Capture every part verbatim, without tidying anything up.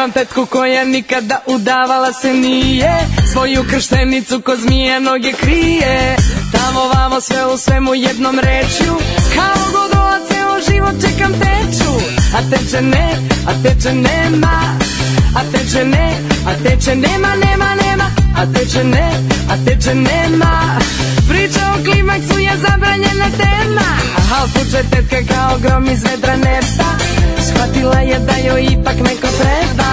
Imam tetku koja nikada udavala se nije, svoju krštenicu ko zmija noge krije. Tamo vamo sve u svemu jednom rečju, kao godola ceo život čekam teču. A teče ne, a teče nema, a teče ne, a teče nema, nema, nema. A teče ne, a teče nema. Priča o klimaksu je zabranjena tema, al puče tetka kao grom iz vedra neba. Shvatila je da joj ipak neko treba,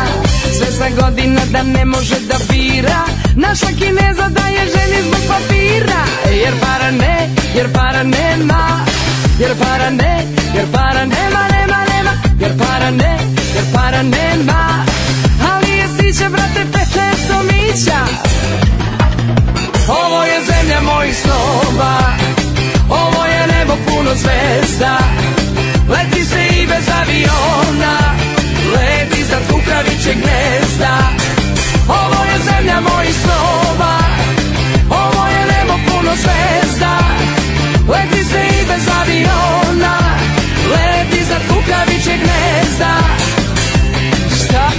sve za godina da ne može da bira. Našla Kineza da je ženi zbog papira. Jer para ne, jer para nema, jer para ne, jer para nema, nema, nema. Jer para ne, jer para nema. Ali je sića, brate, pete somića. Ovo je zemlja mojih snova, ovo je nebo puno zvezda. Leti se i bez aviona, leti iznad kukavičjeg gnezda. Ovo je zemlja mojih snova, ovo je nebo puno zvezda. Leti se i bez aviona, leti iznad kukavičjeg gnezda. Šta?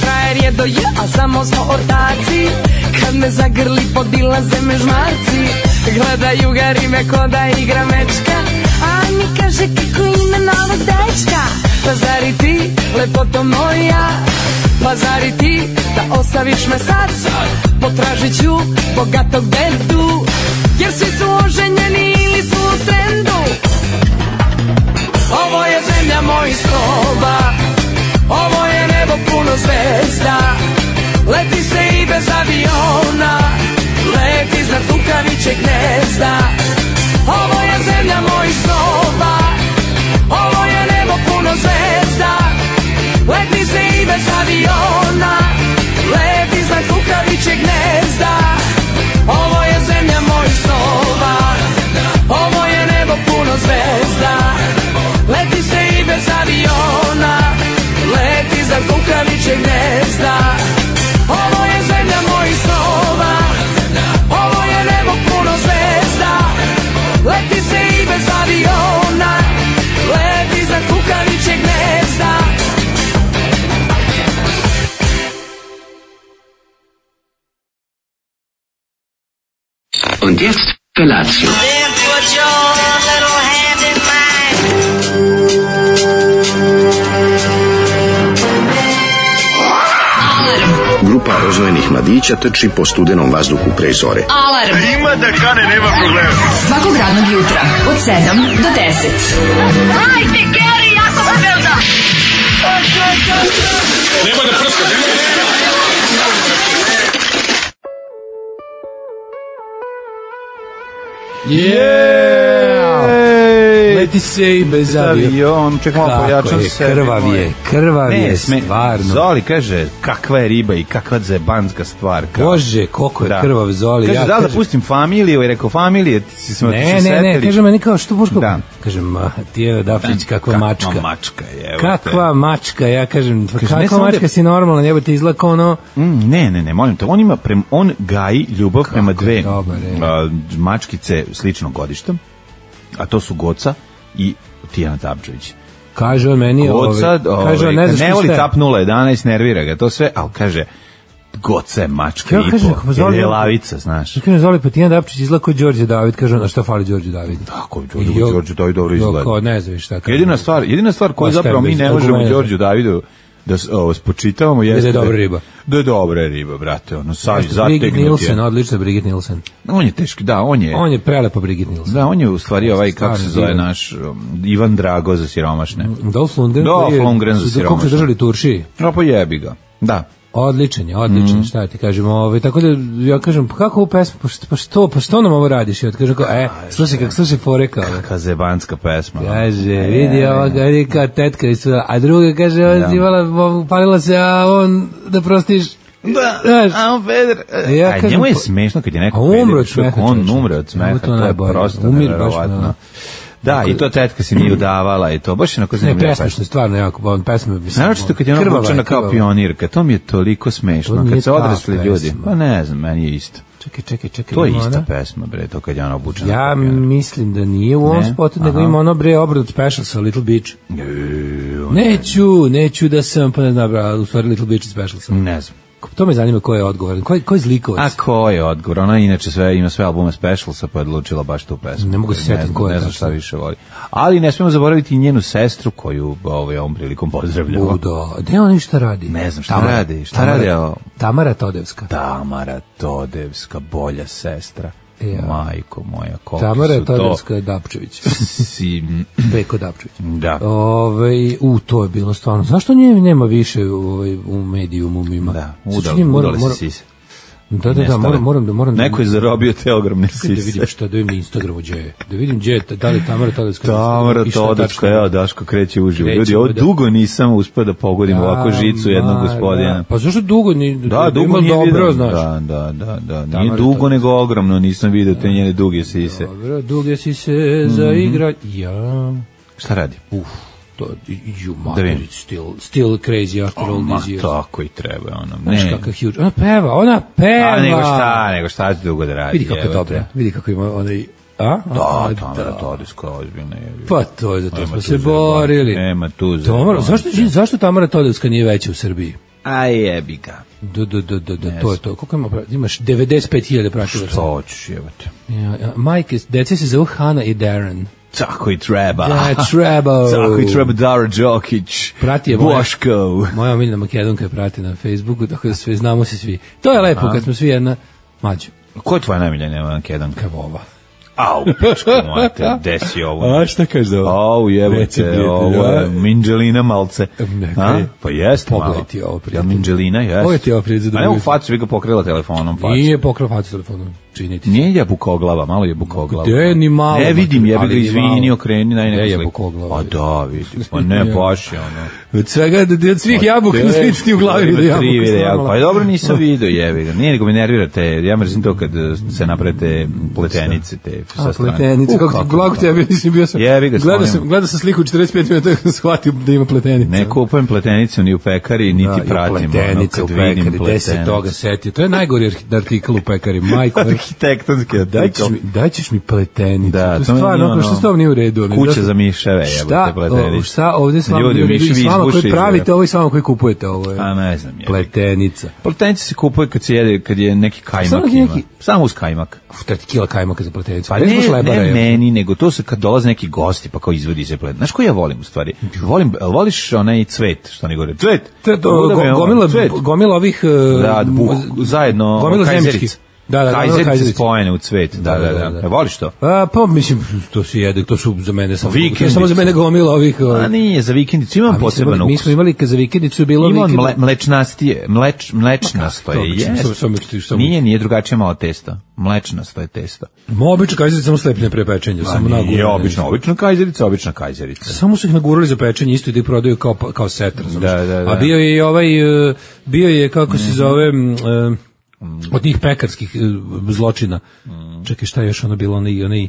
Frajer je do ja, a samo smo ortaci. Kad me zagrli podilaze me žmarci. Gledaju ga rime ko da igra mečka, a mi kaže kako ime novog dečka. Pa zari ti, lepoto moja, pa zari ti da ostaviš me sad? Potražit ću bogatog dedu, jer svi su oženjeni ili su u trendu. Ovo je zemlja mojih snova, ovo je nebo puno zvezda. Leti se i bez aviona, leti iznad kukavičjeg gnezda. Ovo je zemlja mojih snova, ovo je nebo puno zvezda. Leti se i bez aviona, leti iznad kukavičjeg gnezda. Ovo je zemlja mojih snova, ovo je nebo puno zvezda. Leti se i bez aviona, leti iznad kukavičjeg gnezda. Ovo je zemlja mojih snova, ovo je nebo puno zvezda. Leti se i bez aviona, leti iznad kukavičjeg gnezda. Und jetzt Felatio. Then put your little hand in mine. Grupa rozvojenih mladića trči po studenom vazduhu pre zore. Alarm! Ima da kane, nema problema. Svakog radnog jutra, od sedam do deset. Hajde, Geri, jako se velda! Nema da prska, nema da prska. Yeah! Leti se i bez avion. Čekamo, pojačam se. Krvav je, krvav je, stvarno. Zoli kaže, kakva je riba i kakva zebanska stvar. Bože, koliko je da. krvav Zoli. Kaže, ja, da li da kažem, pustim familiju? I rekao, familije, ti si smo ne, ti se ne, setili. ne, kaže meni kao što Boško. Da. Kažem, ma, ti je Dafrić, kakva mačka. Kakva mačka je. Kakva mačka, ja kažem, Kaže, kakva mačka da... si normalna, njebo ti izlako ono... Mm, ne, ne, ne, molim te, on ima, prem, on gaji ljubav kako prema dve dobar, a, mačkice sličnog godišta, a to su Goca i Tijana Tapčević. Kaže on meni, Goca, ove, kaže on, ne znaš ne voli šta je. tap nula jedanaest, nervira ga, to sve, ali kaže, Goca je mačka Ja i kažem, po, jer je lavica, znaš. Kaže, Zoli, pa Tijan Dapčić izgleda kao Đorđe David, kaže on, a šta fali Đorđe David? Tako, Đorđe David dobro izgleda. Kao, ne znam šta kaže. Jedina stvar, jedina stvar koju zapravo mi ne možemo Đorđu Davidu da ovo spočitavamo jeste da je dobra riba. Da je dobra riba, brate, ono sad Brigitte Nielsen, odlična Brigitte Nielsen. On je teški, da, on je. On je prelepa Brigitte Nielsen. Da, on je u stvari ovaj kako se zove naš um, Ivan Drago za siromašne. Dolph Lundgren. Dolph Lundgren za siromašne. Kako se držali Turši? No pa jebi ga. Da. Odličan je, odličan, mm. šta ti kažem, ovaj, tako da ja kažem, pa kako ovu pesmu, pa što, pa što, pa što nam ovo radiš? I od kažem, kao, e, slušaj, kako slušaj fore kao. Kakva zebanska pesma. Kaže, vidi ova garika, tetka i sve, a druga kaže, on si imala, palila se, a on, da prostiš, da, znaš, a on peder. Ja Aj, kažem, njemu je smešno kad je neko umre od peder, smeha. on umre od smeha, to je prosto nevjerovatno. Da, Tako i to tetka se nije udavala i to baš je onako Ne, zanimljivo. presmešno, stvarno, jako, on pesme, mislim. Naročito kad je ona krvava obučena kao krvava. pionirka, to mi je toliko smešno. To nije Kad se ta odrasli ljudi, pesma. pa ne znam, meni je isto. Čekaj, čekaj, čekaj. To je ima ista ona- pesma, bre, to kad je ona obučena. Ja kao pionirka. mislim da nije u ovom Ne? spotu, nego Aha. ima ono bre obrad special sa Little Beach. Ju, Neću, neću da sam, pa ne znam, bra, u stvari Little Beach special sam. Ne znam. To me zanima ko je odgovoran, ko je, ko je zlikovac? A ko je odgovor? Ona inače sve ima sve albume Specialsa, pa je odlučila baš tu pesmu. Ne mogu se sjetiti znam- ko je Ne znam tačno. šta više voli. Ali ne smemo zaboraviti i njenu sestru koju ovaj, ovom prilikom pozdravljamo. Budo, gde on šta radi? Ne znam šta radi, šta Tamara, radi, evo? Tamara Todevska. Tamara Todevska, bolja sestra. Ja. Majko moja, koliko Tamara su to... Todevska Dapčević. Si, Peko Dapčević. da. Ove, u, to je bilo stvarno. Zašto nje nema više ovaj, u medijumu ima? Da, Znači, udali, njim moram- udali moram- se sise. Da, da, da, Nestale. moram, moram da moram da Neko je zarobio te ogromne da vidim sise. šta, da vidim na Instagramu gdje je. Da vidim gdje je, da li je Tamara Todevska. Tamara i šta je Todevska, tačno. evo Daško kreće uživo. Krećemo Ljudi, ovo da- dugo nisam uspio da pogodim ovako žicu jednog Ma, gospodina. da. Pa zašto dugo ni Da, dugo ima nije dobro, vidio. znaš. Da, da, da, da. Nije Tamara dugo, Todevska. nego ogromno, nisam vidio te njene duge sise. Dobro, duge si se zaigra. Ja, Šta radi? uf, to, you Da vidim. mother, it's still, still crazy after all Ma, these years. tako i treba, ono. Znaš Ne. kakav huge, ona peva, ona peva. A nego šta, nego šta će dugo da radi? Vidi kako je evo te. dobra, vidi kako ima onaj, a? Da, A, Tamara Todevska ozbiljna je. Pa to je, za to Nema smo tu se za borili. Nema tu za Tamara, jebanje. zašto, zašto Tamara Todevska nije veća u Srbiji? A jebi ga. Da, da, da, da, da, to je to. Koliko ima, pra- imaš devedeset pet hiljada pratilaca. Što hoćeš, jebate. Ja, ja, majke, dece se zovu Hana i Darren. Tako i treba. Da, treba. Tako i treba Dara Đokić. Prati je moja- Boško. Moja omiljena Makedonka je prati na Facebooku, tako da sve znamo se svi. To je lepo kad smo svi jedna mlađa. Ko je tvoja najmiljena Makedonka? Kavova. Au, pička moja te, desi ovo. A šta kažeš za ovo? Au, Reci, jebote, prijatelju, ovo je a? Minđelina malce. Neka A? je. Pa jeste malo. Pogledaj ti ovo, Ja, prijatelju. Minđelina, jeste. Ovo je ti ovo, prijatelju, za A ne u drugu. facu, vi ga pokrila telefonom facu. Nije pokrao facu telefonom, činiti. Nije jabukoglava, malo jabukoglava. Gde ni malo, Ne vidim, jebi ali ga, ni izvini, malo. okreni, naj Gde neko je sliku. jabukoglava? Pa da, vidim, pa ne, baš je ono. Od svega, od svih jabuka na svijetu ti u glavi da jabuka. Tri vide jabuka. stvarno. Pa dobro, nisam vidio, jebi ga. Nije nego me nervirate, ja mrzim to kad eh, se naprete pletenice te sa A, strane. pletenice, U, kako ti blago tebi, nisam bio sam. Jebi ga, Gledao slonim. sam, gledao sam sliku u četrdeset pet minuta kako sam shvatio da ima pletenice. Ne kupujem pletenicu ni u pekari, niti Da, i pratim. ono, pletenice kad u vidim pekari, gde se pletenicu. toga setio. To je najgori arhi- artikl u pekari, majko. Arhitektonski Daj ćeš artikl. mi, daj ćeš mi pletenicu. Da, to to je mi stvarno, nije ono, što ono- s tobom nije u redu. ono, Kuća zašto- za miševe, Šta, jebote, pletenice. o, šta ovdje s vama Ljudi, nije u redu miševi i s vama izbuše koji iz pravite ovo i s vama koji kupujete ovo. je. A ne znam, jebi ga. Pletenica. Pletenice se kupuje kad se jede, kad je neki kajmak Samo ima. neki- Samo uz kajmak. Uf, treti kila kajmaka za pletenicu. Pa Bez baš ne, lebara, ne je. meni, nego to se kad dolaze neki gosti pa kao izvodi se plet. Znaš koji ja volim u stvari? Volim, jel voliš onaj cvet, što oni govore? Cvet! To je to, Luda me go- ovo, gomila, cvet. gomila ovih... e, Da, buh, zajedno gomila kajzerica. zemljičkih. Da, da, gomila Kajzerice kajzerice. spojene u cvet. Da, da, da. E, voliš to? A, pa mislim, to se jede, to su za mene samo, to je Vikendice. samo za mene gomila ovih... A nije, za vikendicu imam A mi smo poseban imali- Mi ukus. smo imali, kad za vikendicu je bilo... Ima on vikend- mle, mlečnastije, mleč, mlečnasto to je, obično, jest. samo- samo misliš, samo- Nije, nije drugačije malo testo. Mlečnasto je testo. Ma, obično kajzerice samo slepne pre pečenja, samo Nije, nagurane. obično, obična kajzerica, obična kajzerica. Samo su ih nagurali za pečenje, isto i da ih prodaju kao, kao set, razumiješ? Da, da, da. A bio je i ovaj, e, bio je, kako se zove, m, e, od tih pekarskih e, zločina. Čekaj, šta je još ono bilo, onaj, onaj, e,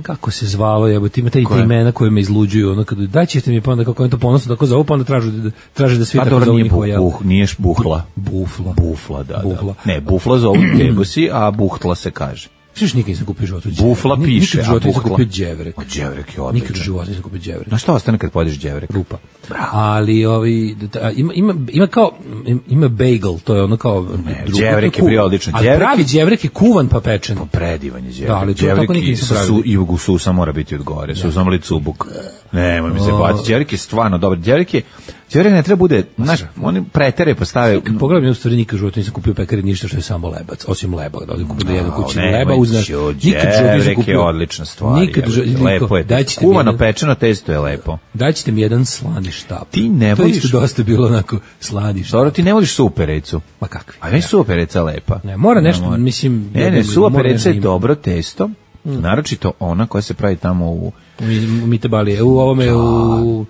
kako se zvalo, jebote, ima taj Koje? imena koje me izluđuju, ono, kada daj ćete mi pa onda kako oni to ponosno tako zovu, pa onda traže da, traže da svi Pa tako dobro, zovu nije, njihova buh, jela. buh, nije buhla. Bufla. Bufla, da, Bufla. da. Ne, bufla zovu kebosi, a buhtla se kaže. Šiš nikad nisam kupio životu Bufla đevrek. piše, Nikad u životu a nisam buhla? kupio đevrek. O, đevrek je Nikad u odličan. životu nisam kupio đevrek. Na šta ostane kad pojedeš đevrek? Rupa. Ali ovi da, ima ima ima kao ima bagel, to je ono kao drugo, đevrek je to bio kuvan. odličan. Ali Đevrek pravi je- đevrek je kuvan pa pečen. Predivan je đevrek. Da, ali to đevrek tako nikad i nisam sa su, pravio. i u susa mora biti od gore. Susa mora cubuk. Nemoj mi se baciti. Đevrek je stvarno dobar. Đevrek je, đevrek ne treba bude, znaš, oni pretere postave. Pogledaj mi u stvari nikad u životu nisam kupio u pekari ništa što je samo lebac, osim leba, da odem kupim da jedem kući nemoj leba uznaš. ću, Nikad u životu nisam đevrek je kupio. odlična stvar. Nikad u životu- Lepo je. Dajte mi Kuvano jedan- pečeno testo je lepo. Daćete mi jedan slani štap. Ti ne To je voliš- isto dosta bilo onako slani štap. Dobro, ti ne voliš supericu. Ma kakvi? A ne supereca lepa. Ne, mora nešto, mora. mislim, Ne, da- ne, da- mora supereca nešto je ima. dobro testo, naročito ona koja se pravi tamo u... U Mitebalije, u ovome, u...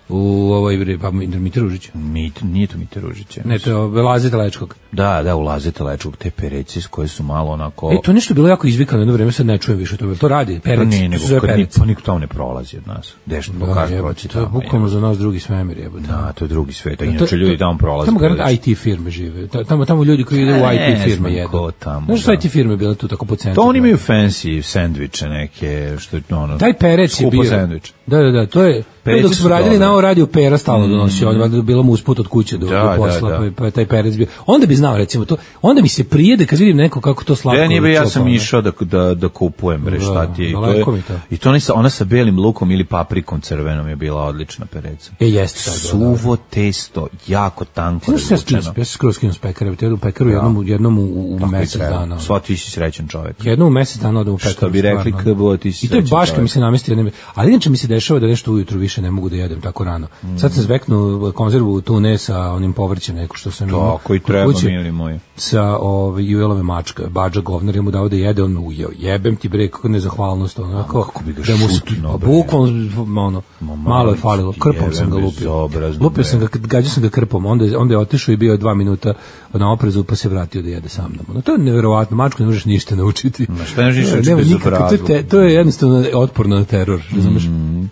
u ovoj, pa Mite Ružić. Mit, nije to Mite Ružić. Ne, to je Laze Telečkog. Da, da, u Laze Telečkog, te pereci s koje su malo onako... E, to nešto bilo jako izvikano jedno vreme, sad ne čujem više to. To radi, pereci. Pa nije, nego kad ni, pa niko tamo ne prolazi od nas. Deš ne pokaže proći tamo. To je bukvalno za nas drugi svemir, jebote. Da, to je drugi svet, a inače ljudi tamo prolaze. Tamo garant I T firme žive. Tamo, tamo ljudi koji ide u I T firme jedu. Znaš što I T firme bile tu tako po centru? To oni imaju fancy sendviče neke, što je ono... Taj perec je bio... Sendvič. Da, da, da, to je... Dok smo radili na ovo radio Pera stalno donosio, on je bilo mu usput od kuće do, da, do posla, da, da. Pa, pa taj perec bio. Onda bi znao recimo to, onda mi se prijede kad vidim neko kako to slatko. Ja nije ja sam išao da, da, da kupujem, bre, šta ti je. I to, je, to. i to ona sa, ona sa belim lukom ili paprikom crvenom je bila odlična pereca. E, jeste. Suvo testo, jako tanko razvučeno. Ja se skoro skinu s pekara, ja u pekaru ja. jednom, jednom u, u mesec dana. Sva ti si srećan čovjek. Jednom u mesec dana odem u pekaru. Što bi rekli K B O, ti si srećan. I to je baš kad mi se namesti, ali inače mi se dešava da nešto ujutru više ne mogu da jedem tako rano. Mm. Sad sam zveknuo konzervu tune sa onim povrćem neko što sam imao. Tako i treba, mili moji. Sa ovaj Juelove mačka, Badža govnar, je mu dao da jede, on me ujeo. Jebem ti bre, kako nezahvalnost, onako. Kako bi ga da mu šutno, bukvalno, ono, malo je falilo, krpom sam ga lupio. Lupio sam ga, gađao sam ga krpom, onda je, onda je otišao i bio je dva minuta na oprezu, pa se vratio da jede sa mnom. No, to je neverovatno, mačku ne možeš ništa naučiti. Ma šta ne možeš naučiti bez obrazluka? To, to je jednostavno otporno na teror, razumeš? Mm.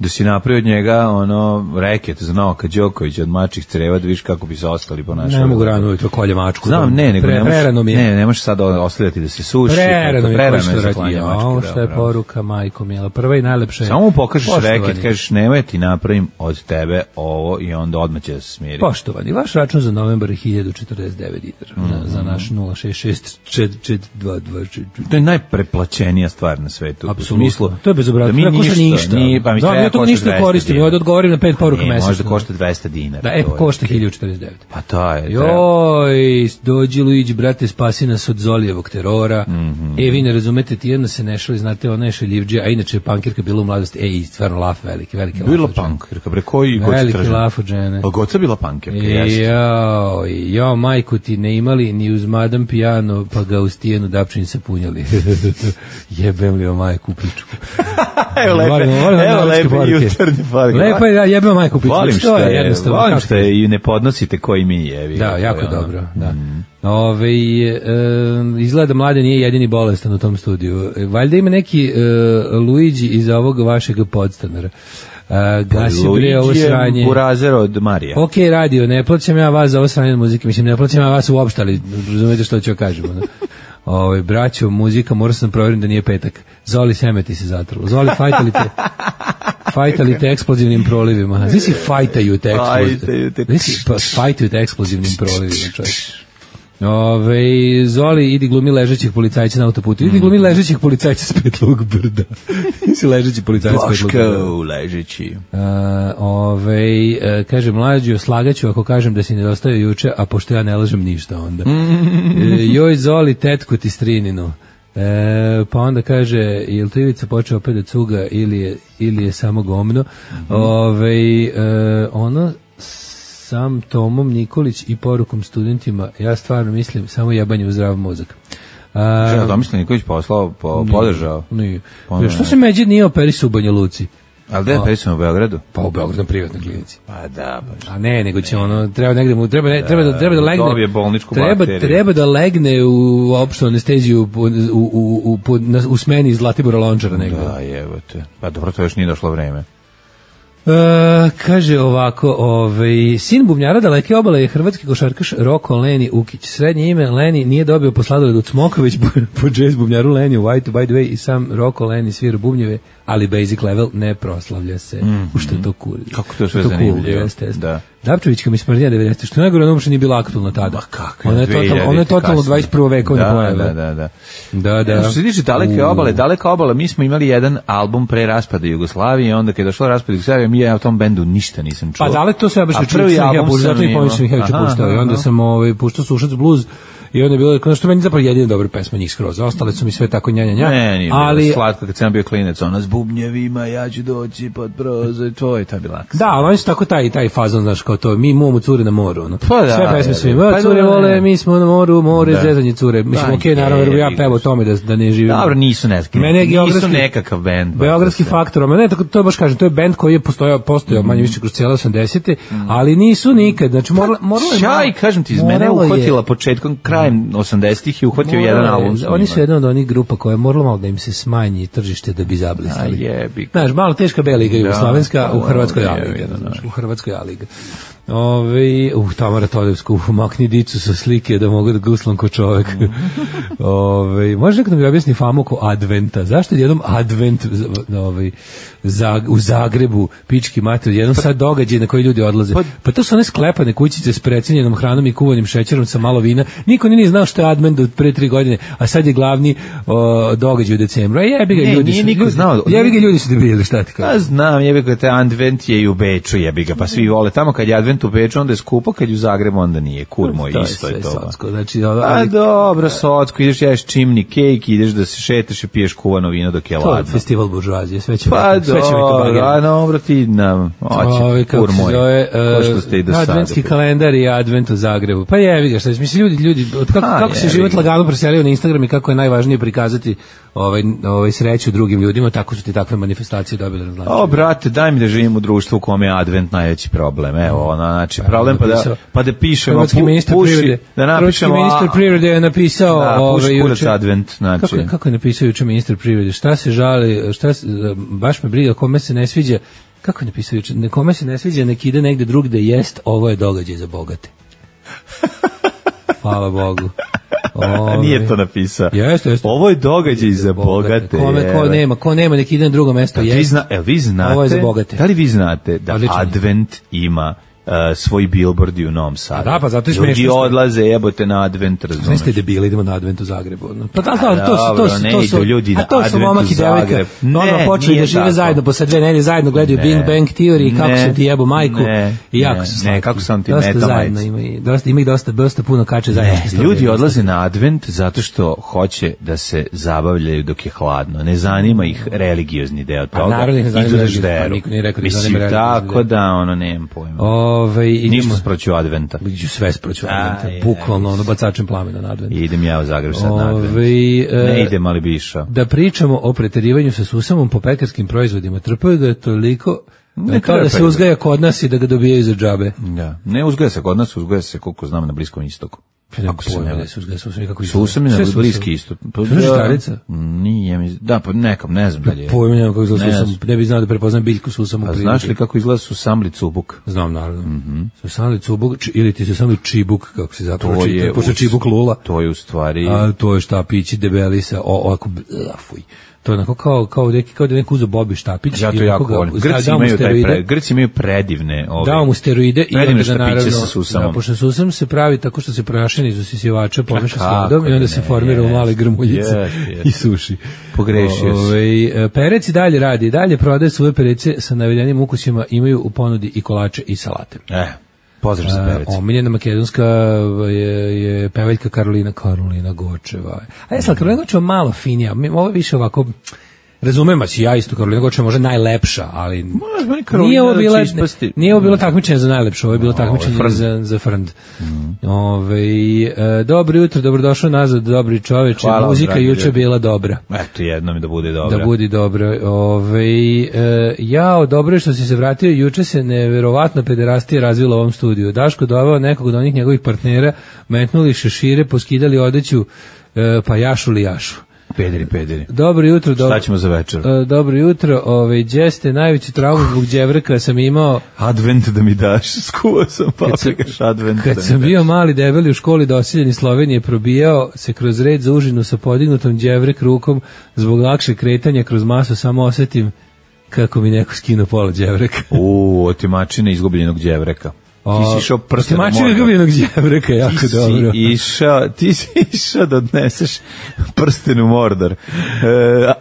Da si napravio od njega ono reket za Novaka Đokovića od mačih creva, da vidiš kako bi se ostali ponašali. Ne mogu rano ujutro kolje mačku. Znam, ne, nego Pre, ne, možeš, ne, ne možeš sad ostavljati da se suši. Prerano mi je, prerano što je za radi. klanje mačke. Ovo što je poruka, majko mijela. Prva i najlepša je. Samo mu pokažeš reket, kažeš nemoj ti napravim od tebe ovo i onda odmah će da se smiri. Poštovani, vaš račun za novembar je hiljadu četrdeset devet dinara. Mm. Za, za naš nula šest šest četiri dva dva četiri. To je najpreplaćenija stvar na svetu. Apsolutno. To je bezobrazno. Da mi ništa, ništa. Nije, pa mi da, ja to ništa koristim. Ja odgovorim na pet poruka mesečno. Možda košta dvesta dinara. Da, e, košta hiljadu četrdeset devet. Pa to je. Joj, dođi Luigi, brate, spasi nas od Zolijevog terora. Mm -hmm. E, vi ne razumete, ti jedno se nešali, znate, ona je šaljivđe, a inače je pankirka bila u mladosti. Ej, stvarno laf veliki, veliki laf. Bila pankirka, bre, koji goca tražen? Veliki laf od žene. A goca bila pankirka, jeste. Joj, jo, majku ti ne imali ni uz madam pijano, pa ga uz tijenu dapčin se punjali. Jebem li o majku pičku. Evo lepe, evo lepe jutarnje poruke. Lepo je, da, jebem majku pičku. Volim što je, volim što je i ne podnosite koji mi jevi. Da, jako dobro, da. Ove, e, izgleda Mladen nije jedini bolestan u tom studiju. Valjda ima neki e, Luigi iz ovog vašeg podstanara. Uh, gasi bre ovo sranje. Burazer od Marija. Ok, radio, ne plaćam ja vas za ovo sranje muzike, mislim, ne plaćam ja vas uopšte, ali razumete što ću kažemo. Da? Ove, braćo, muzika, morao sam provjerim da nije petak. Zoli, semeti se zatrlo. Zoli, fajtali te, fajtali te eksplozivnim prolivima. Znaš si fajtaju te eksplozivnim, fajtaju te eksplozivnim prolivima, čovječ. Ove, Zoli, idi glumi ležećih policajca na autoputu. Idi glumi ležećih policajca s Petlog brda. Nisi ležeći policajac s Petlog brda. Boško, ležeći. Uh, ove, uh, kaže, mlađo, slagaću ako kažem da si nedostao juče, a pošto ja ne lažem ništa onda. uh, joj, Zoli, tetku ti strininu. E, pa onda kaže, je li to Ivica počeo opet da cuga ili je, ili je samo gomno? Mm-hmm. Ove, e, ono sam Tomom Nikolić i porukom studentima, ja stvarno mislim samo jebanje u zdrav mozak. A, Žena Tomislav Nikolić poslao, po, podržao? Nije. nije. Što se međe nije operisu u Banja Luci? Ali gde je operisu u Beogradu? Pa u Beogradu na privatnoj klinici. Pa da, baš. A ne, nego će ne. ono, treba negde mu, treba, ne, treba, da, treba da legne. Dobije bolničku treba, bakteriju. Treba da legne u opštu anesteziju u, u, u, u, na, u smeni Zlatibora Lončara negde. Da, jebote. Pa dobro, to još nije došlo vreme. Uh, kaže ovako, ovaj, sin bubnjara Daleke obale je hrvatski košarkaš Roko Leni Ukić. Srednje ime Leni nije dobio po sladoledu od Smoković po, po jazz bubnjaru Leni u White, by the way, i sam Roko Leni svira bubnjeve, ali basic level ne proslavlja se. Mm-hmm. U što je to cool. Kako to sve zanimljivo. Cool, jeste, jeste. Da. Dapčevićka mi smrdnija devedesetih, što najgore ono uopšte nije bila aktualna tada. Ma kako? Ona je totalno, ona je totalno dvadeset prvo vekovne da, pojave. Da, da, da. Da, da. Što se tiče Daleke obale, Daleka obala, mi smo imali jedan album pre raspada Jugoslavije, onda kad je došlo raspad Jugoslavije, mi ja u tom bendu ništa nisam čuo. Pa Dalek to sve baš prvi album zato i Pomić Mihajić puštao. I onda sam ovaj puštao Sušac blues i onda je bilo, ono što meni zapravo jedina dobra pesma njih skroz, ostale su mi sve tako njanja nja, Ne, nije ali bilo slatko kad sam bio klinec, ona s bubnjevima, ja ću doći pod prozor tvoj, to je bila. da, ali oni su tako taj, taj fazon, znaš, kao to, mi imamo cure na moru, ono. Pa da, sve pesme je, su je. ima, Pa cure da, vole, ne. mi smo na moru, more, Da. zezanje cure, mislim, Da, okej, naravno, jer bi ja je, pevao o tome da, da ne živim. Dobro, nisu neki, Mene je nisu geografski- nekakav bend. baš Beogradski da se- faktor, ma ne, tako to baš kažem, to je bend koji je postojao, postojao manje više kroz cijele osamdesete, ali nisu nikad, znači morala, morala je... Šaj, kažem ti, iz mene je moralo je- uhvatila početkom, krajem osamdesetih i uhvatio jedan moralo je- album. s Oni njima. su jedna od onih grupa koja je morala malo da im se smanji tržište da bi zablistali. A jebi. Znaš, malo teška B liga jugoslovenska, u da, Hrvatskoj da, A liga, jebi, znaš, u Hrvatskoj A liga. Ove, uh, Tamara Todevsku, makni dicu sa slike da mogu da guslam ko čovek. Ove, može neko da mi objasni famu oko adventa? Zašto je jednom advent ovaj, za, u Zagrebu, pički mater, jednom sad događaj na koji ljudi odlaze? Pa- Pa to su one sklepane kućice s precenjenom hranom i kuvanim šećerom sa malo vina. Niko nije ni znao što je advent od pre tri godine, a sad je glavni o, događaj u decembru. A jebi ga Ne, ljudi nije su, niko ljudi- znao. Jebi ga ljudi su debili, šta ti Pa kažem? znam, jebi ga, te advent je i u Beču, jebi ga, pa svi vole. Tamo kad je advent u Beču, onda je skupo, kad je u Zagrebu, onda nije. Kur moj, To je isto je sve to. ba. socko, znači, ono, A ali- dobro, socko, ideš ješ čimni kejk, ideš da se šetaš i piješ kuvano vino dok je To je ladno. festival buržuazije, sve će Pa biti, sve će biti dobro, bageri. a dobro ti nam, Ovaj, oće, kako kur se moj, zove, ko što e, ste i do sada. adventski kalendar i advent u Zagrebu. Pa jevi ga, šta je, mislim, ljudi, ljudi, od kako, Ha, kako se jebi život ga. lagano preselio na Instagram i kako je najvažnije prikazati ovaj, ovaj sreću drugim ljudima, tako su ti takve manifestacije dobile na značaju. O, brate, daj mi da živim u društvu u kome je advent najveći problem. Evo, ono, znači, problem pa da, napisao- pa da pišemo, Hrvatski pu, ministar puši, privrede, da Hrvatski napišemo... ministar privrede je napisao Da, ovaj, puši kurac juče- advent, znači. Kako, je- kako je napisao juče ministar privrede? Šta se žali, šta se, baš me briga, kome se ne sviđa, kako je napisao juče? Kome se ne sviđa, nek ide negde drugde jest, ovo je događaj za bogate. Hvala Bogu. A nije to napisao. Jeste, jeste. Ovo je događaj za bogate. Kome, ko evo. nema, ko nema, nek ide na drugo mesto. Da, vi, jest. zna, el, vi znate, Ovo je za bogate. da li vi znate da Odlično. advent ima uh, svoj billboard i u Novom Sadu? da, pa zato je Ljudi smešno što- odlaze, jebote na advent, razumeš? Ne ste debili, idemo na advent u Zagrebu. No. Pa da, da, A, to su, to dobro, su, ne to su, idu ljudi a na to su advent momak u i devojka. Zagreb. Ono Ne, počeli nije da žive tako. zajedno, posle dve nedelje zajedno gledaju Ne. Bing Bang Theory i kako Ne. sam ti jebo majku. Ne. I jako Ne. su Ne, slatki. kako sam ti dosta meta zajedno majicu. ima, i dosta, ima ih dosta, dosta puno kače zajedno. Ne, ljudi odlaze na advent zato što hoće da se zabavljaju dok je hladno. Ne zanima ih religiozni deo toga. naravno ih ne zanima Idu da religiozni, pa žderu. niko nije rekao da ih Mislim, zanima religiozni tako deo. da, ono, nemam pojma. Ove, i Ništa idemo- sproću adventa. Iđu sve sproću A, adventa, je, bukvalno ono bacačem plamena na advent. I idem ja u Zagreb sad na advent. Ove, e, Ne idem, ali bi išao. Da pričamo o preterivanju sa susamom po pekarskim proizvodima. Trpaju ga toliko Ne kao da se trpaju. uzgaja kod nas i da ga dobijaju za džabe. Da. Ne uzgaja se kod nas, uzgaja se koliko znam na Bliskom istoku. Ako se ne ne se uzgaja susam, kako Susam je na Bliski istok. Pa, Susam je žitarica? Nije, mi- da, pa nekam, ne znam dalje. Pojma nemam kako izgleda Ne susam. znam. Ne bi znao da prepoznam biljku susam u A prirodi. znaš li kako izgleda susamli cubuk? Znam, naravno. Mm-hmm. Susamli cubuk, či- ili ti susamli čibuk, kako se zapravo To čita, je pošto u- čibuk lula. To je u stvari... A to je štapići debeli sa o, ovako, bla, fuj. To je onako kao, kao, neki, kao da je neko uzeo Bobi štapić. Ja i to onako jako ga- volim. da- Grci dao mu imaju, taj steroide. pre, Grci imaju predivne ove. Dao mu steroide i predivne onda ga štapiće naravno, sa susamom. da, pošto susam se pravi tako što se prašeni iz usisivača pomeša s kako vodom i onda da se ne, formira u jest, male grmuljice jest, jest. i suši. Pogrešio si. Ovaj, perec i dalje radi, i dalje prodaje svoje perece sa navedenim ukusima, imaju u ponudi i kolače i salate. E, pozdrav za perec. Uh, omiljena makedonska je, je pevaljka Karolina Karolina Gočeva. A jesla, Karolina Gočeva malo finija, mi- ovo je više ovako, razumem vas, ja isto, Karolina Gočeva može najlepša, ali Možda meni Karolina nije ovo da bila, će ispasti. nije ovo bilo takmičenje za najlepše, ovo je bilo ovo je takmičenje frnd. za, za frnd. Ove, e, dobro jutro, dobrodošao nazad, dobri čoveče, Hvala vam, muzika dragi juče ljudi. bila dobra. Eto, jedno mi da bude dobro. Da budi dobro. Ove, e, jao, dobro je što si se vratio, juče se neverovatna pederastija razvila u ovom studiju. Daško doveo nekog od onih njegovih partnera, metnuli šešire, poskidali odeću, e, pa jašu li jašu. Pederi, pederi. Dobro jutro. Šta dobro- ćemo za večer? E, dobro jutro, ovaj đeste, najveći traumu zbog đevrka sam imao Advent da mi daš, skuo sam paprikaš advent. kad da mi sam daš. bio mali debeli u školi doseljeni Slovenije, probijao se kroz red za užinu sa podignutom đevrek rukom zbog lakše kretanja kroz masu, samo osetim kako mi neko skinuo pola đevreka. U, otimačine izgubljenog đevreka. Ti si išao prsten u Mačina Mordor. gubljenog đevreka, jako Ti si dobro. išao, ti si išao da odneseš prsten u Mordor, e,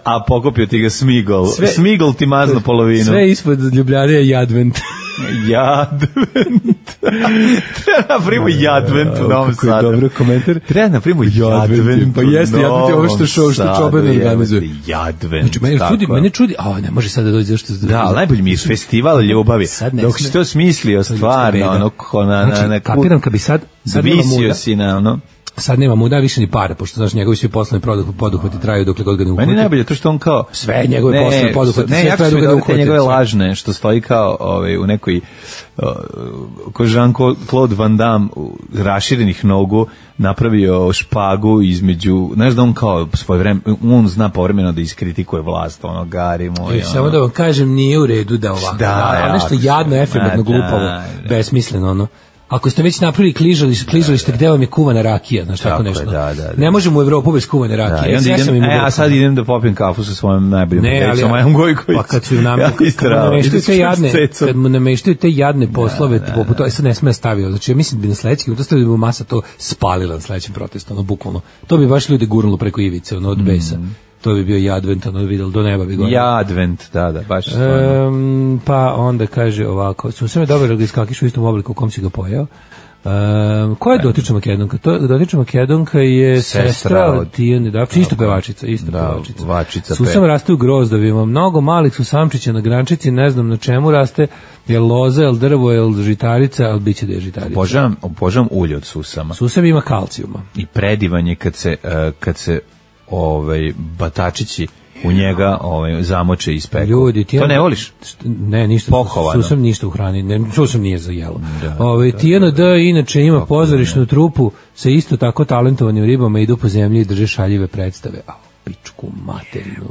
a pokupio ti ga Smigol. Sve- Smigol ti mazno polovinu. Sve ispod Ljubljane je advent. Jadvent. Treba napravimo Jadvent u Novom Sadu. Kako je dobro komentar. Treba napravimo Jadvent. Pa jeste, Jadvent je ovo što što što Čoban organizuje. Jadvent. Znači, mene čudi, mene čudi, a ne može sad da dođe zašto. Da, ali najbolji mi je festival ljubavi. Dok si to smislio stvarno, ono, na, na, na, kapiram kad bi sad, sad visio si na, ono, sad nema muda više ni para, pošto znaš njegovi svi poslovni poduhvati traju dokle god ga ne uhvati. Meni najbolje to što on kao sve njegove poslovne poduhvati, ne, sve jako traju dok ga ne uhvati. Njegove lažne što stoji kao ovaj u nekoj uh, ko Jean-Claude Van Damme raširenih nogu napravio špagu između, znaš da on kao svoje vreme, on zna povremeno da iskritikuje vlast, ono gari moj. E, samo ono. Da vam kažem, nije u redu da ovako, da, da, nešto jadno, efemertno, glupovo, besmisleno, ono. Ako ste već napravili kližalište, kližalište gde vam je kuvana rakija, znači tako, tako nešto. Da, da, da. Ne možemo u Evropu bez kuvane rakije. Da, ja idem, e, a sad idem da popijem kafu sa svojom najboljom prijateljicom Majom Gojković. Pa kad su nam ja, kad mu nameštaju te jadne, kad mu nameštaju te jadne poslove, da, da, poput to, sad ne sme stavio. Znači ja mislim da bi na sledećem, to stavio bi masa to spalila na sledećem protestu, ono bukvalno. To bi baš ljudi gurnulo preko ivice, ono od besa. Mm. To bi bio Jadvent, ono vidjelo do neba bi gore. Jadvent, da, da, baš. Um, pa onda kaže ovako, su sve dobro da iskakiš u istom obliku u kom si ga pojeo. Um, ko je dotična Makedonka? To, dotična Makedonka je sestra, sestra od Tijane Dapčić, isto pevačica, isto da, pevačica. Vačica Susam pe. Raste u grozdovima, mnogo malih susamčića na grančici, ne znam na čemu raste, je loza, je drvo, je žitarica, ali bit će da je žitarica. Obožavam, obožavam ulje od susama. Susam ima kalcijuma. I predivan je kad se, uh, kad se ovaj, batačići u njega ovaj, zamoče i speku. Ljudi, ti to ne voliš? Ne, ništa. Pohovano. Susam ništa u hrani, ne, susam nije za jelo. Da, ovaj, Tijana D inače ima pozorišnu trupu sa isto tako talentovanim ribama, idu po zemlji i drže šaljive predstave. A pičku materinu.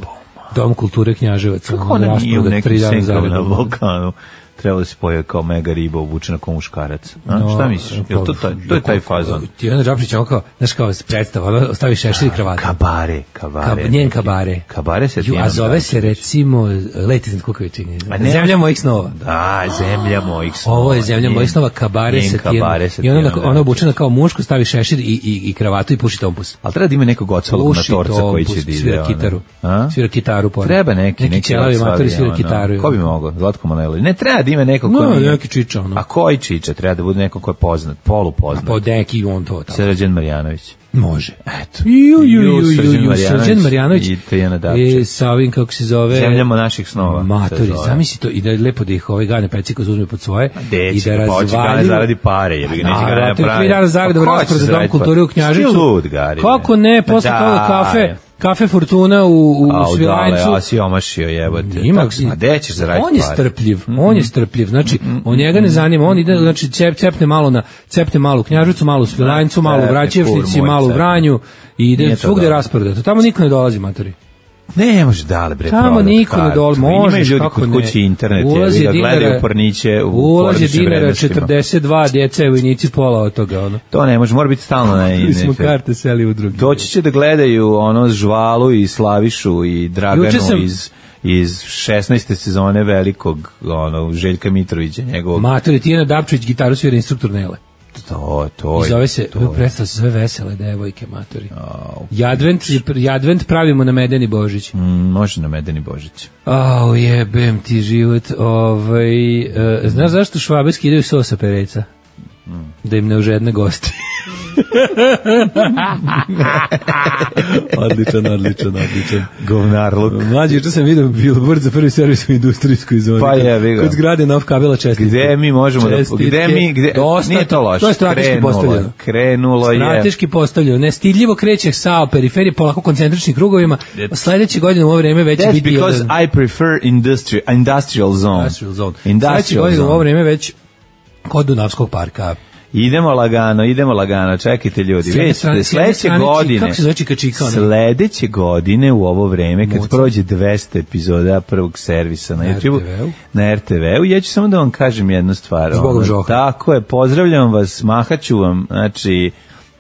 Dom kulture Knjaževac. Kako ona nije u nekim senkama na Balkanu? Trebalo se pojavi kao mega riba obučena kao muškarac. A? No, šta misliš? Je to, taj, to je taj fazon? Tijana Džapšić, on kao, znaš kao predstava, ostavi šešir i kravatu. Kabare, kabare. Kab, njen kabare. Kabare se Ju, a zove se recimo, leti iznad Kukovičini. Zemlja mojih snova. Da, zemlja mojih snova. Ovo je zemlja mojih snova, kabare se Tijana. I ona, ona obučena kao muško, stavi šešir i, i, i kravatu i puši tompus. Ali treba da ima nekog ocvalog matorca koji će da ide. Svira kitaru. Svira kitaru. Treba neki, neki ćelavi matori svira kitaru. Ko bi mogao? Zlatko Manojlović. Ne treba da ima nekog ko no, neki čiča, ono. A koji čiča? Treba da bude neko ko je poznat, polupoznat. A pa neki on to tamo. Srđan Marjanović. Može. Eto. Ju, ju, ju, ju, ju, Srđan Marjanović. I Tijana Dapčić. I sa ovim, kako se zove... Zemljamo naših snova. Matori, zamisli to. I da je lepo da ih ovaj Gane Peciko uzme pod svoje. Deci, i da razvalju... Gane zaradi pare, jer ga neće Gane napravi. Tri dana zaradi u raspored za Dom kulture u Knjažicu. Lud, Gari. Kako ne, posle toga kafe... Kafe Fortuna u, u Svilajncu. A si omašio jebote. Ima, a gde ćeš zaraditi? On je strpljiv, mm-hmm. on je strpljiv. Znači, mm-hmm. on njega ne zanima, on ide, znači cep, cepne malo na cepne malo u Knjaževcu, malo u Svilajncu, malo u Vraćevšnici, malo u Vranju i ide svugde rasporedato. Tamo niko ne dolazi, matori. Ne, može dale bre. Tamo niko ne dolazi, može ljudi kod kuće internet, je, da gledaju porniće u ulaz je dinara četrdeset dva, djeca i vojnici pola od toga, ono. To ne može, mora biti stalno na internetu. Mi smo karte seli u drugi. Doći će da gledaju ono Žvalu i Slavišu i Draganu sam... iz iz šesnaeste sezone velikog ono Željka Mitrovića, njegovog. Matori, Tijana Dapčić gitaru svira instruktor Nele. To, to je. I zove se, to predstav se sve vesele devojke, matori. Oh, Jadvent, Jadvent pravimo na Medeni Božić. Mm, može na Medeni Božić. Au, oh, jebem ti život. Ovaj, uh, znaš zašto Švabe skidaju sos sa pereca? Mm. Da im ne užedne gosti. odličan, odličan, odličan. Govnarluk. Mlađi, juče sam vidio billboard za prvi servis u industrijskoj zoni. Pa je, vidio. Kod zgrade Nov kabela čestitke. Gde mi možemo čestitke, da... Gde mi... Gde, dosta, nije to loše. To je strateški krenulo, postavljeno. Krenulo je. Strateški postavljeno. Nestidljivo kreće sa periferije polako koncentričnim krugovima. Sledeće godine u ovo vreme već That's biti... That's because jedan... I prefer industry, industrial zone. Industrial zone. Industrial Sledeće godine u ovo vreme već kod Dunavskog parka. Idemo lagano, idemo lagano, čekajte ljudi. Već sledeće godine, kako se zove Čikačika? Sledeće godine u ovo vreme, kad Moc. prođe dvesta epizoda prvog servisa na, na YouTube, er te ve-u. Na er te ve-u, ja ću samo da vam kažem jednu stvar. Zbogom Žoha. Tako je, pozdravljam vas, mahaću vam, znači,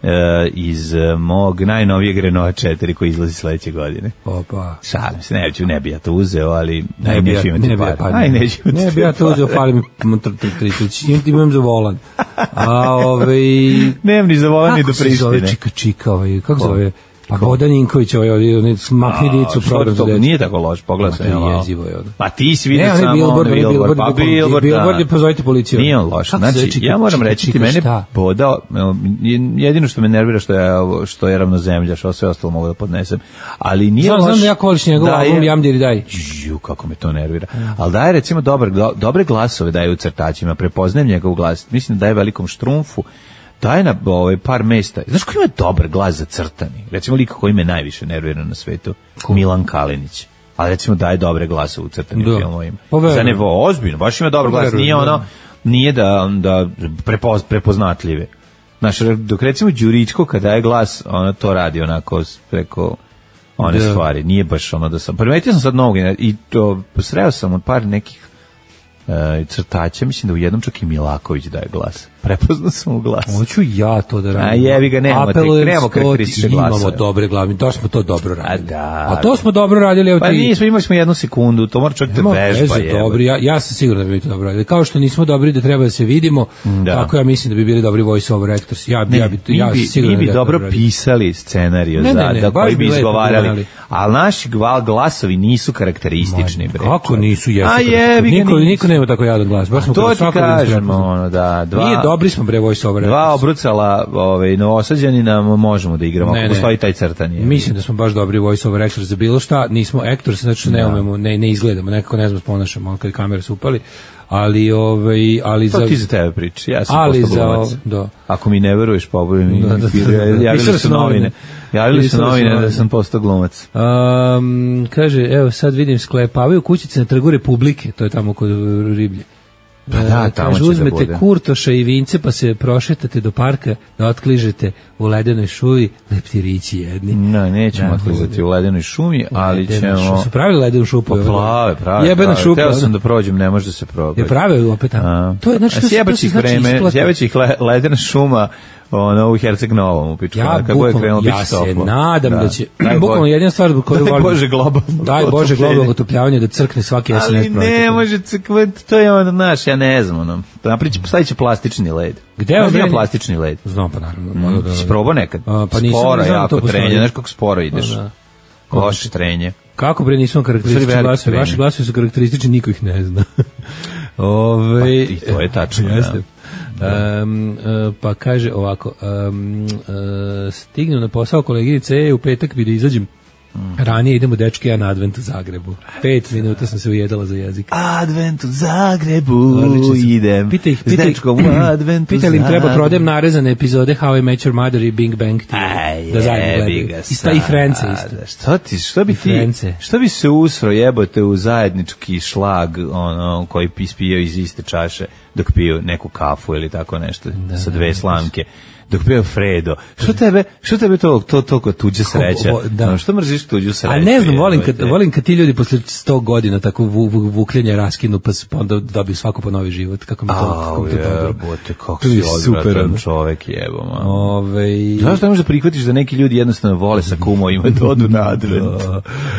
Uh, iz uh, mog najnovijeg Renault četiri koji izlazi sledeće godine. Opa. Šalim se, ne, ću, ne bi ja to uzeo, ali ne, ne bi ja, ne par. Pa, Aj, neću ne bi ja to uzeo, fali mi imam za volan. A ovaj... Nemam ni za volan ni do Prištine. Kako se zove Čika Čika, ovaj, kako zove? Pa Bodan Ninković, ovaj, ovaj, makni dicu program za decu. Nije tako loš, pogledaj sam. Ma, jezivo je ono. Pa ti si vidio ne, samo Billboard, ono Billboard, Billboard, pa Billboard, Billboard je pozovite policiju. Nije on loš. Kako se Znači, čika, ja moram čika, reći ti čika, mene šta? Bodao, jedino što me nervira što je, što je ravnozemlja, što sve ostalo mogu da podnesem. Ali nije znam, loš. Znam da jako voliš njegov album Jam Diri Daj. Ju, kako me to nervira. Ali daje recimo dobar, dobre glasove daje u crtačima, prepoznajem njegov glas. Mislim da daje Velikom Štrumfu. Daje na ovaj, par mesta. Znaš ko ima dobar glas za crtani? Recimo lika koji me najviše nervira na svetu. Ko? Milan Kalinić. Ali recimo daje dobre glasove u crtanim da. filmovima. Za nevo, ozbiljno, baš ima dobar glas. Nije ono, nije da, da prepoz, prepoznatljive. Znaš, dok recimo Đuričko kada daje glas, ono to radi onako preko one da. stvari. Nije baš ono da sam... Primetio sam sad novog i to sreo sam od par nekih Uh, crtača, mislim da u jednom čak i Milaković daje glas. Prepoznao sam u glas. Hoću ja to da radim. A jebi ga, nemamo, te, nemamo karakteristične glasove. Imamo dobre glavne, to smo to dobro radili. A, da, A to smo dobro radili. Evo pa ti... nismo, imali smo jednu sekundu, to mora čak te vežba. Dobri, ja, ja sam siguran da bi to dobro radili. Kao što nismo dobri da treba da se vidimo, da. Tako ja mislim da bi bili dobri voice over actors. Ja, ne, ja bi, ja bi, siguran mi bi da dobro dobro pisali scenariju ne, za, ne, ne, da koji bi izgovarali. A ali naši glasovi nisu karakteristični. Bre, kako nisu? Jesu, a jebi ga, niko, niko nema tako jadan glas. Baš smo to ti kažemo, ono, da. Dva, nije dobri smo bre voice over. Dva obrucala, ovaj, novosađanina možemo da igramo, ako postoji taj crtanje. Mislim da smo baš dobri voice over actors za bilo šta, nismo actors, znači ne umemo, ne, ne izgledamo, nekako ne znam ponašamo, kad kamere su upali. Ali ovaj ali to za ti za tebe priči. Ja sam ali postao glumac. Da. Ako mi ne veruješ, poboj mi. Da, da, da. Javili su novine. Javili su novine da sam postao glumac. Um, kaže, evo sad vidim sklepavaju kućice na Trgu Republike, to je tamo kod Riblje. Pa da, tamo kaže, će uzmete da bude. Kurtoša i vince pa se prošetate do parka da otkližete u ledenoj šumi leptirići jedni. No, nećemo otklizati u ledenoj šumi, ali ledena ćemo... Šu, su pravili ledenu šupu? Pa plave, prave. Jebena prave. šupa. Teo sam da prođem, ne može da se probati. Je prave opet tamo. To je, znači, to, sjebaćih to znači vreme, sjebaćih le, ledena šuma ono u Herceg Novom u pičku. Ja, bukom, ja se toplo. nadam da, da će, bukvalno jedina stvar koju volim. Daj Bože globalno. Daj Bože globalno otopljavanje da crkne svaki S N S projekt. Ali ne može crkvati, to je ono naš, ja ne znam, ono. Napriči, stavit će plastični led. Gde je ono plastični led? Znam pa naravno. Mm, da, da. Si probao nekad? A, pa nisam, sporo, ne znam jako to trenje, znaš kako sporo ideš. Da. Loše trenje. Kako bre nisu karakteristični glasovi? Vaši glasovi su karakteristični, niko ih ne zna. Ove, pa, i to je tačno, jeste. Um, uh, pa kaže ovako um, uh, stignem na posao koleginice e, u petak bi da izađem ranije, idemo dečke ja na Advent u Zagrebu. Pet minuta sam se ujedala za jezik. Advent u Zagrebu idem pita ih, s dečkom u Advent u Pita li im treba prodajem narezane epizode How I Met Your Mother i Big Bang Theory da zajedno gledaju. Ista i Frence isto. Što ti, što bi ti, što bi se usro jebote u zajednički šlag ono, koji ispijao iz iste čaše dok piju neku kafu ili tako nešto da, sa dve slamke. Dok bio Fredo. Što tebe, što tebe to to to tuđe sreća? Da. No, što mrziš tuđu sreću? A ne znam, volim kad volim kad ti ljudi posle sto godina tako vu, vu, vukljenja raskinu pa onda dobiju svako po novi život. Kako mi to, kako mi to dobro. Bote, kako si odvratan čovek, jebo ma. Ovaj zašto ne možeš da prihvatiš da neki ljudi jednostavno vole sa kumovima da odu na Advent?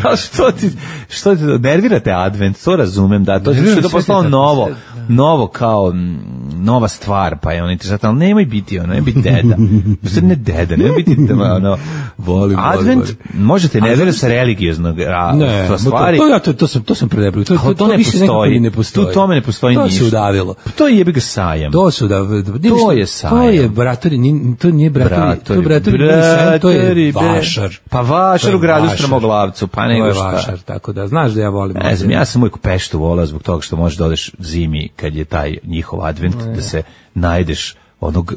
A što ti što ti nervirate Advent? To razumem, da to je to postalo novo, novo kao nova stvar, pa je on interesantan, ali nemoj biti ono, ne biti deda. Sve ne deda, ne biti ono, volim, Advent, volim. Možete ne vera sa religioznog ne, stvari. To, to, to, sam, to sam predebrio. To, to, to, ne postoji. ne postoji. Tu tome ne postoji to ništa. To se udavilo. To je jebi ga sajam. To se udavilo. To je sajam. To je bratori, to nije bratori, to bratori, to je vašar. Pa vašar u gradu Strmoglavcu, pa nego šta. Vašar, tako da, znaš da ja volim. Ne znam, ja sam uvijek u Peštu volao zbog toga što možeš da odeš zimi kad je taj njihov Advent, da se najdeš onog,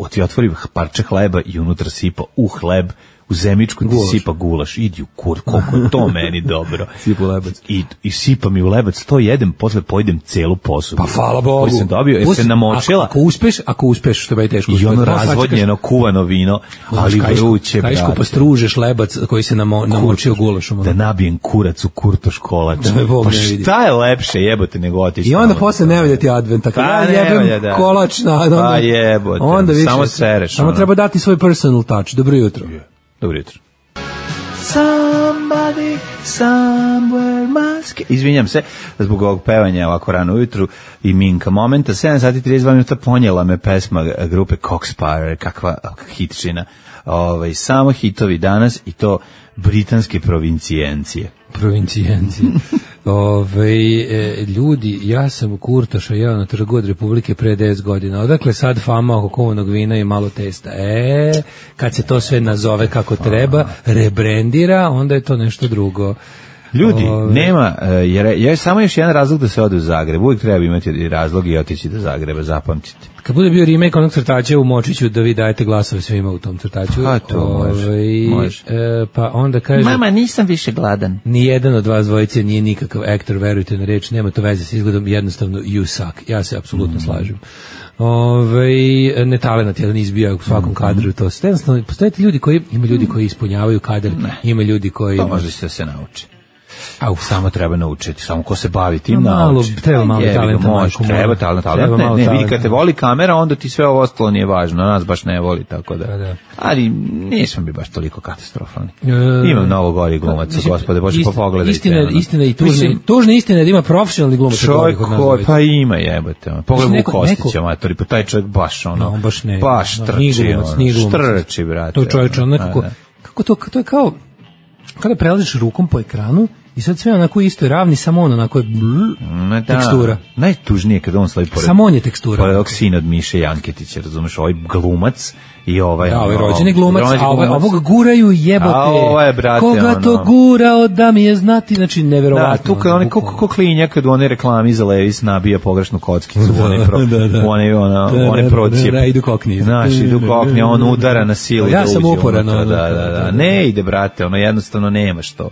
ti otvori parče hleba i unutra sipa u hleb, u zemičku ti sipa gulaš, idi u kur, koliko je to meni dobro. Sipa u lebac. I, I sipa mi u lebac, to jedem, posle pojedem celu posudu. Pa hvala Bogu. Koji sam dobio, jer se namočila. Ako uspeš, ako uspeš, što je teško. I ono razvodnjeno, kuvano vino, ali vruće, brate. Kajško pa stružeš lebac koji se namo, namočio gulašom. Da nabijem kurac u kurtoš kolač. Pa šta je lepše jebote nego otići. I onda posle ne valja ti Advent, tako ja jebem kolač na... Pa jebote, samo sereš. Samo treba dati svoj personal touch. Dobro jutro. Dobro jutro. somebody somewhere must... Izvinjam se zbog ovog pevanja ovako rano ujutru i Minka momenta. sedam sati i trideset dva minuta ponijela me pesma grupe Cockspire, kakva hitčina. Ovaj, samo hitovi danas i to britanske provincijencije. Provincijencije. Ove, e, ljudi, ja sam u Kurtoša, ja na trgu od Republike pre deset godina. Odakle sad fama oko kovanog vina i malo testa? E, kad se to sve nazove kako treba, rebrandira, onda je to nešto drugo. Ljudi, Ove, nema, jer je samo još jedan razlog da se ode u Zagreb. Uvijek treba imati razlog i otići do Zagreba, zapamtite. Kad bude bio remake onog crtača u Močiću, da vi dajete glasove svima u tom crtaču. A, to može, Ove, može. E, pa onda kaže... Mama, nisam više gladan. Ni jedan od vas dvojice nije nikakav aktor, verujte na reč, nema to veze s izgledom, jednostavno you suck. Ja se apsolutno mm. slažem. Ove, netalenat jedan izbija u svakom mm. kadru, to sve. Jednostavno, postoje ljudi koji, ima ljudi koji ispunjavaju kadar, ne. Ima ljudi koji... To može se da se nauči. A uf, samo treba naučiti, samo ko se bavi tim no, malo, nauči. Treba malo je, talenta. Može, treba talenta. Ne, ne, ne, vidi, kad te voli kamera, onda ti sve ovo ostalo nije važno, nas baš ne voli, tako da. da. Ali nisam bi baš toliko katastrofalni. E, Imam mnogo gori glumaca, mislim, gospode, Bože, pa pogledajte. Istina, istina i tužna, tužna istina da ima profesionalni glumac. Čovjek koji, pa ima jebote. Pogledaj u Kostića, matori, pa taj čovjek baš ono, no, baš, ne, baš trči, ono, štrči, brate. To čovječ, ono nekako, kako to, to je kao, kada prelaziš rukom po ekranu, i sad sve onako isto je ravni, samo on onako je bl, da, tekstura. Najtužnije kada on slavi pored... Samo on je tekstura. Pored ovog sina od Miše Janketića, razumeš, ovaj glumac i ovaj... Da, ovaj rođeni glumac, a ovaj, ovog guraju jebote. A ovaj, brate, koga ono, to gurao da mi je znati, znači neverovatno. Da, tu kad on je ko klinja, kad u one reklami za Levis nabija pogrešnu kockicu, u one, pro, da, da. one, ona, da, one procijep. Da, da, idu kokni. Znaš, idu kokni, on udara na silu. Ja sam uporan. Da, da, da, ne ide, brate, ono jednostavno nema što.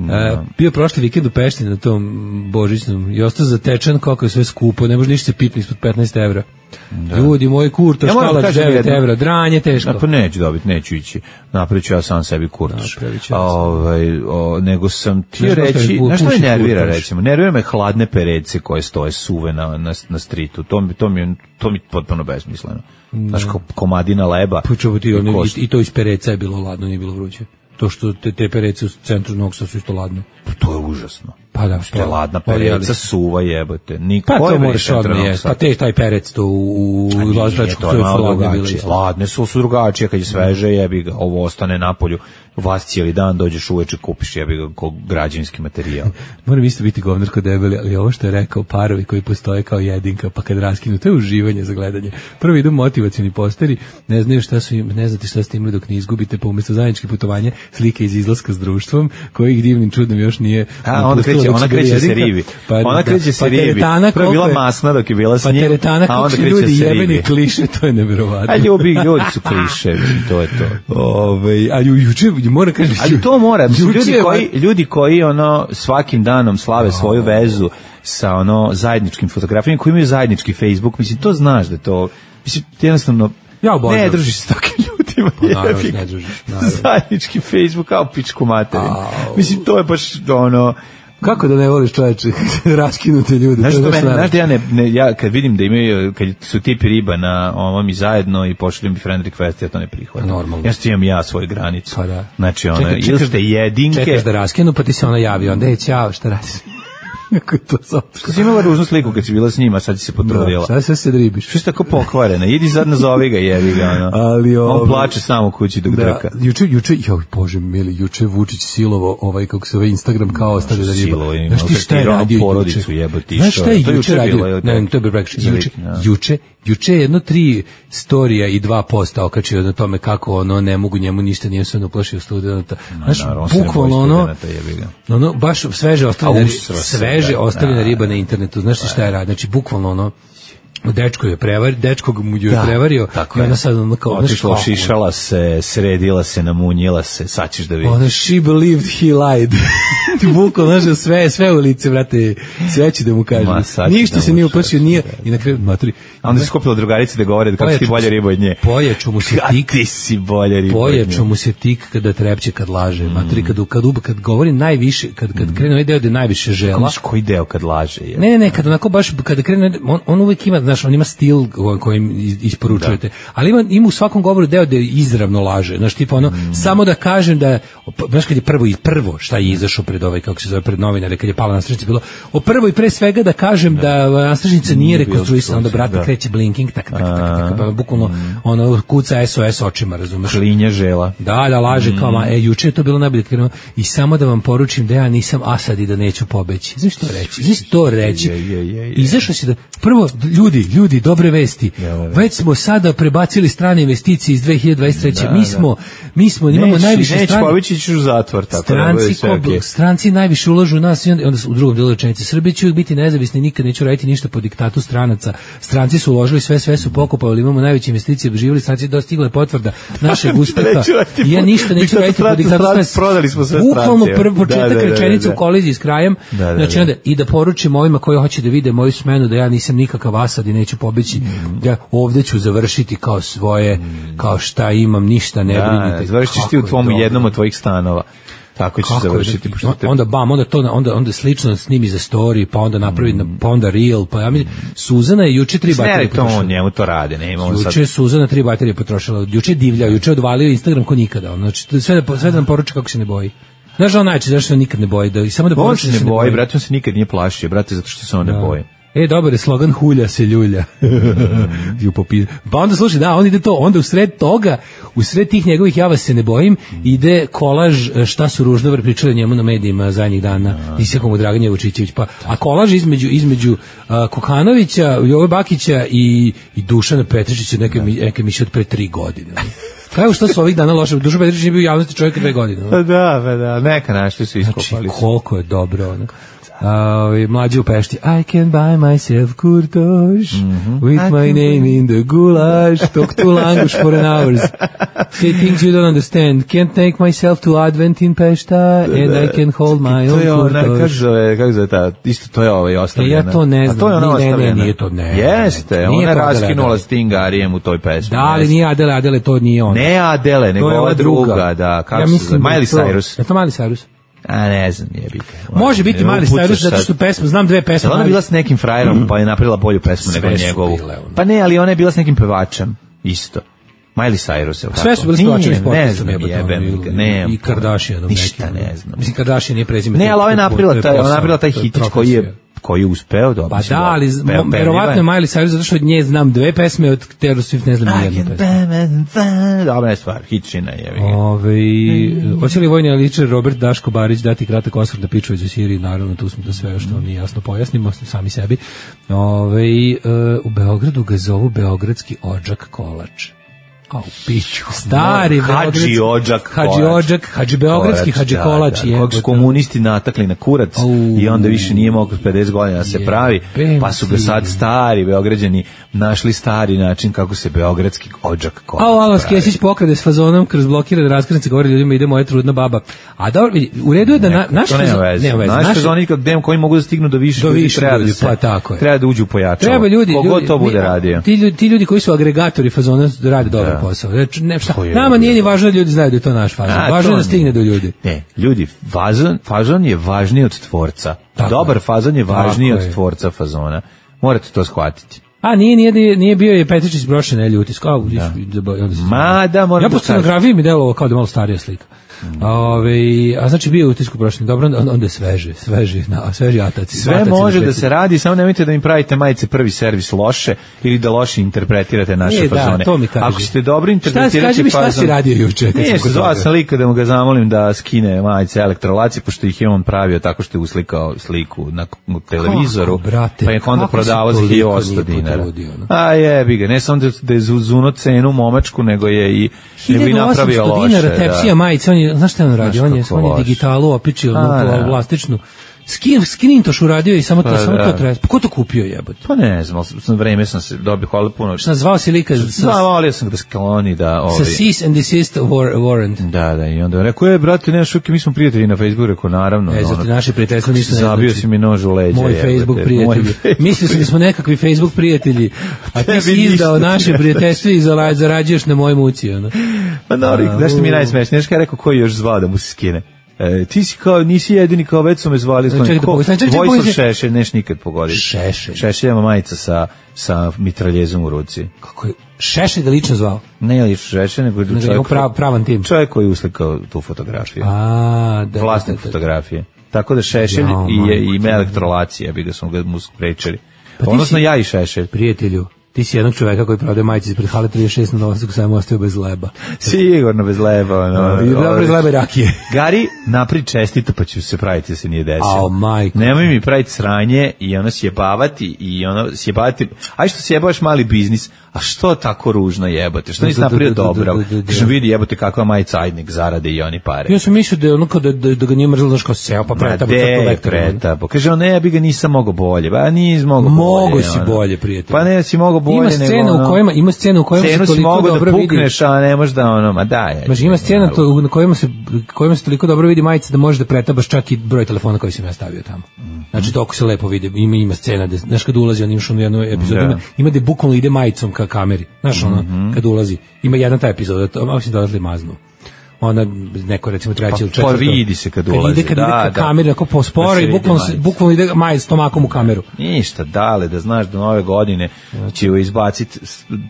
No. Uh, bio prošli vikend u Pešti na tom božićnom i ostao zatečen kako je sve skupo, ne može ništa se pipni ispod petnaest evra. Da. Ljudi, moj kurtoš, ja kalač devet evra, dranje teško. Pa neću dobiti, neću ići. Napravit ću ja sam sebi kurtoš. Ja ovaj, o, nego sam ti ne reći, znaš što me nervira recimo? Nervira me hladne perece koje stoje suve na, na, na stritu. To mi, to mi, to mi potpuno besmisleno. Znaš, ko, komadina leba. Pa ti, ono, i, i to iz pereca je bilo ladno, nije bilo vruće. To što te, te perece u centru Novog Sada su isto ladne. To je užasno. Pa da, što je ladna pereca, suva jebote. Niko pa to možeš odmah jesti. Pa te taj perec to u, u Lazdačku to je malo drugačije. Ladne su su drugačije, kad je sveže jebi ga, ovo ostane na polju. Vas cijeli dan dođeš uveče, kupiš jebi ga kao građevinski materijal. Moram isto biti govnar kod debeli, ali ovo što je rekao parovi koji postoje kao jedinka, pa kad raskinu, to je uživanje za gledanje. Prvo idu motivacioni posteri, ne znaju šta su im, ne znate šta ste imali dok ne izgubite, pa umjesto zajedničkih putovanja, slike iz izlaska s društvom, kojih divnim čudom još nije. A, onda kreće, ona kreće se ribi. Pa, ona kreće se ribi. Prvo je bila masna dok je bila s njim, a onda kreće se ribi. Kliše, to je neverovatno. A ljubi, ljudi su kliše, to je to. Ove, a juče mora kažem, ali to mora, ljudi koji, ljudi koji ono svakim danom slave svoju vezu sa ono zajedničkim fotografijama, koji imaju zajednički Facebook, mislim, to znaš da to, mislim, jednostavno, ja ne družiš s takvim ljudima, pa, naravno, ne družiš, zajednički Facebook kao pičku materinu. Mislim, to je baš ono, kako da ne voliš čoveče raskinute ljude? Znaš što mene, znaš da ja, ne, ne, ja kad vidim da imaju, kad su tipi riba na ovom i zajedno i pošaljem mi friend request, ja to ne prihvatam. Normalno. Ja što imam ja svoju granicu. Pa da. Znači ono, ili ste jedinke. Čekaš da raskinu, pa ti se ona javi, onda je ćao, šta radiš? Kako je to zato? Što si imala ružnu sliku kad si bila s njima, sad si se potrudila. Da, sad se dribiš. Što si tako pokvarena? Idi sad nazovi ga, jevi ga. Ono. Ali ovo... On plače samo u kući dok da, drka. Juče, juče, joj Bože mili, juče Vučić silovo, ovaj, kako se ovaj Instagram kao ostavi da riba. Znaš ti šta je radio porodicu jebati. Znaš šta je juče radio? Ne, to je bi rekao. Juče, juče, juče jedno tri storija i dva posta okačio na tome kako ono ne mogu njemu ništa, nije se uplašio studenta. Znaš, bukvalno ono, ono, baš sveže ostavljena, sveže ostavljena riba na internetu. Znaš ti šta je radio? Znači, bukvalno ono, dečko je prevario, dečko mu je prevario i ona sad ono kao... Otišla, šišala se, sredila se, namunjila se, sad ćeš da vidiš. Ona, she believed he lied. Ti bukvalno, znaš, sve, sve u lice, brate, sve će da mu kaže. Ništa se nije uplašio, nije, i na kraju, maturi. A onda se skupila drugarice da govore kako si ti bolja riba od nje. Pojačo mu se tik. Ti si bolja riba od nje. Pojačo mu se tik kada trepće, kad laže. Mm. Maturi, kad, kad, kad govori najviše, kad, kad krene ovaj deo da najviše žela. Koji deo kad laže? Je? Ne, ne, ne, kad onako baš, kada krene, on, on uvijek ima, znaš, on ima stil kojim isporučujete, da. Ali ima, ima u svakom govoru deo da izravno laže, znaš, tipa ono, mm. samo da kažem da, znaš, kad je prvo i prvo šta je izašao pred ovaj, kako se zove, pred novinare, kad je pala nastražnica, bilo, o prvo i pre svega da kažem da, da nastražnica nije rekonstruisana, onda brate da. kreće blinking, tak, tak, tak, tak, tak, bukvalno, mm. ono, kuca S O S očima, razumeš? Klinja žela. Da, da, laže, mm. kao, ma, e, juče je to bilo najbolje, i samo da vam poručim da ja nisam Asad i da neću pobeći. Znaš što reći? Znaš što reći? Izašao si da, prvo, ljudi, ljudi, dobre vesti. Već smo sada prebacili strane investicije iz dve hiljade dvadeset treće. Da, mi smo, mi smo, imamo neć, najviše neć, strane. Pobeći ćeš u zatvor, tako stranci, da bude okay. Stranci najviše ulažu u nas, i onda, onda u drugom delu rečenice. Srbija će uvijek biti nezavisni, nikad neću raditi ništa po diktatu stranaca. Stranci su uložili sve, sve su pokupali, imamo najveće investicije, živjeli stranci, dostigla potvrda našeg uspeha. Ja ništa neću raditi po diktatu stranaca. Prodali smo sve bukvalno prvi početak rečenice u koliziji s krajem, da, da, znači onda i da poručim ovima koji hoće da vide moju smenu da ja nisam nikakav Asad i neću pobeći, mm. ja ovde ću završiti kao svoje, mm. kao šta imam, ništa ne da, brinite. Završiš ti u tvom jednom od tvojih stanova. Tako će završiti. Da, te... Onda bam, onda to onda onda slično snimi za story, pa onda napravi mm. pa onda reel, pa ja mi Suzana je juče tri baterije potrošila. Ne, njemu to radi, nema on sad. Juče Suzana tri baterije potrošila. Juče divlja, juče odvalio Instagram ko nikada. Znači sve da sve da nam poruči kako se ne boji. Znaš, on najče zašto nikad ne boji, da i samo da poruči da se ne boji. Brate, on se nikad nije plašio, brate, zato što se on ne boji. E, dobar je slogan, hulja se ljulja. Mm. Pa onda slušaj, da, on ide to, onda u sred toga, u sred tih njegovih ja vas se ne bojim, ide kolaž šta su Ruždovar pričali njemu na medijima zadnjih dana, Isijakomu Draganje Vučićević, pa, a kolaž između, između a, Kokanovića, Jove Bakića i, i Dušana Petričića, neke, neke miše od pre tri godine. Kao što su ovih dana loše, Dušan Petričić je bio u javnosti čovjek dve godine. Pa da, pa da, neka našli su iskopali. Znači, koliko je dobro, ono. Uh, mlađi u Pešti, I can buy myself kurtoš mm-hmm. with I my name in the goulash, talk to language for an hours, say things you don't understand, can't take myself to Advent in Pešta and I can hold my own kurtoš. Kako zove, kako zove ta, isto to je ovaj ostavljena. Ja to ne znam, to je ona ne, ne, nije to, ne. Jeste, ona raskinula Stingarijem u toj pesmi. Da, ali nije Adele, Adele to nije ona. Ne Adele, nego ova druga, druga, da, kako ja se zove, Miley Cyrus. Je to Miley Cyrus? A ne znam, jebika. Može biti Miley Cyrus zato što pesma, znam dve pesme. Ona je bila s nekim frajerom, pa je napravila bolju pesmu nego njegovu. Pa ne, ali ona je bila s nekim pevačem, isto. Miley Cyrus, je tako. Sve su bili pevačevi s podcastom, ne, i Kardashianom. Ništa ne znam. Mislim, Kardashian nije prezime. Ne, ali ona je napravila taj, ona je napravila taj hitić koji je koji je uspeo dobro. Pa da, ali verovatno je Miley Cyrus zato što od nje znam dve pesme, od Taylor Swift ne znam nijednu pesmu. Dobra je stvar, hitčina je. Ove, hoće li vojni aličar Robert Daško Barić dati kratak osvrt na Pičović u Siriji? Naravno, tu smo da sve što vam nije jasno pojasnimo, sami sebi. Ove, u Beogradu ga zovu Beogradski odžak kolač. A u piću, stari Hadži Odžak, Hadži Odžak, Hadži Beogradski, Hadži Kolač, je. Kog su komunisti natakli na kurac i onda više nije mogao pedeset godina da se pravi, pa su ga sad stari Beograđani našli stari način kako se Beogradski Odžak Kolač pravi. A Alo Skesić pokrade s fazonom kroz blokirane raskrsnice, govori ljudima ide moja trudna baba. A dobro, u redu je da na, naš fazon, naš fazon gde koji mogu da stignu do više ljudi, treba da se, pa tako je. Treba da uđu pojačalo. Treba ljudi, kogo to bude radio. Ti ljudi, ti ljudi koji su agregatori fazona rade dobro posao. Znači, ne, šta, nama nije ni važno da ljudi znaju da je to naš fazon. A, važno je da stigne do ljudi. Ne, ljudi, fazon, fazon je važniji od tvorca. Tako Dobar je. Fazon je važniji od tvorca fazona. Morate to shvatiti. A nije, nije, nije bio je Petričić brošen, ne ljuti. Kao, da. Ma da, moram ja po scenografiji mi delovao kao da malo starija slika. Mm. Ove, a znači bio u utisku prošli, dobro, onda je sveže, sveži, na, sveži ataci. Sve ataci može da se radi, samo nemojte da im pravite majice prvi servis loše ili da loše interpretirate naše e, fazone. Da, to mi kaži. Ako ste dobro interpretirati fazon... Šta si radio juče? Nije, zvao sam lika da mu ga zamolim da skine majice elektrolaci, pošto ih je on pravio tako što je uslikao sliku na televizoru, kako, brate, pa je onda prodavao za hiljadu osamsto dinara. A jebi ga, ne samo da je zuno cenu momačku, nego je i nego i napravio loše. hiljadu osamsto dinara tepsija majice, on je, znaš šta on radi? On je, on je digitalu opičio onu plastičnu. Skin, Skinintoš uradio i samo to, pa, samo to treba. Pa ko to kupio jebote? Pa ne znam, sam vreme sam se dobio hvala puno. Šta zvao si lika? Zvao sam ga da skloni da ovi. Sa cease and desist warrant. Da, da, i onda rekao je brate, ne šuki, mi smo prijatelji na Facebooku, rekao naravno. Ne, zato naši prijatelji nisu ne. Zabio si mi nož u leđa. Moj Facebook prijatelji. Mislio sam da smo nekakvi Facebook prijatelji. A ti si izdao naše prijateljstvo i zarađuješ na mojoj muci, ona. Pa dobro, znaš što mi najsmešnije, znaš kada je rekao ko je još zvao da mu se skine? E, ti si kao, nisi jedini, kao već su me zvali. Čekaj, da pogledaj, čekaj, čekaj, Vojislav pogledaj. Šešelj, neš nikad pogoditi. Šešelj. Šešelj ima majica sa, sa mitraljezom u ruci. Kako je Šešelj ga lično zvao? Ne lično Šešelj, nego Nego čovjek, je prav, pravan tim. čovjek koji je uslikao tu fotografiju. A, da. Vlasnik da, da, da. fotografije. Tako da Šešelj Jao, i, je, majko, ima elektrolacija, bi ga smo ga mu sprečili. Pa ti Odnosno si- ja i Šešelj. Prijatelju, ti si jednog čoveka koji prodaje majice ispred hale trideset šest na Novosadku, samo ostao bez leba. Sigurno bez leba. No, I dobro iz leba i rakije. Gari, napri čestito pa ću se praviti da se nije desilo. Ao, majko. Nemoj mi praviti sranje i ono sjebavati i ono sjebavati. Aj što sjebavaš mali biznis, a što tako ružno jebote? Što nisi Da, da, napravio da, da, dobro? da, da, da. Kažem, vidi jebote kakva majica ajdnik zarade i oni pare. Ja sam mislio da je ono kao da, da, da ga nije mrzilo, znaš kao seo, pa Ma pretabo de, crto vektor. pretabo. Kaže, on ne, ja bi ga nisam mogao bolje. Ba, nis mogao Mogo bolje. si ono. bolje, prijatelju. Pa ne, si mogao bolje. Ima scena nego, ono, u kojima, ima scena u kojima Cenu se si toliko mogao da dobro vidi. pukneš, a ne možeš da ono, ma daj. Znači, ima scena to, na kojima se, kojima se toliko dobro vidi majica da možeš da pretabaš čak i broj telefona koji sam ja stavio tamo. Znači, toliko se lepo vidi. Ima, ima scena, da, znaš kad ulazi, on imaš u jednu epizodu, Da. ima, ima da bukvalno ide majicom ka kameri. Znaš, ono, kad ulazi. Ima jedna ta epizoda, to, malo si dodatli maznu. Ona, neko recimo treći Pa, ili četvrto. pa vidi se kad Kad ide, ide, kad da, ide ka da. kameri, ako posporo Da se i vidi bukvalno, se, majica. bukvalno ide majic s tomakom u kameru. Ništa, dale, da znaš da nove godine će izbaciti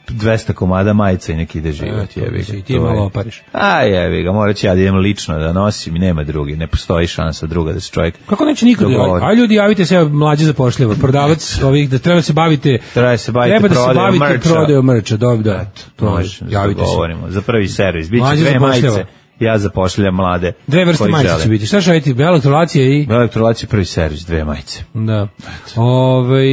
dvesta komada majica i neki ide život. Eto, Jebi si ga, i ti to je- malo opariš. A jebi ga, morat ću ja da idem lično da nosim i nema drugi, ne postoji šansa druga da se čovjek Kako neće nikad? dogovori. Aj ljudi, javite se, mlađe zapošljava. Prodavac ovih, da treba se bavite... Treba se baviti treba da se prodajom bavite merča. prodajom merča, dobro, da. To Može, javite se. govorimo. Za prvi servis. Biće Mlađe dve zapošljava. majice, ja zapošljam mlade. Dve vrste koji majice žele. će biti. Šta će raditi? Elektrolacija i... Elektrolacija prvi servis, dve majice. Da. Ove,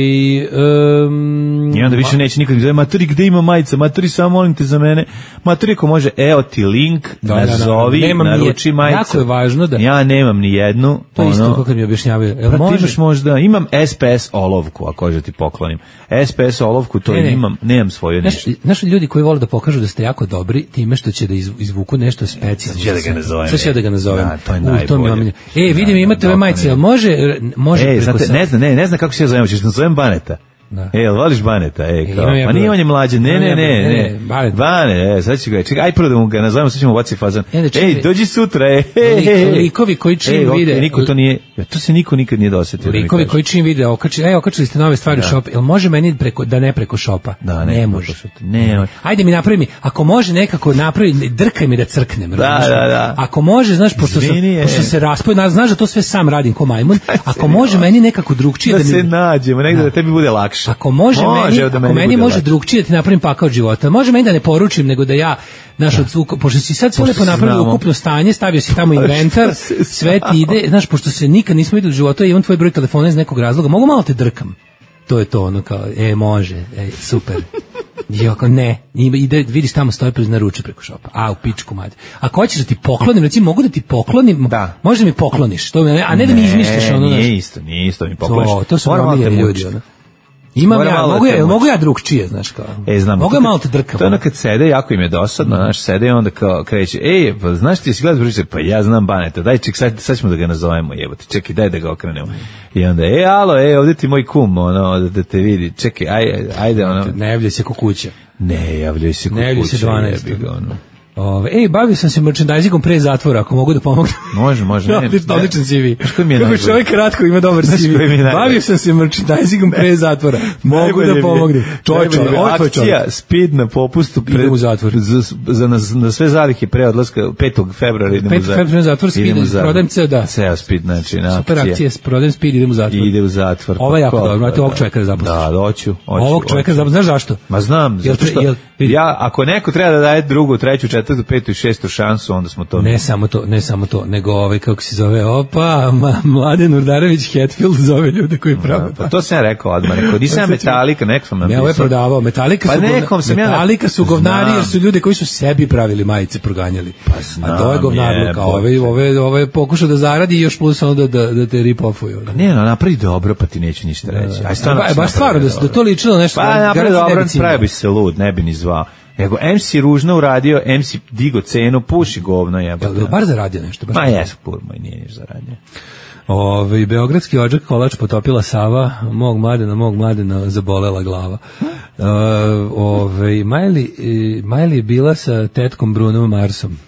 um, I onda više neće nikad zove, maturi, gde ima majica? Maturi, samo molim te za mene. Maturi, ako može, evo ti link, Da, da, da. nazovi, Nemam ni naruči jed- majicu. jako je važno da- Ja nemam ni jednu. To je isto ono, kako mi objašnjavaju. Jel Pa ti može? imaš možda, imam S P S olovku, ako hoće ti poklonim. S P S olovku, to Ne, ne. imam, nemam svoju Znaš, ništa. znaš ljudi koji vole da pokažu da ste jako dobri time što će da iz- izvuku nešto specijalno. Sad ću ja da ga nazovem. Sad ću ja da ga nazovem. Da, to je U, mi najbolje. omiljeno. E, vidim, Da, imate da, ove da, majice, da. jel može, može E, preko znate, sa- ne znam, ne, ne znam kako se ja zovem, ćeš da nazovem Baneta. Da. E, jel voliš Baneta? E, kao, imam ja pa nije broj. on je mlađe, ne, Imam ne, ja ne, broj, ne, ne, ne, Banet. Bane, e, sad ću ga, čekaj, aj prvo da mu ga nazovemo, sad ćemo baci fazan. E, da, čekaj. Ej, dođi sutra, e, he, Lik- he, he. likovi koji čim Ej, ok, vide- niko to nije, ja, to se niko nikad nije dosetio. da mi Likovi kaže. koji čim vide, okači, ej, okačili ste nove stvari u shop, jel može meni preko, da ne preko shopa? Da, ne, ne preko može. shopa. Ne, može. Ajde mi napravi mi, ako može nekako napravi, ne, drkaj mi da crknem. razumeš? da, da. Ako može, znaš, pošto, sam, Izvini, e. pošto se raspoj, znaš da to sve sam radim ko majmun, ako može meni nekako drugčije Da da, se mi... nađemo, negde da tebi bude lakše. Ako može, meni, evo da ako meni bude može lakše. drugčije da ti napravim pakao od života. Može meni da ne poručim, nego da ja, znaš, od svuk, pošto si sad sve Pošto lepo se napravio znamo. ukupno stanje, stavio si tamo inventar, se sve ti ide, znaš, pošto se nikad nismo videli u životu, ja imam tvoj broj telefona iz nekog razloga, mogu malo te drkam. To je to, ono kao, e, može, e, super. I ako ne, ima- ide, vidiš tamo stoji pred naruče preko šopa. A, u pičku mać. Ako hoćeš da ti poklonim, recimo, mogu da ti poklonim, Da. možda mi pokloniš, to, mi- a ne da mi izmišljaš ono, znaš. Nije isto, nije isto mi pokloniš. To, to su Moram malo omiljeni te ljudi, mučiti. ono. Imam Moram ja, malo da mogu te ja, mučiti. mogu ja drugčije, znaš kao. E, znam. Mogu to ja kad- malo te drkam. To je ono kad sede, jako im je dosadno, znaš, sede i onda kao kreće, ej, pa znaš ti si gledao priče, pa ja znam Baneta, daj ček, sad, sad ćemo da ga nazovemo, jebote, čekaj, daj da ga okrenemo. I onda, e, alo, e, ovdje ti moj kum, ono, da, da te vidi, čekaj, aj, ajde, ono, Ne javljaj se ko kuća. ne, javljaju se Ne javljaju se kukuće, dvanaest. jebi ga, ono. Ove, ej, bavio sam se merchandisingom pre zatvora, ako mogu da pomognem. Može, može, ne, Odličan, ne. odličan C V. Znaš koji mi je Kako najbolji? čovjek kratko ima dobar Znaš C V. koji mi je najbolji? Bavio sam se merchandisingom pre zatvora. Mogu Najbolje mi da je- pomognem. Čovječe, najbolje mi je ovo je tvoj čovjek. akcija speed na popustu pred, Idem u zatvor. za, za, na, na sve zalihe pre odlaska petog februara idemo petog februara zatvor, speed, idemo u zatvor. prodajem ceo, da. Ceo speed, znači na Super akcija. akcija, prodajem speed, idem u zatvor. I ide u zatvor. Ovo je jako Pa, dobro, pa, znate, ovog čovjeka da zaposliš. Da, hoću, hoću. Ovog čovjeka, hoću. zaposliš, znaš zašto? Ma znam, Jel zato tre- što jel- vidi. ja, ako neko treba da daje drugu, treću, četvrtu, petu i šestu šansu, onda smo to... Ne samo to, ne samo to, nego ovaj, kako se zove, opa, ma, Mladen Urdarević Hetfield zove ljude koji prave. Pa to sam ja rekao odmah, rekao, nisam ja Metallica, neko sam Ne, napisao. ovo je prodavao. Metallica Pa su, govna- nekom sam ja- Metallica su govnari Znam. jer su ljudi koji su sebi pravili majice proganjali. A to je znam, govnarluka. Ove, ove, ove pokuša da zaradi i još plus onda da, da te rip-offuju. Ne, no, napravi dobro, pa ti neću ništa reći. Aj, stvarno, Ba, ako si baš stvarno, da, napravio se- da dobro. to ličilo nešto. Pa napravi garancija ne dobro, bi cimao. pravio bi se lud, ne bi ni zvao. Nego M C ružno uradio, M C digo cenu, puši govno Jel, jebote. jel bar zaradio nešto? Baš Ma jes, pur moj, nije niš zaradio. Ove, beogradski odžak kolač potopila Sava, mog mladena, mog mladena zabolela glava. Uh, ove, Majli, e, Majli je bila sa tetkom Brunom Marsom.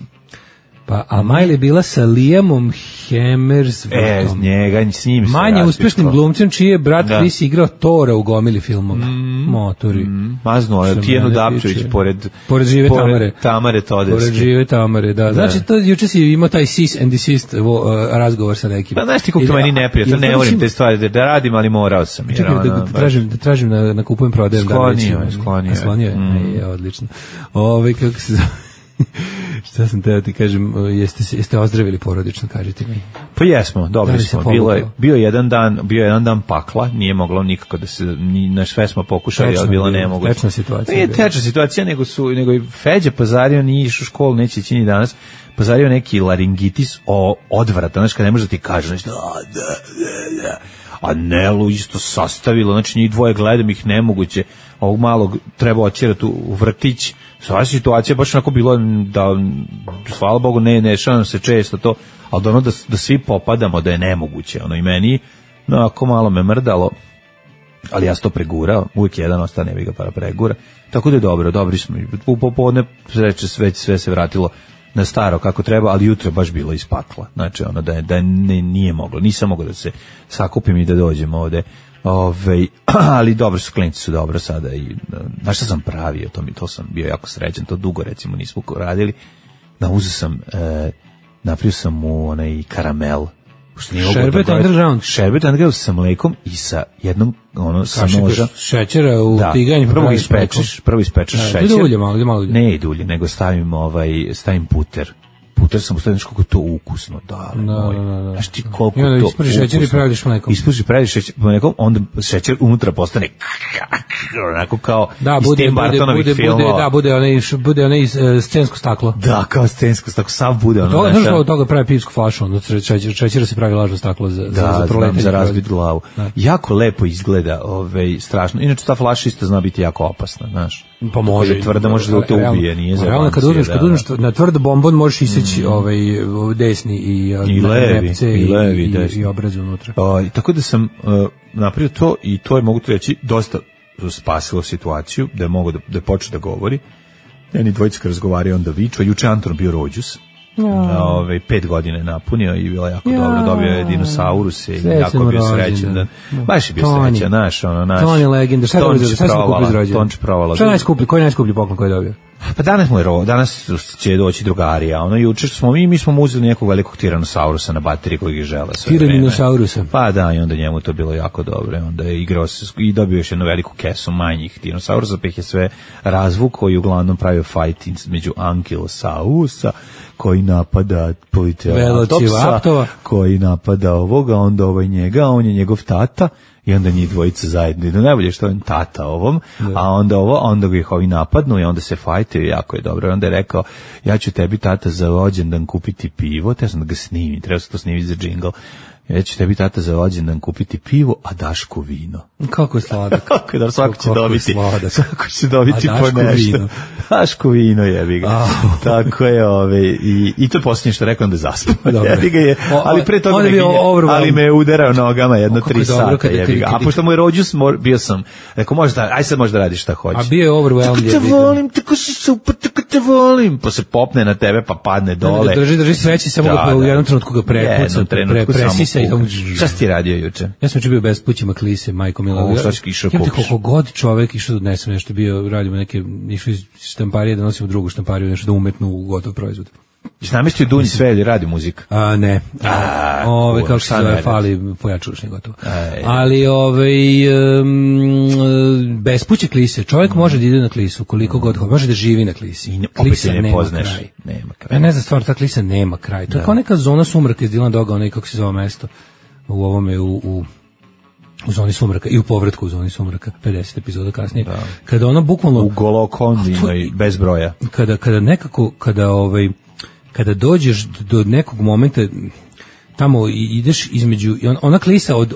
Pa, a Miley je bila sa Liamom Hemsworthom. E, njega, s njim se manje raspitko. uspešnim glumcem, čiji je brat Da. Chris igrao Tora u gomili filmova. Mm. Motori. Mm, maznuo je Što Tijenu mene Dapčević tiče. pored, Pored žive Tamare. Tamare Todevske. Pored žive Tamare, da. Znači, to, juče si imao taj cease and desist uh, razgovor sa nekim. Pa znaš ti kako to meni neprijatno, ne volim te stvari da, da radim, ali morao sam. Jer, Čekaj, da, ono, da, tražim, da tražim na, na kupujem prodajem. Sklonio je, sklonio je. Sklonio je, Mm. e, odlično. Ove, kako se zove? Šta sam teo ti kažem, jeste, se- jeste ozdravili porodično, kažite mi. Pa jesmo, Da dobri li se smo. povukao? Bilo je, bio je jedan dan, bio je jedan dan pakla, nije moglo nikako da se, ni, na sve smo pokušali, Tečna ali bilo je bila, nemoguće. tečna situacija Nije je bila. tečna situacija, nego su, nego i Feđa Pazario nije išao u školu, neće ići ni danas, Pazario neki laringitis o odvrata, znači kad ne može da ti kaže, znači, da, da, da, da. A Nelu isto sastavilo, znači njih dvoje gledam ih nemoguće, ovog malog treba otjerati u u vrtić. Sva situacija baš onako bilo da, hvala Bogu, ne, ne šanom se često to, ali da ono da, da svi popadamo, da je nemoguće, ono i meni, no ako malo me mrdalo, ali ja sam to pregurao, uvijek jedan ostane, vi ga para pregura, tako da je dobro, dobri smo, u popodne sreće sve, sve se vratilo na staro kako treba, ali jutro je baš bilo iz pakla, znači ono da, je, da je ne, nije moglo, nisam mogao da se sakupim i da dođem ovde. Ove, ali dobro su, klinci su dobro sada i znaš šta sam pravio, to mi to sam bio jako srećan, to dugo recimo nismo radili. Da uzeo sam e, napravio sam mu onaj karamel. Što nije mogu Šerbet da- underground. Šerbet underground sa mlekom i sa jednom ono sa Kašike noža. šećera u Da, tiganj. prvo praviš ispečeš, prvo ispečeš Da, šećer. ide ulje malo, ide malo ulje. Ne ide ulje, nego stavim ovaj stavim puter. Puter sam stavio kako to ukusno, da. Da, moj. da, da, da. Znaš ti koliko I onda to ispržiš šećer i ukusno. praviš mlekom. Ispržiš, praviš šećer mlekom, onda šećer unutra postane onako kao Da, iz bude, Tim bude, Burtonovih bude, bude, filmova. da, bude onaj, š- bude onaj e, scensko staklo. Da, kao scensko, tako sav bude ono. To, znaš, znaš ono- od toga pravi pivsku flašu, onda šećer, šećera se pravi lažno staklo za, za, Da, za znam, proletanje. za razbit glavu. Da. Jako lepo izgleda, ovaj, strašno. Inače, ta flaša isto zna biti jako opasna, znaš. Pa može. Kad je tvrda, može da te Realno- ubije, nije za realno, kad bancije, uzmeš, da, kad da. uzmeš na tvrd bombon možeš iseći ovaj desni i, I levi, nepce i levi, i, desni. i obraz unutra. O, i tako da sam uh, napravio to i to je, mogu ti reći, dosta spasilo situaciju, da je mogo da, da je počeo da govori. Njeni dvojica kad razgovaraju, onda viču, a juče Anton bio rođus. Ja. Ove, pet godine je napunio i bilo jako Ja. dobro, dobio je dinosauruse i Srećan jako je bio rođendan. srećan. Da, baš je bio Toni. srećan, naš, ono, naš. To on je legenda. Šta je Tonči dobio? Šta smo kupili provala, iz rođendan? Tonči provala. Šta je najskuplji? Koji je najskuplji poklon koji je dobio? Pa danas mu je ro, danas će doći drugari, a ono juče smo mi, mi smo mu uzeli nekog velikog tiranosaurusa na bateriji kojeg je žele sve vreme. Tiraninosaurusa. Pa da, i onda njemu to bilo jako dobro. I onda je igrao se i dobio još jednu veliku kesu manjih dinosaursa, pa ih je sve razvukao i uglavnom pravio fight između ankilosaurusa koji napada politeratopsa, Velociraptora. koji napada ovoga, onda ovaj njega, a on je njegov tata i onda njih dvojica zajedno idu. Najbolje što je on tata ovom, a onda ovo, onda ga ih ovi napadnu i onda se fajtaju, jako je dobro. I onda je rekao, ja ću tebi tata za rođendan kupiti pivo, te sam da ga snimim, treba se to snimiti za džingl. Ja ću tebi tata za rođendan kupiti pivo, a Daško vino. Kako je sladak. Kako je da svako će Kako je dobiti, sladak. svako će dobiti A po Daško nešto. vino. Daško vino jebi ga. Au. Tako je, ove, i, i to je posljednje što rekao, onda zaspao. Dobro. Jebi ga je, O, ali pre toga on je me bio ginje, overwhelmed. ali me je udarao nogama jedno O, kako tri je dobro sata, kada- jebi ga. kada- A pošto mu je rođus, mor- bio sam, rekao, možda, aj sad možda radiš šta hoćeš. A bio je overwhelmed. Tako te jebi ga. volim, tako si super, tako te volim. Pa se popne na tebe, pa padne dole. Drži, drži sveći, samo ga u jednom trenutku ga prekuca, Jednom pre, trenutku samo presisa i puka. tamo... Šta si ti radio juče? Ja sam juče bio bez pućima klise, majko mila. O, šta si išao Ja ti kupiš? koliko god čovek išao da odnesem nešto, bio, radimo neke, išao iz štamparije da nosimo drugu štampariju, nešto da umetnu u gotov proizvod. Jesi namestio Dunj sve ili radi muzika? A ne. A, Ove kurva, kako se šta ne zove, radi? fali pojačušni gotovo. Aj. Ali ovaj um, bez puće klise, čovjek može da ide na klisu koliko god hoće, može da živi na klisi. I ne- opet Klisa je ne nema poznaješ. kraj. Nema kraj. Ja ne znam stvar, ta klisa nema kraj. To je kao neka zona sumraka iz Dylan Doga, onaj kako se zove mesto u ovome u, u u zoni sumraka i u povratku u zoni sumraka pedeset epizoda kasnije. Kada ono bukvalno U golokondinoj, bez broja. kada kada nekako kada ovaj kada dođeš do nekog momenta tamo i ideš između i on, ona klisa od,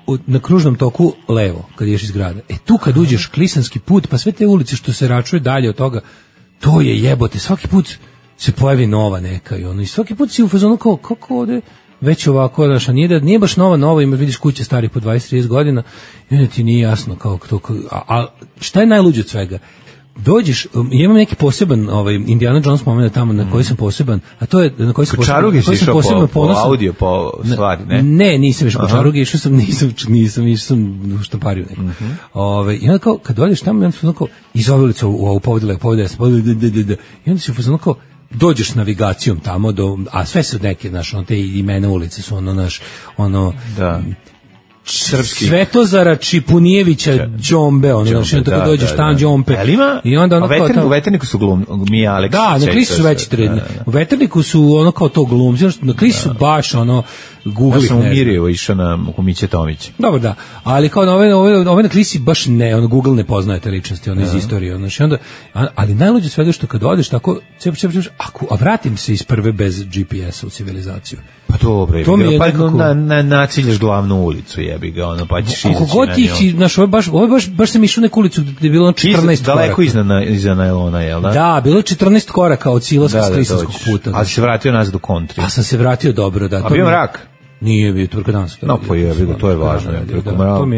od na kružnom toku levo kad ideš iz grada. E tu kad uđeš klisanski put, pa sve te ulice što se račuje dalje od toga, to je jebote, svaki put se pojavi nova neka i ono i svaki put si u fazonu kao kako ovde već ovako, znaš, a nije, da, nije baš nova, nova, ima vidiš kuće stari po dvadeset trideset godina i onda ti nije jasno kao to, a, a šta je najluđe od svega? dođeš, um, ja imam neki poseban ovaj Indiana Jones moment tamo na koji sam poseban, a to je na koji sam poseban, na koji sam posebno po, po audio, po stvari, ne? Ne, nisam išao po čarugi, išao sam, nisam, nisam, išao sam u štampariju neku. Mm -hmm. Ove, i onda kao, kad dođeš tamo, onda sam kao, iz ove ulice u ovu povedele, povedele, povedele, i onda si u kao, dođeš s navigacijom tamo, do, a sve su neke, znaš, ono, te imena ulice su ono, naš, ono, da. Srpski. Svetozara Čipunijevića Đombe, ono, znači, da, tako dođeš tamo Đompe. I onda ono kao tamo... U Veterniku su glum, Mija Aleksić. Da, na Klisi su veći tredni. Da, da. U Veterniku su ono kao to glumci, na Klisi su baš ono, Google. Ja sam u Mirjevo išao na Miće Tomić. Dobro, da, ali kao na ove, ove, ove na Klisi baš ne, ono, Google ne poznaje te ličnosti, ono, iz istorije, ono, znači, onda, ali najluđe sve je što kad odeš tako, cep, cep, cep, ako, a vratim se iz prve bez G P S-a u civilizaciju. Pa dobro, to mi je pa nekako... na, na, naciljaš glavnu ulicu, jebi ga, ono, pa ćeš izaći. Kako god ti, znaš, ovo je baš, ovo je baš, baš sam išao neku ulicu gde je bilo četrnaest koraka. Daleko iza, iza najlona, jel da? Da, bilo je četrnaest koraka od silaska da, s Klisanskog puta. Ali se vratio nazad u kontri. A sam se vratio dobro, da. A bio mrak? Nije bio, tvrka dan. No, pa je, bilo, to je važno.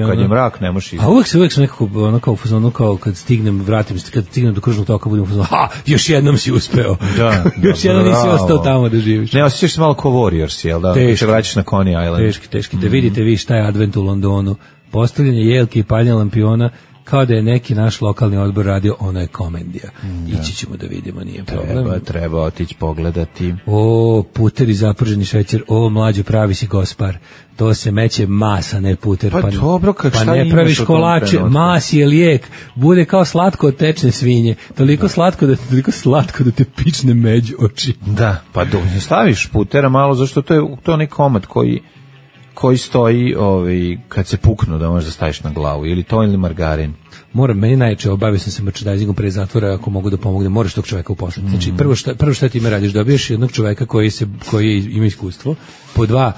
Kad je mrak, ne možeš izaći. A uvek se, uvek sam nekako, ono kao u fazonu, kao kad stignem, vratim se, kad stignem do kružnog toka, budem u fazonu, ha, još jednom si uspeo. Da, još jednom nisi ostao tamo da živiš. Ne, osjećaš se malo ko Warriors, jel da? Teški. Se vraćaš na Coney Island. Teški, teški. Da vidite vi šta je advent u Londonu. Postavljanje jelke i paljenje lampiona, kao da je neki naš lokalni odbor radio, ono je komedija. Ja. Ići ćemo da vidimo, nije problem. Treba, treba otići pogledati. O, puter i zaprženi šećer, o, mlađo, pravi si gospar. To se meće masa, ne puter. Pa, pa dobro, kak, pa ne praviš kolače, mas je lijek. Bude kao slatko od tečne svinje. Toliko da. slatko da toliko slatko da te pične među oči. Da, pa do, staviš putera malo, zašto to je to onaj komad koji koji stoji, ovaj, kad se puknu da možeš da staviš na glavu, ili to ili margarin. Moram, meni najče, obavio sam se merchandisingom pre zatvora, ako mogu da pomogne, moraš tog čoveka uposlati. Znači, prvo šta, prvo šta ti ime radiš, dobiješ jednog čoveka koji, se, koji ima iskustvo, po dva,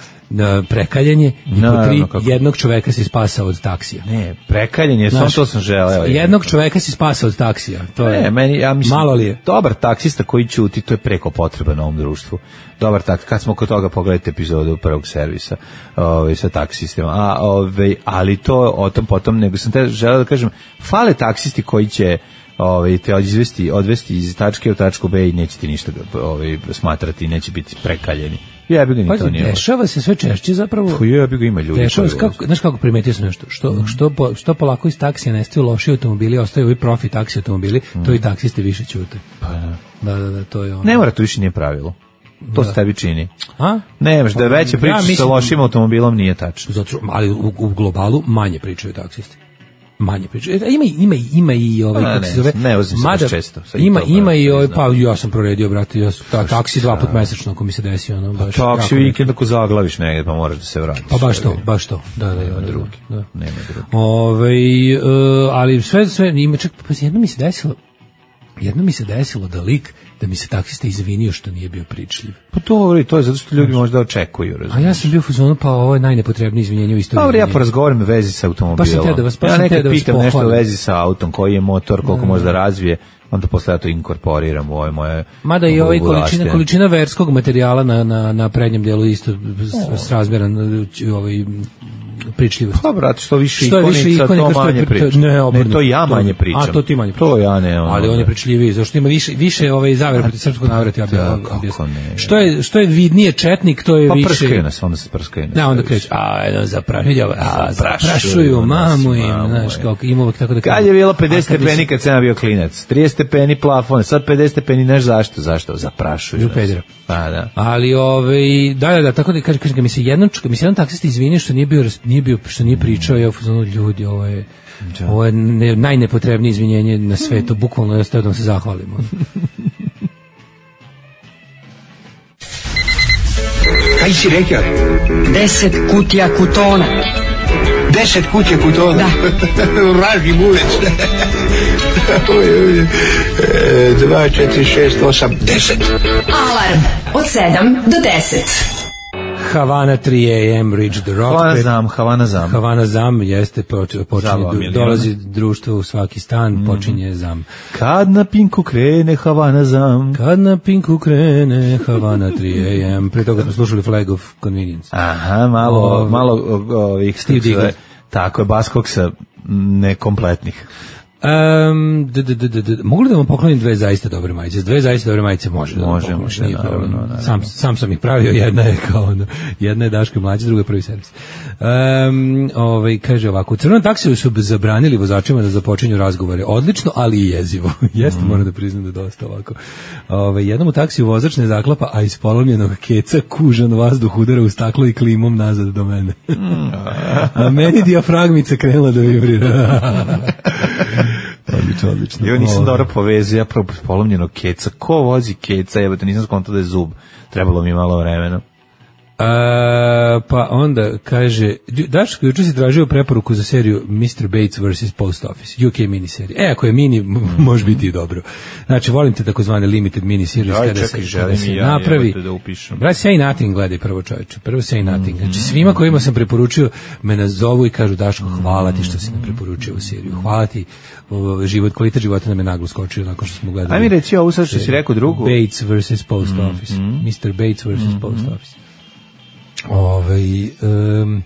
prekaljenje i no, po tri, no, jednog čoveka si spasao od taksija. Ne, prekaljenje, samo to sam želeo. Jednog čoveka si spasao od taksija. To ne, je, meni, ja mislim, malo li je? Dobar taksista koji ćuti, to je preko potreba na ovom društvu. Dobar tak, kad smo kod toga pogledajte epizodu prvog servisa ovaj, sa taksistima, a, ovaj, ali to o tom potom, nego sam te želeo da kažem, fale taksisti koji će ovaj, te odvesti, odvesti iz tačke u tačku B i neće ti ništa ovaj, smatrati, neće biti prekaljeni. Ja bih ga ni to nije. Dešava se sve češće zapravo. Pa ja bih ga ima ljudi. Dešava se kako, znaš kako primetio sam nešto, što mm. što po, što polako iz taksija nestaju loši automobili, ostaju ovi profi taksi automobili, mm. to i taksisti više ćute. Pa da. Da, da, da, to je ono. Ne mora, to više nije pravilo. To da. Se tebi čini. A? Nemaš, da je veća priča ja, sa lošim automobilom nije tačno. Zato, ali u, u globalu manje pričaju taksisti. Manje pričaju. Ima ima ima i ovaj kako se zove. Ne, ozim se baš često. Ima ima i ovaj, pa ja sam proredio, brate, ja ta, taksi dva put mesečno ako mi se desi ono baš. Taksi vikend ako zaglaviš negde pa moraš da se vratiš. Pa baš to, baš to. Da, da, nema da, drugi. Da. Nema drugi. Ovaj uh, ali sve sve ima čak pa jedno mi se desilo. Jedno mi se desilo da lik da mi se taksista izvinio što nije bio pričljiv. Pa to, to je zato što ljudi možda očekuju, razumiješ. A ja sam bio u fazonu, pa ovo je najnepotrebnije izvinjenje u istoriji. Dobro, ja porazgovaram u vezi sa automobilom. Pa da vas, pa ja nekad da vas pitam nešto u vezi sa autom, koji je motor, koliko može da razvije, onda posle ja to inkorporiram u ove moje... Mada i ovaj količina, količina verskog materijala na, na, na prednjem delu isto s, s razmjeran ovaj pričljivost. Pa brate, što više što ikonica, više ikonika, to manje pričam. Ne, ne, to ja manje to, pričam. A to ti manje pričam. To ja ne. Ono, ali on je pričljiviji, zašto ima više više ovaj zavere protiv srpskog naroda, ja bih objasnio. Što je što je vidnije četnik, to je pa više. Pa prskaju nas, onda se prskaju nas. Ne, onda kreće, a no, zaprašuju, a zaprašuju mamu im, znaš, kako ima uvek tako da kaže. Kad je bilo pedeset stepeni kad sam bio klinac, trideset stepeni plafon, sad pedeset stepeni, znaš zašto? Zašto? Zaprašuju nas. Pa da. Ali ovaj da da da tako da kaže kaže mi se jednom mi se jedan taksista izvinio što nije bio nije bio što nije pričao, ja fuzonu ljudi, ovo je da. Ovo je ne, najnepotrebnije izvinjenje na svetu, bukvalno je ostao da se zahvalimo. Kaj si rekao? Deset kutija kutona. Deset kutija kutona? Da. Vraži bulec. Dva, četiri, šest, osam, deset. Alarm od sedam do deset. Havana tri a m Reach the Rock. Havana Zam, Havana Zam. Havana Zam jeste, počinje, dolazi društvo u svaki stan, mm. počinje Zam. Kad na Pinku krene Havana Zam. Kad na Pinku krene Havana tri a m Pre toga smo slušali Flag of Convenience. Aha, malo, o, malo ovih Steve Diggle. Tako je, Baskoksa nekompletnih. Um, d, d, d, d, d, mogu li da vam poklonim dve zaista dobre majice? Dve zaista dobre majice može da vam Može, poklonim, može, nije naravno, problem. naravno. Sam, sam sam ih pravio, jedna je kao ono, jedna je Daško mlađa, druga je prvi servis. Um, ovaj, kaže ovako, u crvenom taksiju su zabranili vozačima da započinju razgovore. Odlično, ali i jezivo. Jeste, mm. moram da priznam da je dosta ovako. Ovaj, jednom u taksiju vozač ne zaklapa, a iz polomljenog keca kužan vazduh udara u staklo i klimom nazad do mene. A meni dijafragmica krenula da vibrira. Odlično, odlično. Ja nisam dobro povezio, ja prvo polomljenog keca. Ko vozi keca? Jebote, nisam skontao da je zub. Trebalo mi malo vremena. A, pa onda kaže, Daško, juče si tražio preporuku za seriju mister Bates versus. Post Office, U K miniserija. E, ako je mini, može biti i dobro. Znači, volim te takozvane limited miniseries kada čekaj, se, želim kada se ja, napravi. Da upišem. Brate, Say Nothing gledaj prvo, čovječe. Prvo Say Nothing. Znači, svima kojima sam preporučio me nazovu i kažu, Daško, hvala ti što si nam preporučio u seriju. Hvala ti, o, život, kvalitet života nam je naglo skočio nakon što smo gledali. Aj mi reci ovo sad što si rekao drugu. Bates versus. Post Office. Mm-hmm. mister Bates versus. Mm-hmm. Post Office. Ovaj um,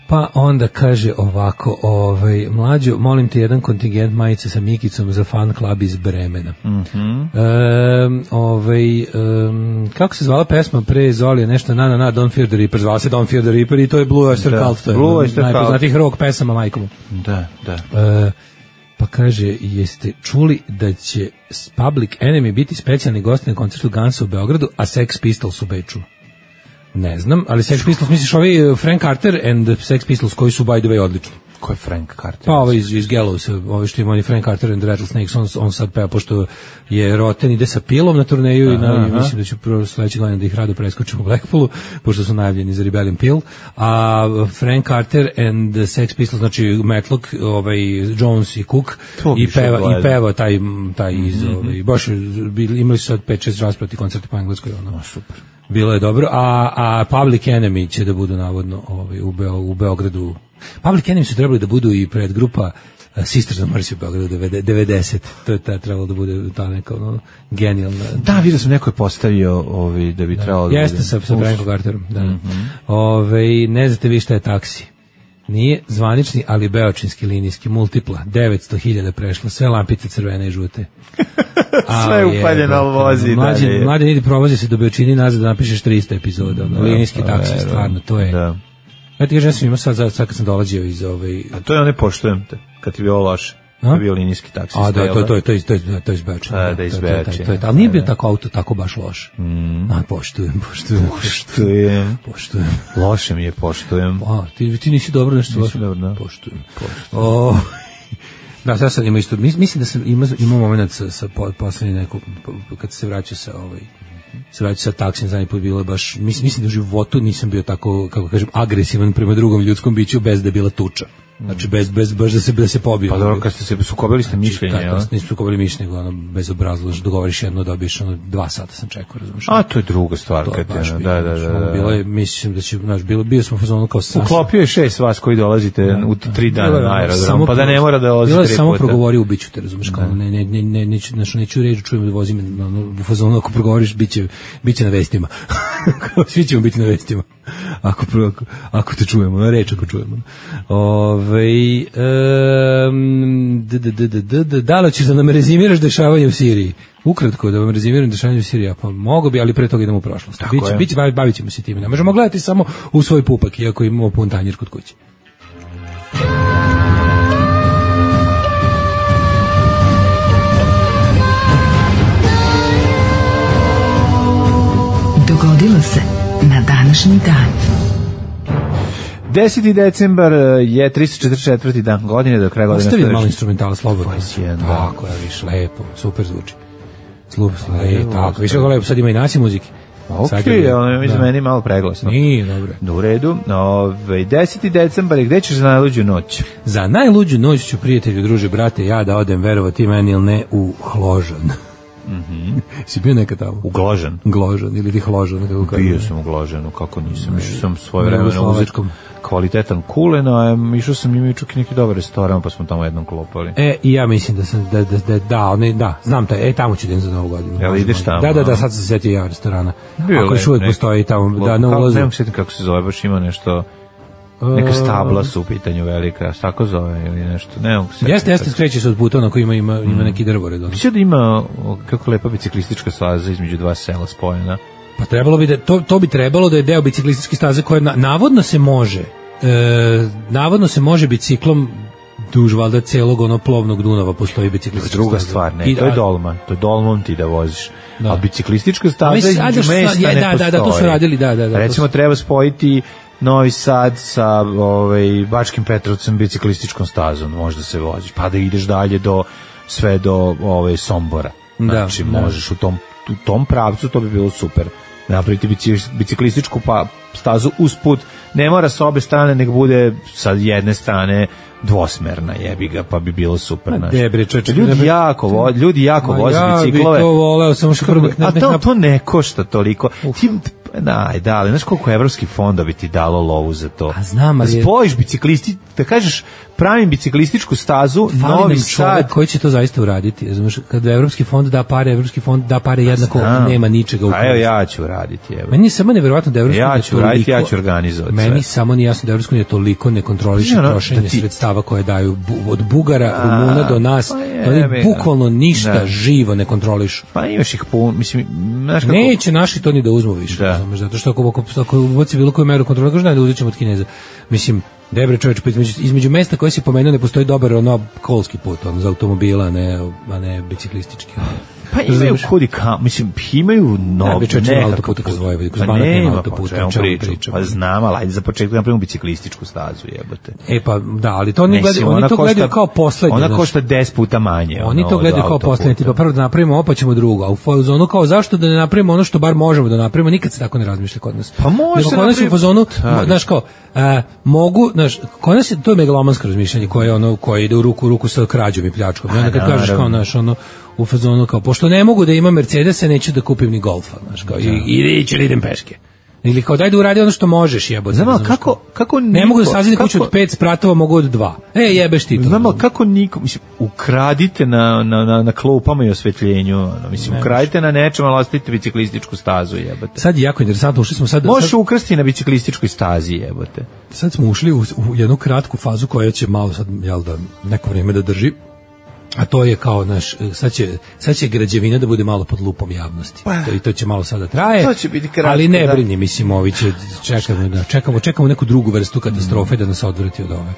pa onda kaže ovako, ovaj mlađo, molim te jedan kontingent majice sa Mikicom za fan klub iz Bremena. Mhm. Um, ovaj um, kako se zvala pesma pre Zolije, nešto na na na Don't Fear the Reaper, zvala se Don't Fear the Reaper i to je Blue Oyster Cult, to je Blue Oyster Cult, najpoznatijih rock pesama majkom. Da, da. Uh, pa kaže, jeste čuli da će Public Enemy biti specijalni gost na koncertu Gansa u Beogradu, a Sex Pistols u Beču? Ne znam, ali Sex Pistols, misliš ovi Frank Carter and Sex Pistols koji su by the way odlični. Ko je Frank Carter? Pa ovaj iz, iz Gallowsa, ovaj što ima oni Frank Carter and the Rattlesnakes, on, on sad peva, pošto je Roten ide sa Pilom na turneju aha, i na, aha. mislim da ću prvo sledeće godine da ih rado preskočimo u Blackpoolu, pošto su najavljeni za Rebellion Pill, a Frank Carter and the Sex Pistols, znači Matlock, ovaj, Jones i Cook, i peva, i peva taj, taj iz, mm-hmm. ovaj, baš imali su sad pet šest rasprati koncerti po engleskoj, ono, super. Bilo je dobro, a, a Public Enemy će da budu navodno ovaj, u, Beo, u Beogradu. Public Enemy su trebali da budu i predgrupa uh, Sisters of Mercy u Beogradu devedeset. To je ta, trebalo da bude ta neka ono, genijalna. Da, vidio sam neko je postavio ovaj, da bi da, trebalo da jeste bude. Jeste sa, sa Frankom Carterom. Da. Mm-hmm. Ove, ne znate vi šta je taksi. Nije zvanični, ali beočinski linijski, multipla, devetsto hiljada prešlo, sve lampice crvene i žute. Sve je upaljeno, ali vozi. Mlađe, mlađe idi provozi se do Beočini nazad da napišeš tristo epizoda. Da, linijski pa, taksi, stvarno, to je... Da. Ja ti kažem, ja sam imao sad, sad kad sam dolazio iz ovaj... A to je one poštujem te, kad ti bio loše. To je bio linijski taksi. A da, to, to, to, to, to, to je iz Beočina. A, da, iz Beočina. Ali nije bio tako auto, tako baš loš. Mm. A, poštujem, poštujem. Poštujem. Poštujem. Loše mi je, poštujem. A, ti, ti nisi dobro nešto loše. Nisi dobro, da. Poštujem. Poštujem. O, da, sad sam imao isto, mislim da sam imao, imao moment sa, sa poslednji nekog, kad se vraćao sa ovaj, se vraćao sa taksim, zadnji put bilo je baš, mislim, mislim da u životu nisam bio tako, kako kažem, agresivan prema drugom ljudskom biću bez da je bila tuča. Znači bez bez baš da se da se pobije. Pa dobro, kad ste se sukobili ste mišljenje, ja. Kad nismo sukobili mišljenje, ono bezobrazno, dogovoriš jedno, dobiješ ono dva sata sam čekao, razumiješ. A to je druga stvar, kad je, da, da, da, da. Bilo je, mislim da će, znaš, bilo bio smo fazonu kao sam. Uklopio je šest vas koji dolazite da, u tri dana na aerodrom, pa da ne mora da dolazite tri puta. Samo progovori u biću te, razumiješ, kao ne ne ne ne neću, znači neću reći, čujem da vozim u fazonu, ako progovoriš biće biće na vestima. Svi ćemo biti na vestima. Ako ako, ako te čujemo, na reč ako čujemo. Ovaj Um, d, d, d, d, d, da li ćeš da nam rezimiraš dešavanje u Siriji? Ukratko, da vam rezimiram dešavanje u Siriji, pa mogu bi, ali pre toga idemo u prošlost. Biće, biće, bavit ćemo se time. Ne možemo gledati samo u svoj pupak, iako imamo pun tanjir kod kuće. Dogodilo se na današnji dan. deseti decembar je tristo četrdeset četvrti dan godine, do kraja godine. Ostavi malo instrumentala slobodno. Fajsijen, da. Tako, ja viš, lepo, super zvuči. Slup, lepo, tako, više kako lepo, sad ima i nasi muzike. Ok, ono mi za meni malo preglasno. Nije, dobro. Da, u redu. Ove, deseti decembar je, gde ćeš za najluđu noć? Za najluđu noć ću, prijatelju, druže, brate, ja da odem, verovati meni ili ne, u Hložan. Mhm. Si bio nekad tamo? U Gložan. Gložan ili ti Hložan, kako kažem. Bio sam u Gložanu, kako nisam. Išao sam svoje vremena uzeti kvalitetan kulen, a išao sam imao čak i neki dobar restoran, pa smo tamo jednom klopali. E, i ja mislim da sam, da, da, da, da, ne, da znam taj, e, tamo ću den za novu godinu. Jel ideš tamo? Da, da, da, sad sam se setio ja restorana. Bio ako još uvijek postoji tamo, da, na ulazu. Ne mogu sjetiti kako se zove, baš ima nešto... Neka stabla su u pitanju velika, tako zove ili nešto. Ne mogu se. Jeste, jeste, skreće se od puta, onako ima, ima, ima mm. neki drvored. Mislim da ima, kako lepa biciklistička staza između dva sela spojena. Pa trebalo bi da, to, to bi trebalo da je deo biciklističke staze koja na, navodno se može, e, navodno se može biciklom duž valjda celog ono plovnog Dunava postoji biciklistička druga staza. stvar, ne, I, to je dolman, to je dolman ti da voziš. Da. A biciklistička staza između da, mesta je, ne da, postoji. Da, da, to su radili, da, da. da Recimo su... treba spojiti Novi Sad sa ovaj, Bačkim Petrovcem biciklističkom stazom, možda se voziš, pa da ideš dalje do, sve do ovaj, Sombora. Znači, da, možeš da. u tom, u tom pravcu, to bi bilo super. Napraviti biciklističku pa stazu usput, ne mora sa obe strane, nek bude sa jedne strane dvosmerna, jebi ga, pa bi bilo super. Debre, čoče, ljudi debre. jako vo, ljudi jako Ma voze ja biciklove. Ja bi to voleo, samo što prvo... A to, to ne košta toliko. Uf. Ti, daj, da, ali znaš koliko evropski fonda bi ti dalo lovu za to? A znam, ali... Da spojiš biciklisti, da kažeš pravim biciklističku stazu, Fali Novi Sad... koji će to zaista uraditi? Znaš, kada evropski fond da pare, evropski fond da pare jednako, znam. Nema ničega u koristi. A evo ja ću raditi. Evo. Meni je samo nevjerovatno da evropski ja ću raditi, ja ću organizovati. Meni samo nije jasno da evropski je toliko ne kontroliše no, trošenje da ti... sredstava koje daju bu, od Bugara, a, Rumuna do nas. Pa je, oni bukvalno ništa da. živo ne kontrolišu. Pa imaš ih pun, mislim, znaš kako... Neće naši to ni da uzmu više. Da. Znaš, zato što ako, ako, ako uvoci bilo koju meru kontrola, kažu da uzet ćemo od Kineza. Mislim, debre čoveč, između, između mesta koje si pomenuo ne postoji dobar ono kolski put, on za automobila, a ne, a ne biciklistički. Pa imaju kudi ka, mislim, imaju no, ne, čoveč, ima autoputa kroz Vojvodinu, kroz Banat nema autoputa, o čemu pričam. Pa znam, ali ajde za početak napravimo biciklističku stazu, jebote. E pa, da, ali to oni gledaju, oni to gledaju kao poslednje. Ona košta deset puta manje. Oni to gledaju kao poslednje, tipa prvo da napravimo, pa ćemo drugo, a u fazonu kao zašto da ne napravimo ono što bar možemo da napravimo, nikad se tako ne razmišlja kod nas. Pa može se napraviti. U fazonu, znaš kao, a, mogu, znaš, kod nas je, to je megalomansko razmišljanje koje, ono, koje ide u ruku u ruku sa krađom i pljačkom. I onda kad kažeš kao, znaš, ono, u fazonu kao, pošto ne mogu da imam Mercedesa, neću da kupim ni Golfa, znaš, kao, i, i ići idem peške. Ili kao, daj da uradi ono što možeš, jebote. Znamo, kako, kako niko... Ne mogu da sazidi kuću od pet spratova, mogu od dva. E, jebeš ti to. Znamo, kako niko, mislim, ukradite na, na, na, na klupama i osvetljenju, ono, mislim, ne ukradite na nečem, ali ostavite biciklističku stazu, jebote. Sad je jako interesantno, ušli smo sad... Možeš sad, ukrasti na biciklističkoj stazi, jebote. Sad smo ušli u, u jednu kratku fazu koja će malo sad, jel da, neko vrijeme da drži. A to je kao naš, sad će, sad će građevina da bude malo pod lupom javnosti. Pa, to, i to će malo sada traje. To će biti kratko, ali ne brini, mislim, ovi će, čekamo, da, čekamo, čekamo neku drugu vrstu katastrofe mm. da nas odvrati od ove.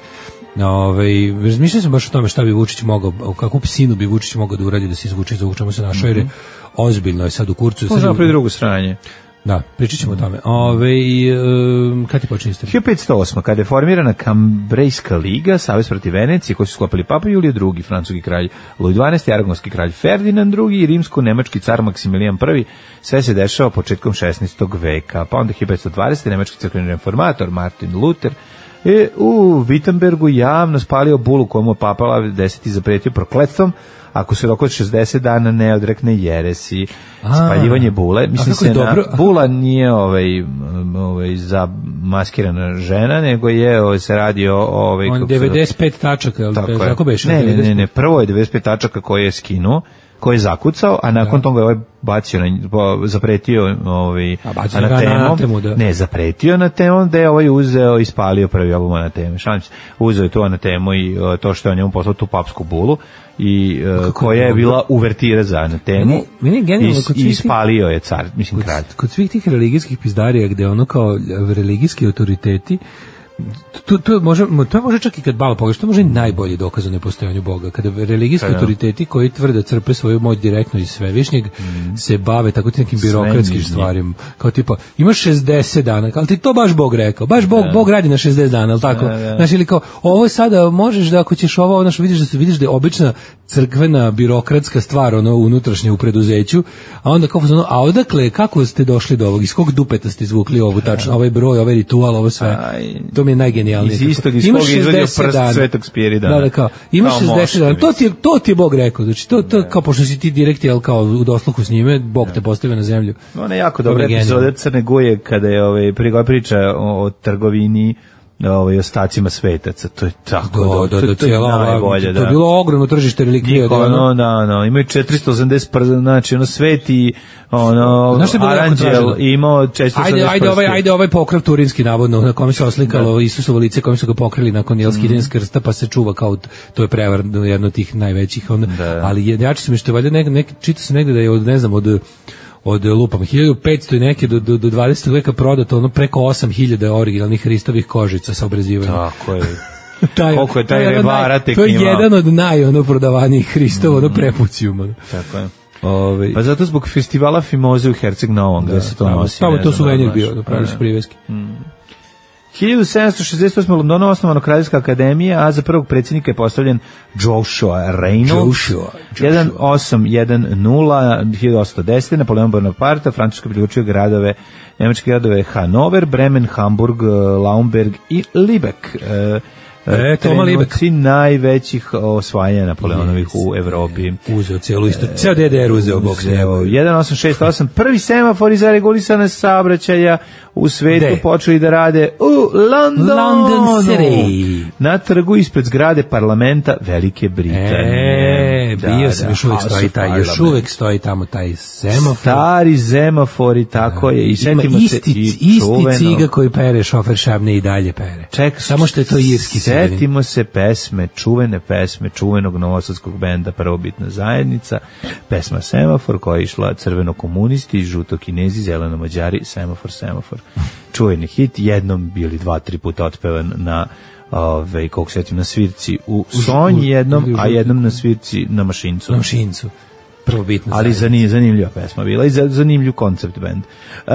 Ove, razmišljam sam baš o tome šta bi Vučić mogao, kakvu psinu bi Vučić mogao da uradi da se izvuče za čemu se našao, jer je ozbiljno je sad u kurcu. Možda pri drugu stranje. Da, pričat ćemo o tome. Ove, um, kad ti počne istorija? hiljadu petsto osma. kada je formirana Kambrejska liga, Savez protiv Venecije, koji su sklopili Papa Julije drugi, francuski kralj Louis dvanaesti, aragonski kralj Ferdinand drugi i rimsko-nemački car Maksimilijan prvi. Sve se dešava početkom šesnaestog veka. Pa onda hiljadu petsto dvadesete. nemački crkveni reformator Martin Luther je u Wittenbergu javno spalio bulu komu je Papa Pavle deseti zapretio prokletstvom ako se rok od šezdeset dana ne odrekne jeresi. A, spaljivanje bule, mislim se na, bula nije ovaj, ovaj za maskirana žena, nego je ovaj, se radi o ovaj, on devedeset pet tačaka, je tako, tako beše? Ne, ne, ne, ne, prvo je devedeset pet tačaka koje je skinuo, koji je zakucao, a nakon da. toga je ovaj bacio, na, zapretio ovaj, anatemom, da. ne, zapretio na temom, da je ovaj uzeo i spalio prvi album Anateme. Šalim se, uzeo je to Anatemu i uh, to što je on njemu poslao tu papsku bulu, i uh, koja je bila uvertira za Anatemu, meni, meni genijalno, i, i spalio je car, mislim, kod, kralj. Kod svih tih religijskih pizdarija, gde ono kao religijski autoriteti, To, to, može, to može čak i kad malo pogledaš, to može i najbolji dokaz o nepostojanju Boga. Kada religijski autoriteti koji tvrde crpe svoju moć direktno iz Svevišnjeg mm. se bave tako ti nekim birokratskim stvarima. Kao tipa, imaš šezdeset dana, ali ti to baš Bog rekao. Baš Bog, da. Bog radi na šezdeset dana, al tako? Da, da. Znači, ili kao, ovo sada možeš da ako ćeš ovo, znaš, vidiš da se vidiš da je obična crkvena birokratska stvar, ono unutrašnje u preduzeću, a onda kao ono, a odakle, kako ste došli do ovog, iz kog dupeta ste izvukli ovu tačno, ovaj broj, ovaj ritual, ovo sve. Aj. To mi je najgenijalnije. Iz istog, iz kog je izvadio prst Svetog Spiridana. Da, da, kao, imaš šezdeset dana, to ti, je, to ti je Bog rekao, znači, to, to kao, pošto si ti direkt, jel, kao, u dosluhu s njime, Bog te postavio na zemlju. Ona je jako dobra epizoda Crne Guje, kada je, ovaj, priča o, o trgovini ovaj ostacima svetaca. To je tako Da, dobro. da, to, da, to je cijela ova- najbolje, to da. je bilo ogromno tržište relikvija. Niko, da, ono- ono, da, no, imaju četiristo osamdeset prsta, znači ono sveti, ono, Znaš šta je bilo jako Aranđel traženo? imao četiristo osamdeset Ajde, ajde, ovaj, prsti. ajde ovaj pokrov turinski navodno na kome se oslikalo Isusovo lice, kome su ga pokrili nakon jel skidanja s krsta, pa se čuva kao t- to je prevar jedno od tih najvećih onda. Da. Ali je jače su mi što je valjda nek, nek čita se negde da je od ne znam od od lupam hiljadu petsto i neke do do do dvadesetog veka prodato ono preko osam hiljada originalnih Hristovih kožica sa obrazivanjem. Tako je. Taj- Koliko je taj to jedan Revara naj- tek To je imao. jedan od naj ono prodavanijih Hristova, ono prepucijum. ono. Tako je. Ovaj Pa zato zbog festivala Fimoze u Herceg Novom, gde se to tamo- nosi. tamo ne je to znam, suvenir znaš. bio, napravili su priveski. hiljadu sedamsto šezdeset osme. u Londonu osnovana Kraljevska akademija, a za prvog predsjednika je postavljen Joshua Reynolds. Joshua, Joshua. jedan osam jedan nula, hiljadu osamsto desete. Napoleon Bonaparte, Francusko priključio gradove, nemačke gradove Hanover, Bremen, Hamburg, Laumberg i Libeck. E, E, Toma Libeck. trenuci najvećih osvajanja Napoleonovih u Evropi. Uzeo cijelu isto, ceo D D R uzeo bok s njemu. jedan osam šest osam. Prvi semafori za regulisane saobraćaja u svetu Gde? počeli da rade u Londonu. London City. Na trgu ispred zgrade parlamenta Velike Britanije. E, Da, bio da, sam, još uvek House stoji of taj, još Parliament. uvek stoji tamo taj semafor. Stari semafori, tako je. I Ima setimo isti, se i isti čuveno. ciga koji pere, šofer Šabne i dalje pere. Ček, Samo što je to irski ciganin. setimo se pesme, čuvene pesme, čuvenog novosadskog benda Prvobitna zajednica, pesma Semafor koja je išla crveno komunisti, žuto kinezi, zeleno mađari, Semafor, Semafor. Čuveni hit, jednom bili dva, tri puta otpevan na ove, koliko se setim, na svirci u Sonji jednom, ili u a žutom. jednom na svirci na Mašincu. Na Mašincu. Prvo bitno. Ali zanim, zanimljiva pesma bila i za- zanimljiv koncept band. Uh,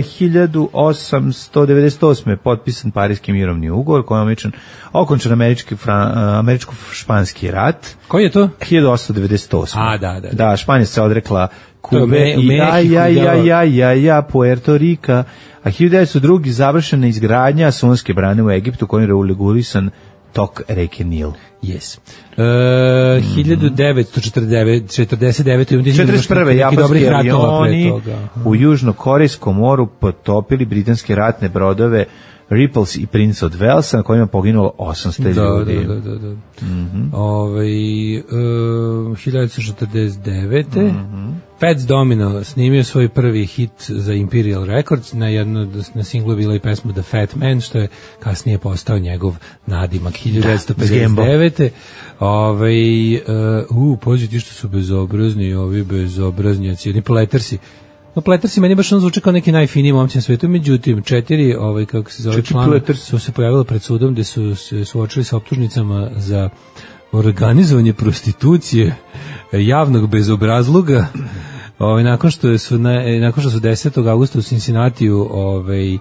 hiljadu osamsto devedeset osme. potpisan Parijski mirovni ugovor kojom je omičan okončan američki, fran, američko-španski rat. Koji je to? hiljadu osamsto devedeset osme. A, da, da, da. Da, Španija se odrekla To je Kube Me- u i ja, Mehiku, ja, ja, da. ja, ja, ja, Puerto Rika. A hiljadu devetsto druge. završena izgradnja Sunske brane u Egiptu kojim je regulisan tok reke Nil. Yes. E, hiljadu devetsto četrdeset devete. imam četrdeset prve. neki japanski dobrih ratova pre avioni toga. Aha. u Južnokorejskom moru potopili britanske ratne brodove Ripples i Prince od Walesa na kojima je poginulo osamsto Da, ljudi. da, da, da. da. Ovaj, e, hiljadu devetsto četrdeset devete. Fats Domino snimio svoj prvi hit za Imperial Records, na jedno na singlu je bila i pesma The Fat Man, što je kasnije postao njegov nadimak. hiljadu devetsto pedeset devete. Ovaj, uh, u, pođe ti što su bezobrazni, ovi bezobraznjaci, oni Plettersi. No, Plettersi meni baš on zvuče kao neki najfiniji momci na svetu, međutim, četiri, ovaj, kako se zove Četiri član, Plettersi. su se pojavili pred sudom gde su se suočili sa optužnicama za organizovanje prostitucije, javnog bezobrazluga. Ovaj, nakon što su na, nakon što su desetog avgusta u Cincinnatiju ovaj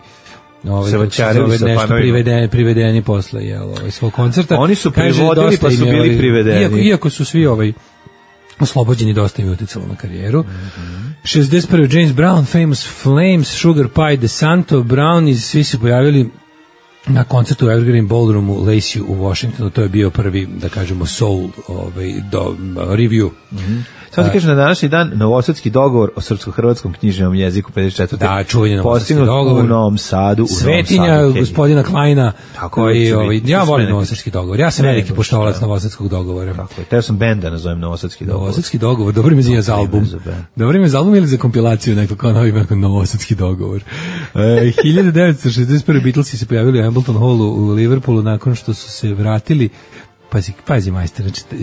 ovaj Se kako se vaćarili zove, sa nešto panovima. privedeni privedeni posle jel ovaj svog koncerta. Oni su Kaže, privodili, dosta pa im su je, bili ovaj, privedeni. Iako, iako su svi ovaj oslobođeni, dosta im je uticalo na karijeru. šezdeset prve. James Brown, Famous Flames, Sugar Pie, DeSanto, Brownies, svi se pojavili na koncertu u Evergreen Ballroomu Lacey u Washingtonu. To je bio prvi, da kažemo, soul ovaj, do, review. Samo ti kažem, na današnji dan novosadski dogovor o srpsko-hrvatskom književnom jeziku pedeset četvrte. Da, čuveni novosadski postignut dogovor. u Novom Sadu. U Svetinja Novom Sadu, gospodina Kleina, Tako koji, je, ovaj, biti. ja To volim sve novosadski dogovor. Ja sam Ne, veliki baš, poštovalac da. novosadskog dogovora. Tako je. Teo sam benda nazovem novosadski dogovor. Novosadski dogovor, dobro ime za album. za band. Dobro ime za album ili za kompilaciju neko kao novi neko novosadski dogovor. E, hiljadu devetsto šezdeset prve. Beatlesi se pojavili u Hambleton Hallu u Liverpoolu nakon što su se vratili. Pazi, pazi majster, znači, e,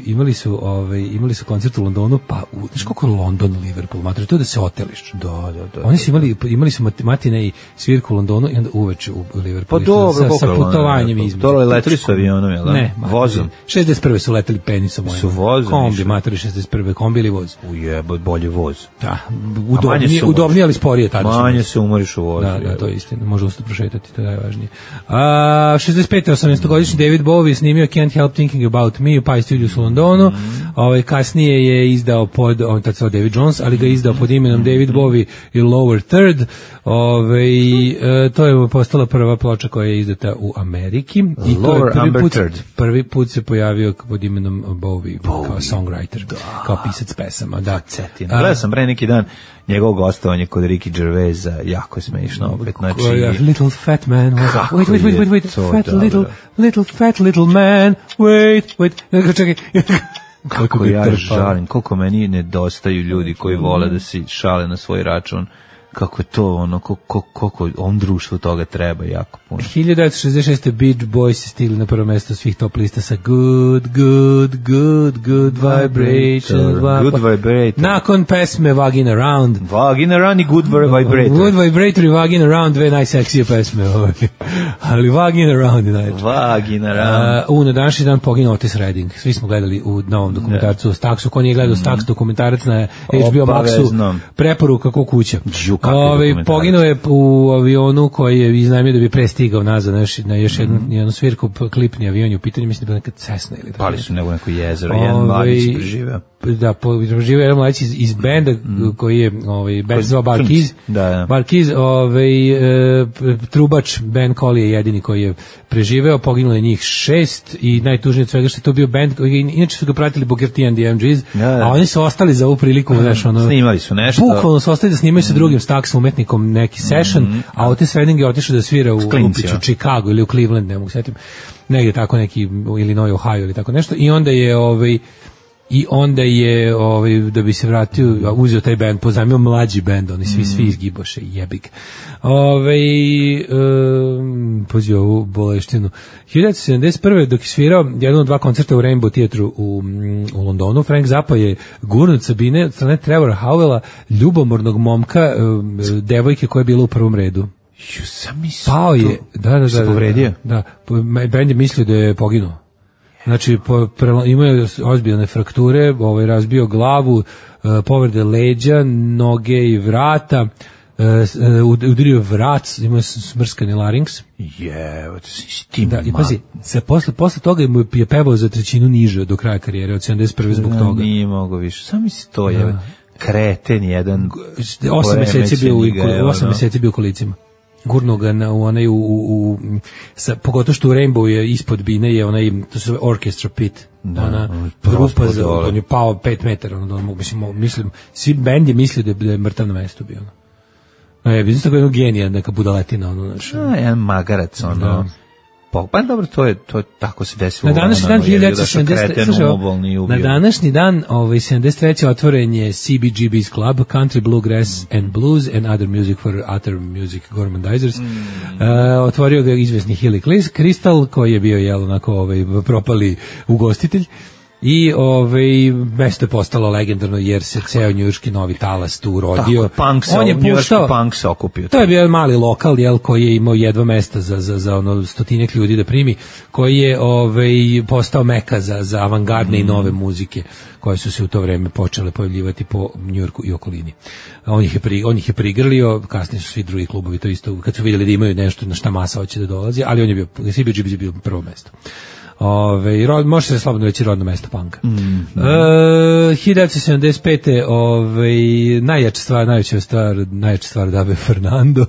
imali su ovaj imali su koncert u Londonu, pa u, znaš koliko je London, Liverpool, mater, to je da se oteliš. Da, da, da. Oni su imali imali su mat- matine i svirku u Londonu i onda uveče u Pa Liverpoolu. dobro, sa, sa koliko je putovanjem London, između. to leteli su avionom, jel da? Ne, mater, Vozom. šezdeset prve su leteli penisom mojim. Su vozom Kombi, išli? mater, šezdeset prve. Kombi ili voz. Ujebo, bolje voz. Da, manje udobnije, se umoriš. udobnije, ali sporije tada. Manje se umoriš u vozu. Da, da, jebo. to je istina. Može usta prošetati, to je najvažnije. A, šezdeset pete. osamnaestogodišnji David Bowie snimio Can't Help Thinking About Me u Pie Studios u Londonu. Ovaj, kasnije je izdao pod, on tad se David Jones, ali ga je izdao pod imenom David Bowie i Lower Third. Ovaj, e, to je postala prva ploča koja je izdata u Ameriki. I to je Lower prvi Amber put, Third. prvi put se pojavio pod imenom Bowie, kao songwriter, kao pisac pesama. Da. Cetina. Gledao sam pre neki dan njegovo gostovanje kod Ricky Gervaisa, jako je smešno opet, znači... Little fat man, Kako wait, wait, wait, wait, wait, to fat dobro. little, little fat little man, wait, wait, čekaj. Kako ja žalim, koliko meni nedostaju ljudi koji vole da se šale na svoj račun, kako je to ono, koliko, koliko on društvu toga treba jako puno. hiljadu devetsto šezdeset šeste. Beach Boys stigli na prvo mesto svih top lista sa Good, Good, Good, Good Vibration. Good Vibrator. Nakon pesme Vagin Around. Vagin Around i Good Vibrator. Good Vibrator i Vagin Around, dve najseksije pesme. Ovaj. Ali Vagin Around je najveće. Vagin Around. Uh, u, na današnji dan poginuo Otis Redding. Svi smo gledali u novom dokumentarcu o Staxu. Ko nije gledao Stax dokumentarac na H B O Maxu, preporuka ko kuća. Ove, poginuo je u avionu koji je iznajmio da bi prestigao nazad na još, na još jednu, mm. jednu svirku, klipni avion je u pitanju, mislim da je neka Cessna ili tako. Pali su nego neko jezero, jedan mladić preživeo. Da, preživeo jedan mladić iz, iz benda mm. koji je, ovaj, band zvao Barkiz, da, da. Barkiz, ovaj, e, trubač Ben Collie je jedini koji je preživeo, poginulo je njih šest i najtužnije od svega što je to bio band, koji, inače su ga pratili Booker T and the M Gs, da, da. A oni su ostali za ovu priliku, mm. znaš, ono, snimali su nešto. Bukvalno su ostali da snimaju sa drugim Staxom umetnikom neki session, mm. a Otis Redding je otišao da svira u, u, u Chicago ili u Cleveland, ne mogu setim, negdje tako neki u Illinois, Ohio ili tako nešto, i onda je ovaj i onda je ovaj da bi se vratio uzeo taj bend, pozajmio mlađi bend, oni svi mm. svi izgiboše, jebik. Ovaj um, pozio ovu boleštinu. hiljadu devetsto sedamdeset prve dok je svirao jedan od dva koncerta u Rainbow Theatru u, u Londonu, Frank Zappa je gurnut Sabine od strane Trevora Howella, ljubomornog momka, devojke koja je bila u prvom redu. Ju, sam mi pao je, da, da, da, se povredio. Da, da, bend je mislio da je poginuo. Znači, po, prela, imao je ozbiljne frakture, ovaj, razbio glavu, uh, povrede leđa, noge i vrata, uh, udario vrat, imao je smrskani larynx. Je, s tim. Da, i pazi, se posle, posle toga mu je pevao za trećinu niže do kraja karijere, od sedamdeset prve zbog toga. Nije mogo više, samo mi se to je kreten jedan. Osam meseci bio u, osam meseci bio u kolicima. Gurno ga na u onaj u, u, u sa, pogotovo što u Rainbow je ispod bine je onaj, to se orchestra pit, da, ona grupa za, on je pao pet metara, ono, da, mislim, mislim, svi bend je mislio da je, da je mrtav na mestu bio, ono. No, je, vidim tako jednog genija, neka budaletina, ono, znaš. A, jedan magarac, ono. Da. Pa, pa dobro, to je, to je tako se desilo. Na današnji dan hiljadu devetsto sedamdeset Na današnji dan, ovaj sedamdeset treće otvoren je C B G B's Club, Country Bluegrass mm. and Blues and Other Music for Other Music Gormandizers. Mm. Uh, otvorio ga izvesni Hilly Crystal, koji je bio jel onako ovaj propali ugostitelj. I ovaj mesto je postalo legendarno jer se ceo njujorški novi talas tu urodio. Punk se, on je puštao, punk se okupio. To je bio mali lokal jel koji je imao jedva mesta za za za ono stotinak ljudi da primi, koji je ovaj postao meka za za avangardne mm. i nove muzike koje su se u to vreme počele pojavljivati po Njujorku i okolini. On ih je pri, on ih je prigrlio, kasnije su svi drugi klubovi to isto kad su vidjeli da imaju nešto na šta masa hoće da dolazi, ali on je bio C B G B je bio prvo mesto. Ove, rod, može se slobodno reći rodno mesto panka. Mm, mm. E, hiljadu devetsto sedamdeset pete Ove, najjača stvar, najveća stvar, najjača stvar da be Fernando.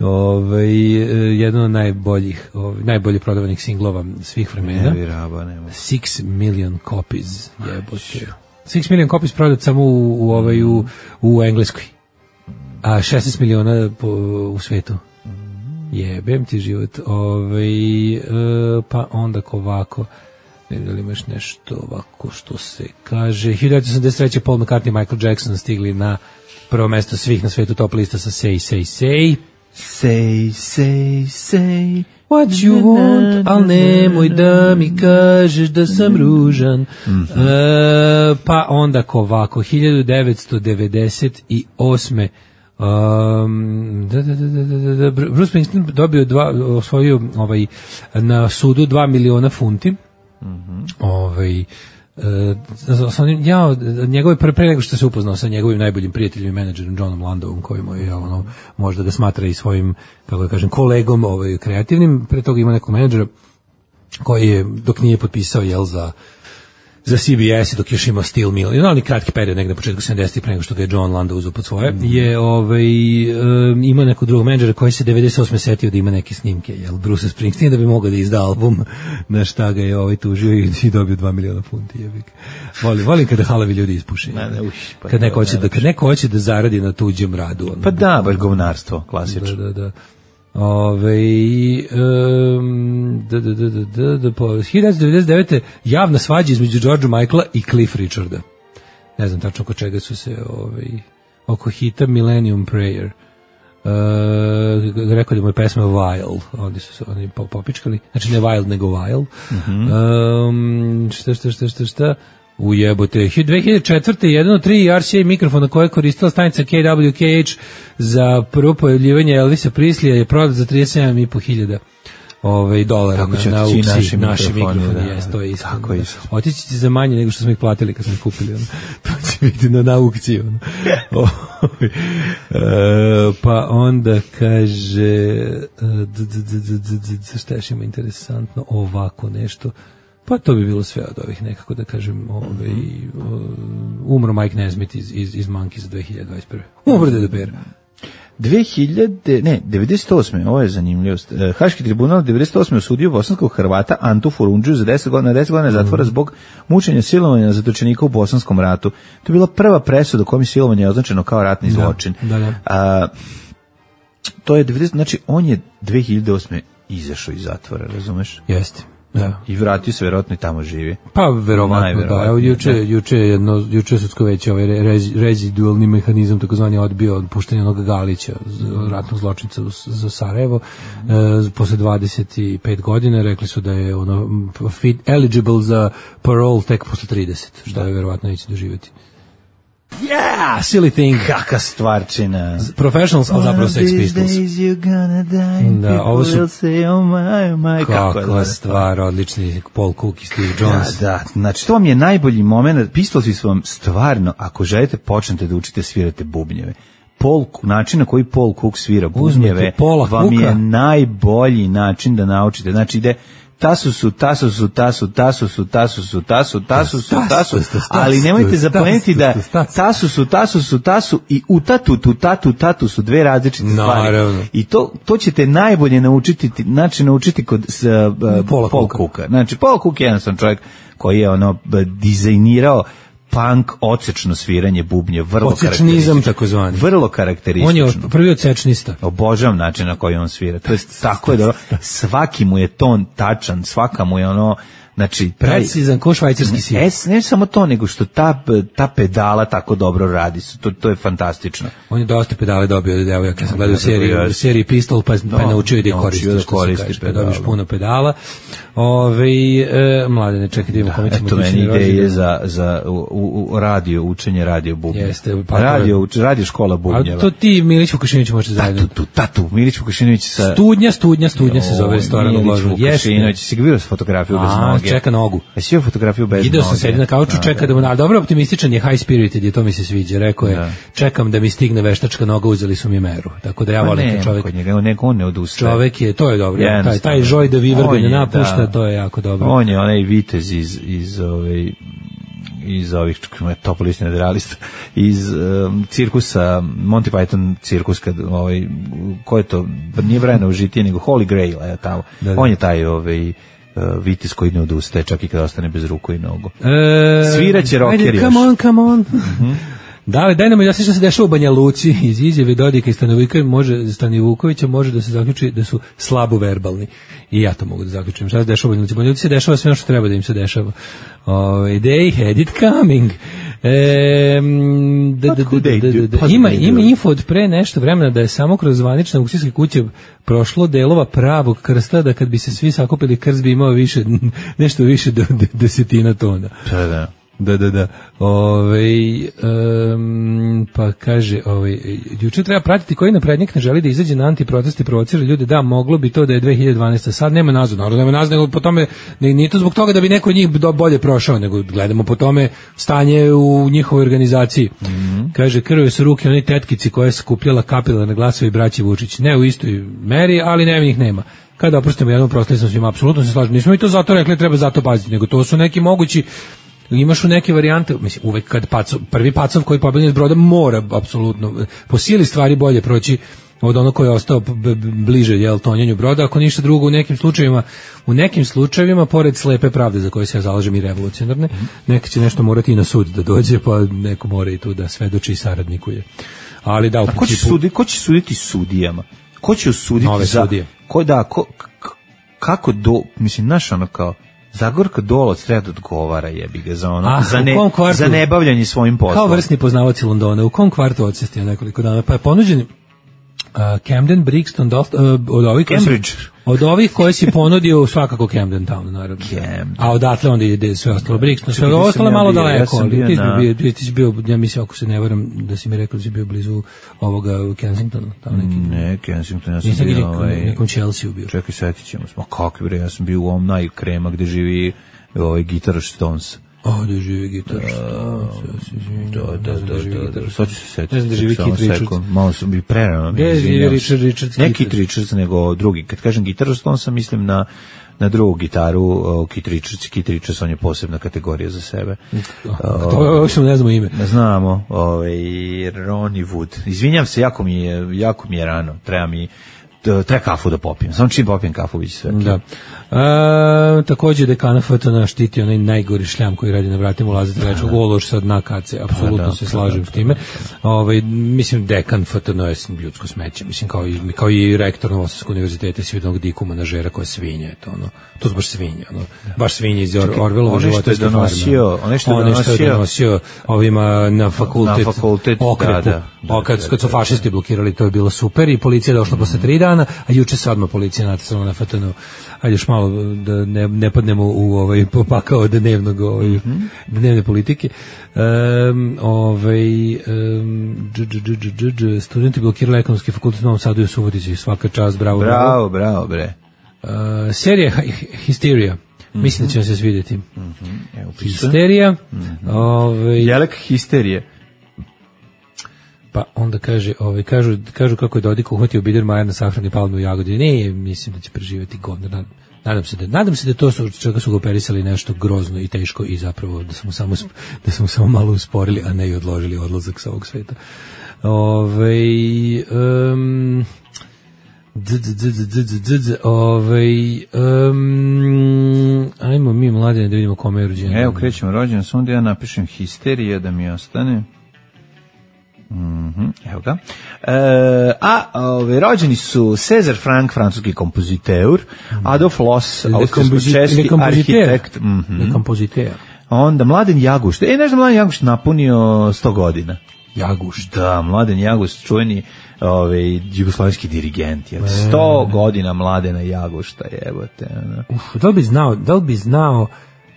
Ove, jedan od najboljih, ove, najbolje prodavanih singlova svih vremena. Ne, raba, nema. Six million copies, jebote. Six million copies prodat samo u, u, ovaj, u, u Engleskoj. A šesnaest miliona po, u svetu. Jebem ti život. Ovaj e, pa onda ovako, ne da li imaš nešto ovako što se kaže. hiljadu devetsto osamdeset treće Paul McCartney i Michael Jackson stigli na prvo mesto svih na svetu top lista sa Say, Say, Say. Say, say, say what you want, al nemoj da mi kažeš da sam ružan. Mm-hmm. E, pa onda ovako, hiljadu devetsto devedeset osme Um, da, da, da, da, da, Bruce Springsteen dobio dva, osvojio ovaj, na sudu dva miliona funti. Mm-hmm. Ovaj, uh, ja, njegove pre, pre nego što se upoznao sa njegovim najboljim prijateljem i menadžerom Johnom Landovom, koji mu je ono, možda ga smatra i svojim, kako da kažem, kolegom ovaj, kreativnim, pre toga ima nekog menadžera koji je, dok nije potpisao jel za za C B S dok još imao Steel Mill, i onaj kratki period negde na početku sedamdesetih pre nego što ga je John Landa uzeo pod svoje, mm. je ovaj, um, ima nekog drugog menadžera koji se devedeset osme setio da ima neke snimke, jel, Bruce Springsteen, da bi mogao da izda album, na šta ga je ovaj tužio i, i dobio dva miliona funti. Volim, volim kada halavi ljudi ispuše. Ne, ne, uš, pa kad, neko hoće da, kad neko hoće da zaradi na tuđem radu. Ono, pa da, baš govnarstvo, klasično. Da, da, da. Ove, um, da, da, da, da, da, da, po hiljadu devetsto devedeset devete. javna svađa između Georgea Michaela i Cliff Richarda. Ne znam tačno oko čega su se ovaj, oko hita Millennium Prayer. Uh, rekao da mu je pesma Wild, oni su se oni popičkali, znači ne Wild nego Wild. Mm-hmm. Um, šta, šta, šta, šta, šta? Ujebote, dve hiljade četvrte. jedan od tri R C A mikrofona koje je koristila stanica K W K H za prvo pojavljivanje Elvisa Preslija je prodat za trideset sedam i po hiljada ovaj dolara na, na aukciji. Naši mikrofoni, da, jes, to je isto. Tako je. Otići će za manje nego što smo ih platili kad smo ih kupili. Ono. To će biti na, na aukciji. Ono. e, pa onda kaže šta još ima interesantno ovako nešto. Pa to bi bilo sve od ovih nekako da kažem, ovaj, umro Mike Nesmith iz, iz, iz Monkeys za dve hiljade dvadeset prve. Umro Deda Pera. dve hiljade, ne, devedeset osme. Ovo je zanimljivost. Haški tribunal devedeset osme osudio bosanskog Hrvata Antu Furundžiju za deset godina, deset godina zatvora zbog mučenja silovanja zatočenika u Bosanskom ratu. To je bila prva presuda kojom je silovanje označeno kao ratni zločin. Da, da. A, to je devedeset, znači on je dve hiljade osme izašao iz zatvora, razumeš? Jeste. Da. I vratio se, verovatno i tamo živi. Pa verovatno, da. Evo, juče, juče jedno, juče sudsko veće ovaj rez, rezidualni mehanizam, takozvani odbio od puštanja onog Galića, ratnog zločinca za Sarajevo, mm. e, posle dvadeset pet godina, rekli su da je ono fit, eligible za parole tek posle trideset, što je verovatno neće doživjeti. Yeah, silly thing. Kaka stvarčina. Professionals, ali zapravo Sex Pistols. Da, ovo su say, oh my, oh my. Kakva stvar, odlični Paul Cook i Steve Jones. Da, da, znači to vam je najbolji moment. Pistolsi su vam stvarno, ako želite, počnete da učite svirate bubnjeve. Paul, način na koji Paul Cook svira bubnjeve vam je najbolji način da naučite. Znači ide tasu su, tasu su, tasu, tasu su, tasu su, tasu, tasu su, tasu, ali nemojte zapomenuti da tasu su, tasu su, tasu i u tatu, tu, tatu, tatu su dve različite stvari. I to, to ćete najbolje naučiti, znači naučiti kod uh, Paul Cooka. Znači, Paul Cook je jedan sam čovjek koji je ono dizajnirao punk odsečno sviranje bubnje, vrlo karakteristično. Takozvani. Vrlo karakteristično. On je prvi odsečnista. Obožavam način na koji on svira. To je tako je dobro. Svaki mu je ton tačan, svaka mu je ono, znači precizan ko švajcarski sir. Es, ne samo to, nego što ta ta pedala tako dobro radi. To to je fantastično. On je dosta pedale dobio od devojaka. Ja sam gledao seriju, u seriji Pistol, pa pa naučio da koristi, da koristi pedale. Dobiš puno pedala. Ove, e, mladene, čekaj da imamo kome ćemo. Eto meni ideje za, za u, u radio, učenje radio bubnjeva. Jeste, pa radio, uč, radio škola bubnjeva. A to ti Milić Vukašinović možete zajedno. Tatu, tatu, Milić Vukašinović sa... Studnja, studnja, studnja se zove restoran u Ložu. Vukašinović, si ga vidio s fotografiju bez noge? Čeka nogu. Jesi vidio fotografiju bez noge? Ideo sam sedi na kauču, čeka da mu... Ali dobro, optimističan je, high spirited je, to mi se sviđa. Rekao je, čekam da mi stigne veštačka noga, uzeli su mi meru. Tako da ja volim kad čovjek... On ne odustaje. Čovjek je, to je dobro. Taj, taj žoj da vivrga ne napušta, to je jako dobro. On je onaj vitez iz iz ove iz ovih Topolist Generalista iz um, cirkusa Monty Python cirkus kad ovaj ko je to nije Brian užitije nego Holy Grail je tamo. Da, da. On je taj ovaj uh, vitez koji ne odustaje čak i kad ostane bez ruku i nogu. E, Sviraće rocker još. Come on, come on. Mm-hmm. Da, daj nam i da se što se dešava u Banja Luci iz izjave Dodika i Stanovukovića može, Stanivukovića može da se zaključi da su slabo verbalni. I ja to mogu da zaključim. Šta se dešava u Banja Luci? Banja Luci se dešava sve ono što treba da im se dešava. Ove, they had it coming. E, da, da, da, da, da, da. Ima, ima info od pre nešto vremena da je samo kroz zvanične aukcijske kuće prošlo delova pravog krsta, da kad bi se svi sakupili krst bi imao više, nešto više do desetina tona. Da, da. Da, da, da. Ove, um, pa kaže, ove, juče treba pratiti koji naprednjak ne želi da izađe na antiprotest i provocira ljude. Da, moglo bi to da je dve hiljade dvanaeste. Sad nema nazad, naravno nema nazad, nego po tome, ne, nije to zbog toga da bi neko od njih bolje prošao, nego gledamo po tome stanje u njihovoj organizaciji. Mm-hmm. Kaže, krve su ruke oni tetkici koje je skupljala kapilarne glasove i braći Vučić. Ne u istoj meri, ali ne, njih nema. Kada oprostimo jednom prostali sam svima, apsolutno se slažem. Nismo i to zato rekli, treba zato paziti, nego to su neki mogući imaš u neke varijante, mislim, uvek kad pacov, prvi pacov koji pobegne s broda mora, apsolutno, po sili stvari bolje proći od onog koji je ostao b- b- bliže jel, tonjenju broda, ako ništa drugo u nekim slučajevima, u nekim slučajevima, pored slepe pravde za koje se ja zalažem i revolucionarne, mm. neka će nešto morati i na sud da dođe, pa neko mora i tu da svedoči i saradnikuje. Ali da, u principu... Ko će, sudi, ko će suditi sudijama? Ko će osuditi nove za... sudije? Ko da, ko, k- kako do... Mislim, znaš ono kao... Zagorka Dolovac treba da odgovara, jebi ga, za ono, ah, za, ne, kvartu, za nebavljanje svojim poslom. Kao vrsni poznavaoci Londona, u kom kvartu odsestio nekoliko dana, pa je ponuđen Uh, Camden, Brixton, Dalt, uh, od ovih Cambridge. Si, od ovih koje si ponudio svakako Camden Town, naravno. Camden. A odatle onda ide sve ostalo Brixton, sve ostalo malo bio, daleko. Ja bio, ti, na... bio, ti, ti si bio, ja mislim, ako se ne varam, da si mi rekao da si bio blizu ovoga Kensingtona. Tamo neki, ne, Kensington, ja sam bio bio... Nekom, ovaj, nekom Chelsea bio. Čekaj, setit ćemo se. Ma kako bre, ja sam bio u ovom najkrema gde živi ovaj Guitar Stones. O, da živi Guitar Stones. Da, da, da, da, da. Sad ću se setiti. Ne znam da živi Keith Richards. Malo sam bi prerano. Gde živi Richard Richards? Ne Keith Richards, nego drugi. Kad kažem Guitar Stones, mislim na na drugu gitaru, uh, Keith Richards. Keith Richards, on je posebna kategorija za sebe. To uopšte ne znamo ime. Ne znamo. Ovaj, Ronnie Wood. Izvinjam se, jako mi je, jako mi je rano. Treba mi treba kafu da popijem. Samo čim popijem kafu biće sve. Da. E, takođe dekana F T N štiti onaj najgori šljam koji radi na vratima ulaza trećeg ološ sa dna kace. Apsolutno da, se slažem s time. Ovaj mislim dekan F T N je ljudsko smeće. Mislim kao i kao i rektor Novosadskog univerziteta Svidnog dikuma na žera koja svinja, to ono. To su baš svinje, ono. Baš svinje iz Orwellovog života što je donosio, ono što je donosio, je donosio ovima na fakultet, na fakultet okrepu. Da, da, o, kad, kad su fašisti blokirali, to je bilo super i policija je došla mm. posle tri dana, a juče se odmah policija natisala na F T N. Ajde još malo da ne, ne padnemo u ovaj popakao dnevnog ovaj, mm-hmm. dnevne politike. Um, ovaj um, dž, dž, dž, dž, dž, studenti blokirali ekonomski fakultet u Novom Sadu i u Subotici. Svaka čast, bravo. Bravo, bravo, bre. Uh, serija Histerija. Mm-hmm. Mislim da će vam se svidjeti. Mm-hmm. Evo, Histerija. Mm-hmm. Ovaj Jelek histerije. Pa onda kaže, ovaj kažu kažu kako je Dodik uhvatio Biedermajer na sahrani palme u Jagodini. Ne, mislim da će preživeti govno. Nadam se da nadam se da to su čega su ga operisali nešto grozno i teško i zapravo da smo samo da smo samo malo usporili, a ne i odložili odlazak sa ovog sveta. Ovaj um, ovaj um, ajmo mi mladine da vidimo kome je rođendan. Evo krećemo rođendan, samo da ja napišem histerija da mi ostane. Mhm, evo ga. E, a ove, rođeni su Cezar Franck, francuski kompoziteur, Adolf Loos, austrijsko-češki arhitekt, mm-hmm. kompoziteur. Onda Mladen Jagušt. E, nešto Mladen Jagušt napunio sto godina. Jagušt. Da, Mladen Jagušt, čuveni ovaj jugoslovenski dirigent. Je. sto godina Mladena Jagušta, jebote. Uf, da li bi znao, da li bi znao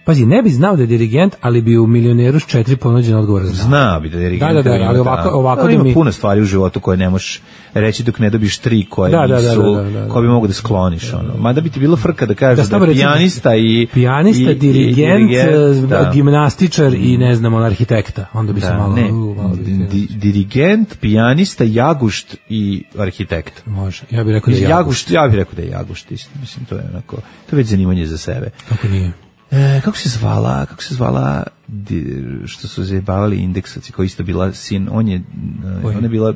Pazi, ne bi znao da je dirigent, ali bi u Milioneru s četiri ponuđen odgovor znao. Zna bi da je dirigent. Da, da, da, ali ovako, ovako da, da ima mi... puno stvari u životu koje ne možeš reći dok ne dobiš tri koje da, nisu, da, da, da, da, da. koje bi mogu da skloniš. Ono. Mada bi ti bilo frka da kažeš da, da je pijanista i... Pijanista, i, dirigent, i, dirigent da. gimnastičar i ne znam, on arhitekta. Onda bi da, se malo... Ne, uh, malo di, dirigent, pijanista, Jagušt i arhitekt. Može, ja bih rekao da je Jagušt. Ja bih rekao da je Jagušt, isto. Mislim, to je onako, to je već zanimanje za sebe. Kako nije? E, kako se zvala, kako se zvala di, što su zajebavali indeksaci, koji isto bila sin, on je, Oj. ona je bila,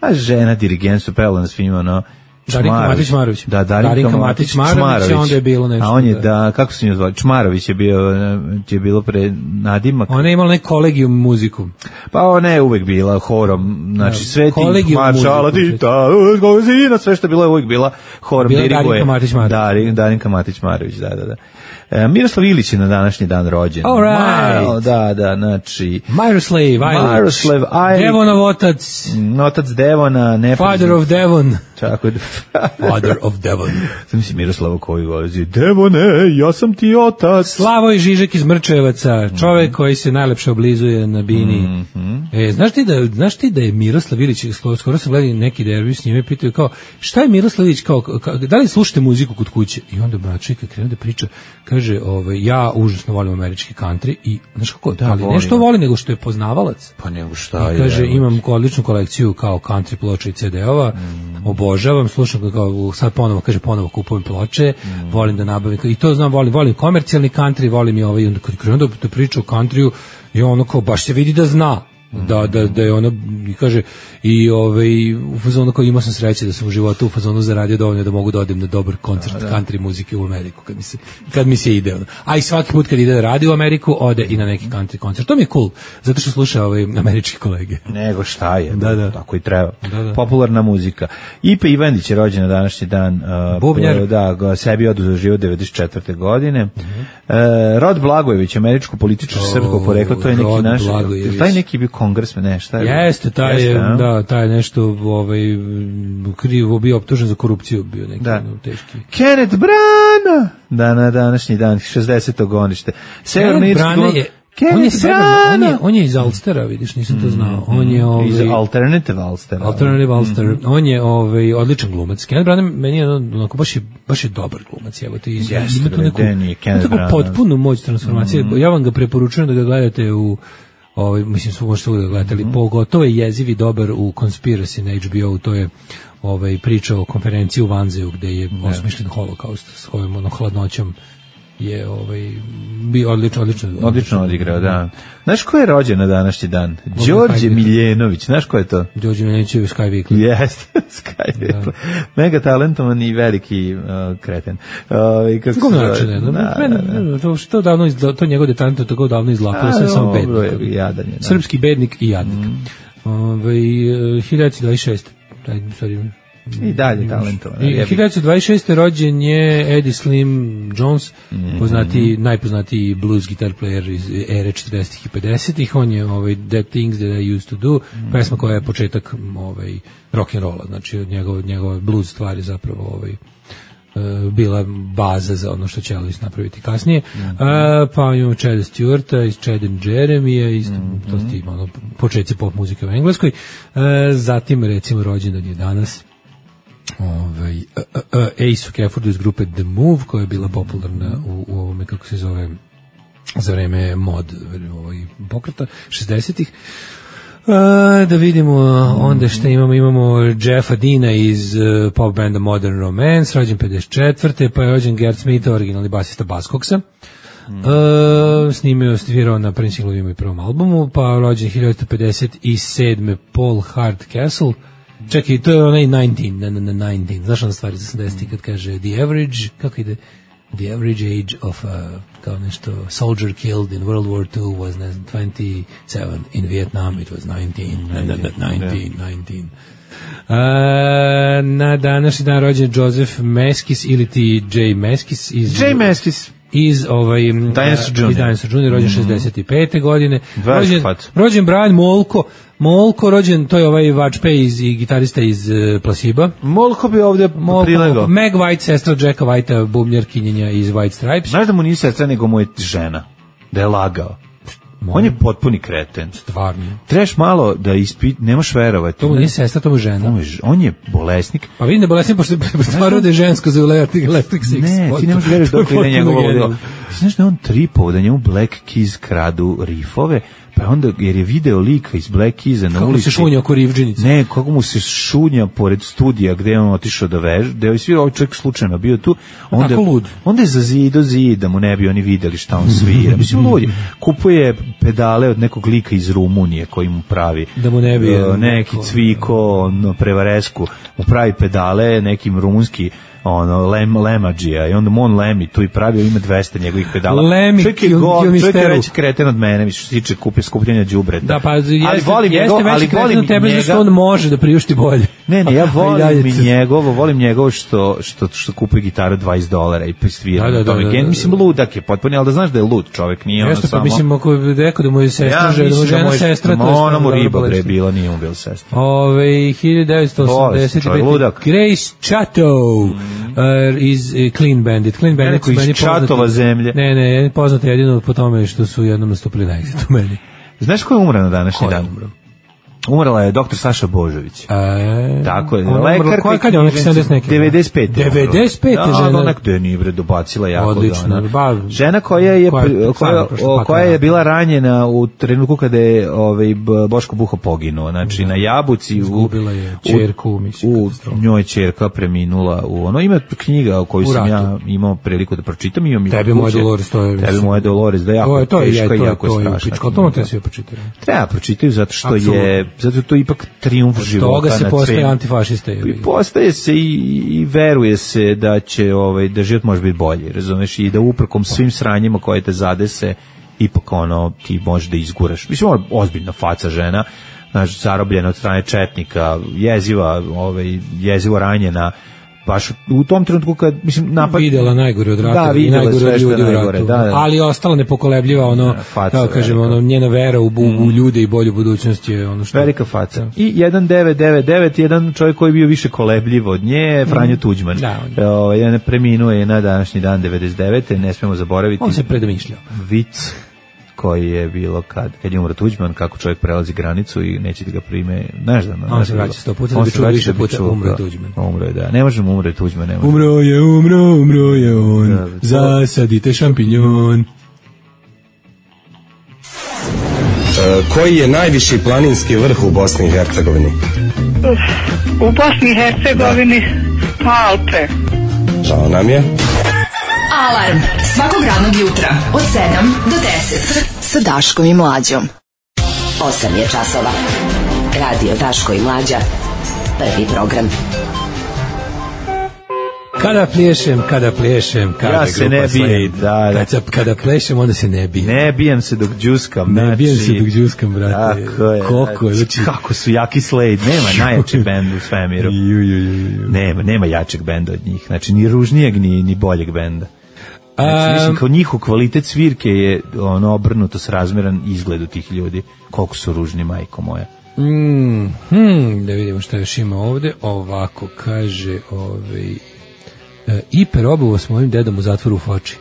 a žena dirigent, su pevala na svima, ono, Darinka Matić Marović. Da, Darinka, Darinka Matić Marović, onda je bilo nešto. A on je, da, da kako se nju zvali, Čmarović je bio, je bilo pre nadimak. Ona je imala neki kolegijum muziku. Pa ona je uvek bila horom, znači sve ti maršala, tita, zina, sve što je bilo je uvek bila horom. Bila Darinka Matić Marović. Da, Darinka Matić Marović, da, da, da. E, Miroslav Ilić je na današnji dan rođen. All right. Malo, da, da, znači... Miroslav Ilić. Miroslav Ilić. Devonov otac. Otac Devona. Nepoznat. Father of Devon. Tako da... Father of Devon. Sam misli Miroslava koji golazi. Devone, ja sam ti otac. Slavoj Žižek iz Mrčevaca. Čovek mm-hmm. koji se najlepše oblizuje na bini. Mm-hmm. E, znaš ti da, znaš ti da je Miroslav Ilić, skoro, skoro sam gledao neki derbi s njime, pitaju kao, šta je Miroslav Ilić, kao, ka, da li slušate muziku kod kuće? I onda bračika krenu da priča, kaže, ovaj, ja užasno volim američki country i, znaš kako, da, ali nešto voli nego što je poznavalac. Pa nego šta je. Kaže, imam odličnu kolekciju kao country ploča i ce de-ova, mm. obožavam, slušam kao, sad ponovo, kaže, ponovo kupujem ploče, mm. volim da nabavim, i to znam, volim, volim komercijalni country, volim i ovaj, onda kad krenu da, da priča o countryu, i ono kao, baš se vidi da zna. Da, da, da je ona, i kaže, i ovaj, u fazonu kao imao sam sreće da sam u životu u fazonu zaradio dovoljno da mogu da odem na dobar koncert da, da. country muzike u Ameriku, kad mi se, kad mi se ide. Ono. A i svaki put kad ide da radi u Ameriku, ode i na neki country koncert. To mi je cool, zato što sluša ovaj, američki kolege. Nego šta je, da, da. tako i treba. Da, da. Popularna muzika. Ipe Ivandić je rođen na današnji dan. Uh, Bubnjar. Da, ga sebi oduzeo život devedeset četvrte godine. Uh-huh. Uh, Rod Blagojević, američko političar oh, srpskog porekla, to je neki naš, taj neki bio kongresmen, ne, šta je? Jeste, taj je, da, taj je nešto ovaj, krivo bio optužen za korupciju, bio neki da. teški. Kenneth Branagh, da, na današnji dan, šezdeseto godište. Kenneth Branagh je, on je, severno, on, je, on je iz Ulstera, vidiš, nisam to znao. On je, ovaj, iz Alternative Ulstera. Alternative Ulster. Mm-hmm. On je ovaj, odličan glumac. Kenneth Branagh meni je onako, baš je, baš je dobar glumac. Evo, ti iz, Jeste, ima tu neku, ima tako potpunu moć transformacije. Mm-hmm. Ja vam ga preporučujem da ga gledate u ovaj, mislim, su možete uvijek gledati, ali mm-hmm. pogotovo je jeziv i dobar u Conspiracy na H B O, to je ovaj, priča o konferenciji u Vanzeju gde je yeah. osmišljen holokaust s svojom ono, hladnoćom je ovaj, bio odlično, odlično. Odlično odigrao, da. Znaš ko je rođen na današnji dan? Đorđe Miljenović, znaš ko je to? Đorđe Miljenović je Sky Weekly. Jeste, Sky Weekly. Da. Mega talentovan i veliki uh, kreten. Uh, kako kako način, ne? Da, da. To, što davno izla, to njegov detalent tako davno izlakao, sve samo bednik. Jadan je, srpski bednik i jadnik. Mm. Ove, hiljadu dvadeset šeste. Taj, sorry, i dalje talentovan. hiljadu dvadeset šeste rođen je Eddie Slim Jones, mm-hmm. poznati, najpoznatiji blues guitar player iz ere četrdesetih i pedesetih. On je ovaj, That Things That I Used To Do, mm-hmm. pesma koja je početak ovaj, rock and rolla, znači od njegove, njegove blues stvari zapravo ovaj, uh, bila baza za ono što će Elvis napraviti kasnije. Mm-hmm. Uh, pa imamo Chada Stewarta iz Chad and Jeremija, isto, mm-hmm. to ste ono, početci pop muzike u Engleskoj. Uh, zatim recimo rođendan je danas ovaj uh, uh, Ace Keffordu iz grupe The Move, koja je bila popularna u, u ovome, kako se zove, za vreme mod ovaj, pokreta šezdesetih. Uh, da vidimo onda što imamo, imamo Jeffa Deana iz uh, pop banda Modern Romance, rođen pedeset četvrte pa je rođen Gert Smith, originalni basista Buzzcocksa. Mm. Uh, snimio, svirao na Prince Inglovijem i prvom albumu, pa rođen hiljadu pedeset sedme Paul Hardcastle. Čekaj, to je onaj devetnaest, na, na, na devetnaest, znaš ona stvari iz osamdesetih kad kaže the average, kako ide, the average age of uh, kao nešto soldier killed in World War Two was ne znam, twenty-seven, in Vietnam it was nineteen, na, na, na, nineteen, nineteen. Uh, na današnji dan rođen Joseph Meskis ili ti Jay Meskis iz... Jay Meskis. Iz ovaj Dinosaur Junior, iz Dinosaur Junior, rođen šezdeset pete godine. Rođen, rođen Brian Molko, Molko rođen, to je ovaj vačpe iz i gitarista iz uh, Placebo. Molko bi ovdje prilego. Meg White, sestra Jacka Whitea, bubnjarkinjenja iz White Stripes. Znaš da mu nije sestra, nego mu je žena. Da je lagao. On je potpuni kreten. Stvarno. Trebaš malo da ispit, nemaš verovati. To mu nije sestra, to mu je žena. On je bolesnik. Pa vidim da je bolesnik, pošto stvarno da je žensko za Electric Six. Ne, ti nemaš veraš dok ide njegovo ludilo. Znaš da on tripovao da njemu Black Keys kradu rifove, pa onda, jer je video lika iz Black Keysa na kako ulici. Kako se šunja oko Rivđinice? Ne, kako mu se šunja pored studija gde je on otišao da vež, gde je svi ovaj čovjek slučajno bio tu. Onda, kako lud? Onda je za zid do zid, da mu ne bi oni videli šta on svira. Mislim, lud je. Kupuje pedale od nekog lika iz Rumunije koji mu pravi. Da mu ne bi. Uh, neki cviko, no, prevaresku, mu pravi pedale, nekim rumunski ono lem lemadžija i onda mu on lemi tu i pravio ima dvesta njegovih pedala. Lemi, čovjek je go, čovjek je veći kreten od mene, mi što se tiče kupe skupljanja đubreta. Da, pa jeste, ali volim jeste njegov, ali volim tebe njega, što on može da priušti bolje. Ne, ne, ja volim mi njegovo, volim njegovo što što što kupuje gitaru dvadeset dolara i svira da, na da, tome. da, da, da. Mislim ludak je potpuno, al da znaš da je lud čovjek, nije ono jeste, samo. Jeste, pa mislim ako bi rekao da mu je sestra, ja, žena, žena da sestra, to je ona mu riba bre bila, nije mu bila sestra. Ove hiljadu devetsto osamdeset pete Grace Chateau uh, iz uh, Clean Bandit. Clean Bandit su meni poznati. Zemlje. Ne, ne, poznati jedino po tome što su jednom nastupili na Exitu meni. Znaš ko je umro na današnji dan? Umro? umrla je doktor Saša Božović. E, Tako je. ona Lekar umrla, koja- kad je ona, sedamdeset neke? devedeset pete. devedeset pete Da, žena. ona gde nije bre dobacila jako. Odlično, ona. ba- Žena koja je koja je koja, stvarno prošla o, pakao koja je rata. bila ranjena u trenutku kada je ovaj B- Boško Buha poginuo, znači na Jabuci u Izgubila je ćerku, mislim, u katastrofa. njoj ćerka preminula u ono ima knjiga koju U sam ratu. ja imao priliku da pročitam, imam i Tebi kod moje kuće. Dolores, to je, Tebi mislim, moje Dolores, da je jako To je, to je, teška je, i to je, jako to je strašna. pička, to treba sve počitati. Treba pročitati zato što Apsolutno. je zato je to ipak trijumf života. Toga se nad postaje svim. antifašista. I postaje se i, i veruje se da će ovaj da život može biti bolji, razumeš, i da uprkom svim sranjima koje te zadese ipak ono ti možeš da izguraš. Mislim, ona ozbiljna faca žena, znaš, zarobljena od strane četnika, jeziva, ovaj jezivo ranjena, baš u tom trenutku kad mislim napad Videla najgore od rata Da, i videla najgore sve od što je ljudi u najgore, ratu. da, da. Ali je ostala nepokolebljiva, ono, Da, faca kao kažemo, velika. ono, njena vera u, bu- u ljude i bolju budućnost je ono što... velika faca. I jedan devet devet devet, jedan čovjek koji je bio više kolebljiv od nje, Franjo Tuđman. Da, on je. Ovaj, jedan preminuo je na današnji dan devedeset devete, ne smemo zaboraviti. On se predomišljao. Vic koji je bilo kad, kad je umro Tuđman, kako čovjek prelazi granicu i neće da ga prime, znaš da... On se vraća sto puta da bi čuo više puta, umro je Tuđman. Umro je, da. Ne možemo umre Tuđman, ne možemo. Umro je, umro, umro je on, Da, da. zasadite šampinjon. Koji je najviši planinski vrh u Bosni i Hercegovini? U Bosni i Hercegovini Alpe. Žao nam je. Alarm svakog radnog jutra od sedam do deset. Sa Daškom i Mlađom. osam je časova. Radio Daško i Mlađa. Prvi program. Kada plješem, kada plješem, kada Ja se ne bijem, da, da. Kad se- kada plešem, onda se ne bijem. Ne bijem se dok džuskam. Ne znači, bijem se dok džuskam, brate. Tako je. Koliko je, znači- Kako su jaki Slade. Nema najjači bend u svemiru. Ju, ju, ju, ju. Nema, nema jačeg benda od njih. Znači, ni ružnijeg, ni, ni boljeg benda. Znači, mislim, kao njihov kvalitet svirke je ono obrnuto s razmeran izgledu tih ljudi. Koliko su ružni, majko moja. Mm, hmm, da vidimo šta još ima ovde. Ovako kaže ovaj, e, Iper obovo s mojim dedom u zatvoru u Foči.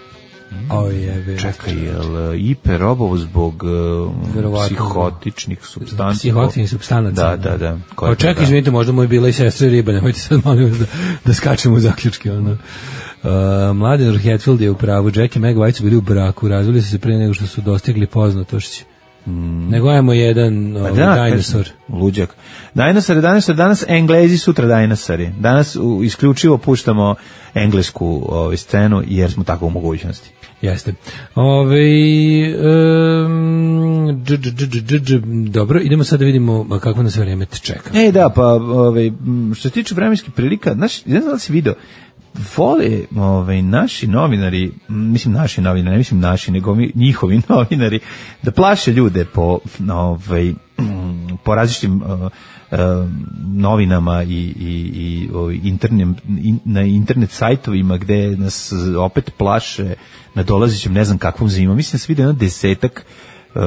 O je, Čekaj, jel Iper obovo zbog uh, Verovatno. psihotičnih supstanci? Psihoaktivnih supstanaca. Da, da, da. Ko Pa je to, čekaj, da? izvinite, možda mu je bila i sestra riba, nemojte sad molim vas da, da skačemo u zaključke. Ono. Uh, Mladen Hetfield je u pravu, Jack i Meg White su bili u braku, razvili su se pre nego što su dostigli poznatošći. Mm. Nego ajmo jedan ovaj, Da, dinosaur. kažem, luđak. Dinosaur, dinosaur, danas Englezi, sutra dinosauri. Danas u, isključivo puštamo englesku ovaj, scenu jer smo tako u mogućnosti. Jeste. Ove, um, dž, dž, dž, dž, dž, dobro, idemo sad da vidimo kako nas vreme čeka. E, da, pa ovaj, m, što se tiče vremenskih prilika, znaš, ne znam da li si video, vole ovaj, naši novinari, m, mislim naši novinari, ne mislim naši, nego mi, njihovi novinari, da plaše ljude po, ovaj, m, po različitim uh, uh, novinama i, i, i ovaj, internim, in, na internet sajtovima gde nas opet plaše na dolazećem ne znam kakvom zimom. Mislim da se vidio jedno desetak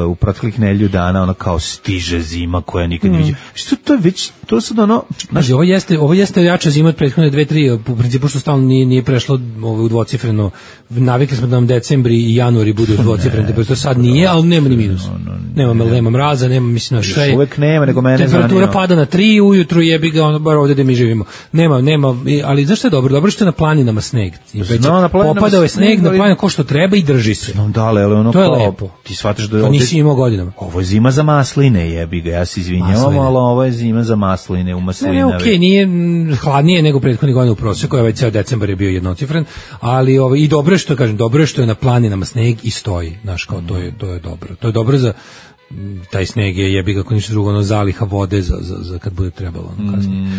u proteklih nedelju dana, ono kao stiže zima koja nikad ne viđe. Što to je već, to sad ono... Znači, ovo jeste, ovo jeste jača zima od prethodne dve, tri, u principu što stalno nije, nije prešlo ovo u dvocifreno. Navikli smo da nam decembri i januari budu dvocifreni, temperatura sad nije, ali nema ni minus. Nema, nema mraza, nema, mislim, na sve. Uvek nema, nego mene zanima. Temperatura pada na tri, ujutru jebi ga, ono, bar ovde gde mi živimo. Nema, nema, ali zašto je dobro? Dobro što je na planinama sneg. No, na planinama Popadao je sneg, sneg, na ali- planinama ko što treba i drži se. No, da, ali ono To je kao, lepo. ti shvataš da je To ovde- nisi imao godinama. Ovo je zima za masline, jebi ga, ja se izvinjavam, Masline. ali ovo je zima za masline u Ne, maslinavi. ne, okej, nije mm, hladnije nego prethodnih godina u proseku, ovaj ceo decembar je bio jednocifren, ali ovaj i dobro je što kažem, dobro je što je na planinama sneg i stoji, znaš, kao to je to je dobro. To je dobro za mm, taj sneg je jebi ga ako ništa drugo, ono zaliha vode za, za, za kad bude trebalo, ono kasnije.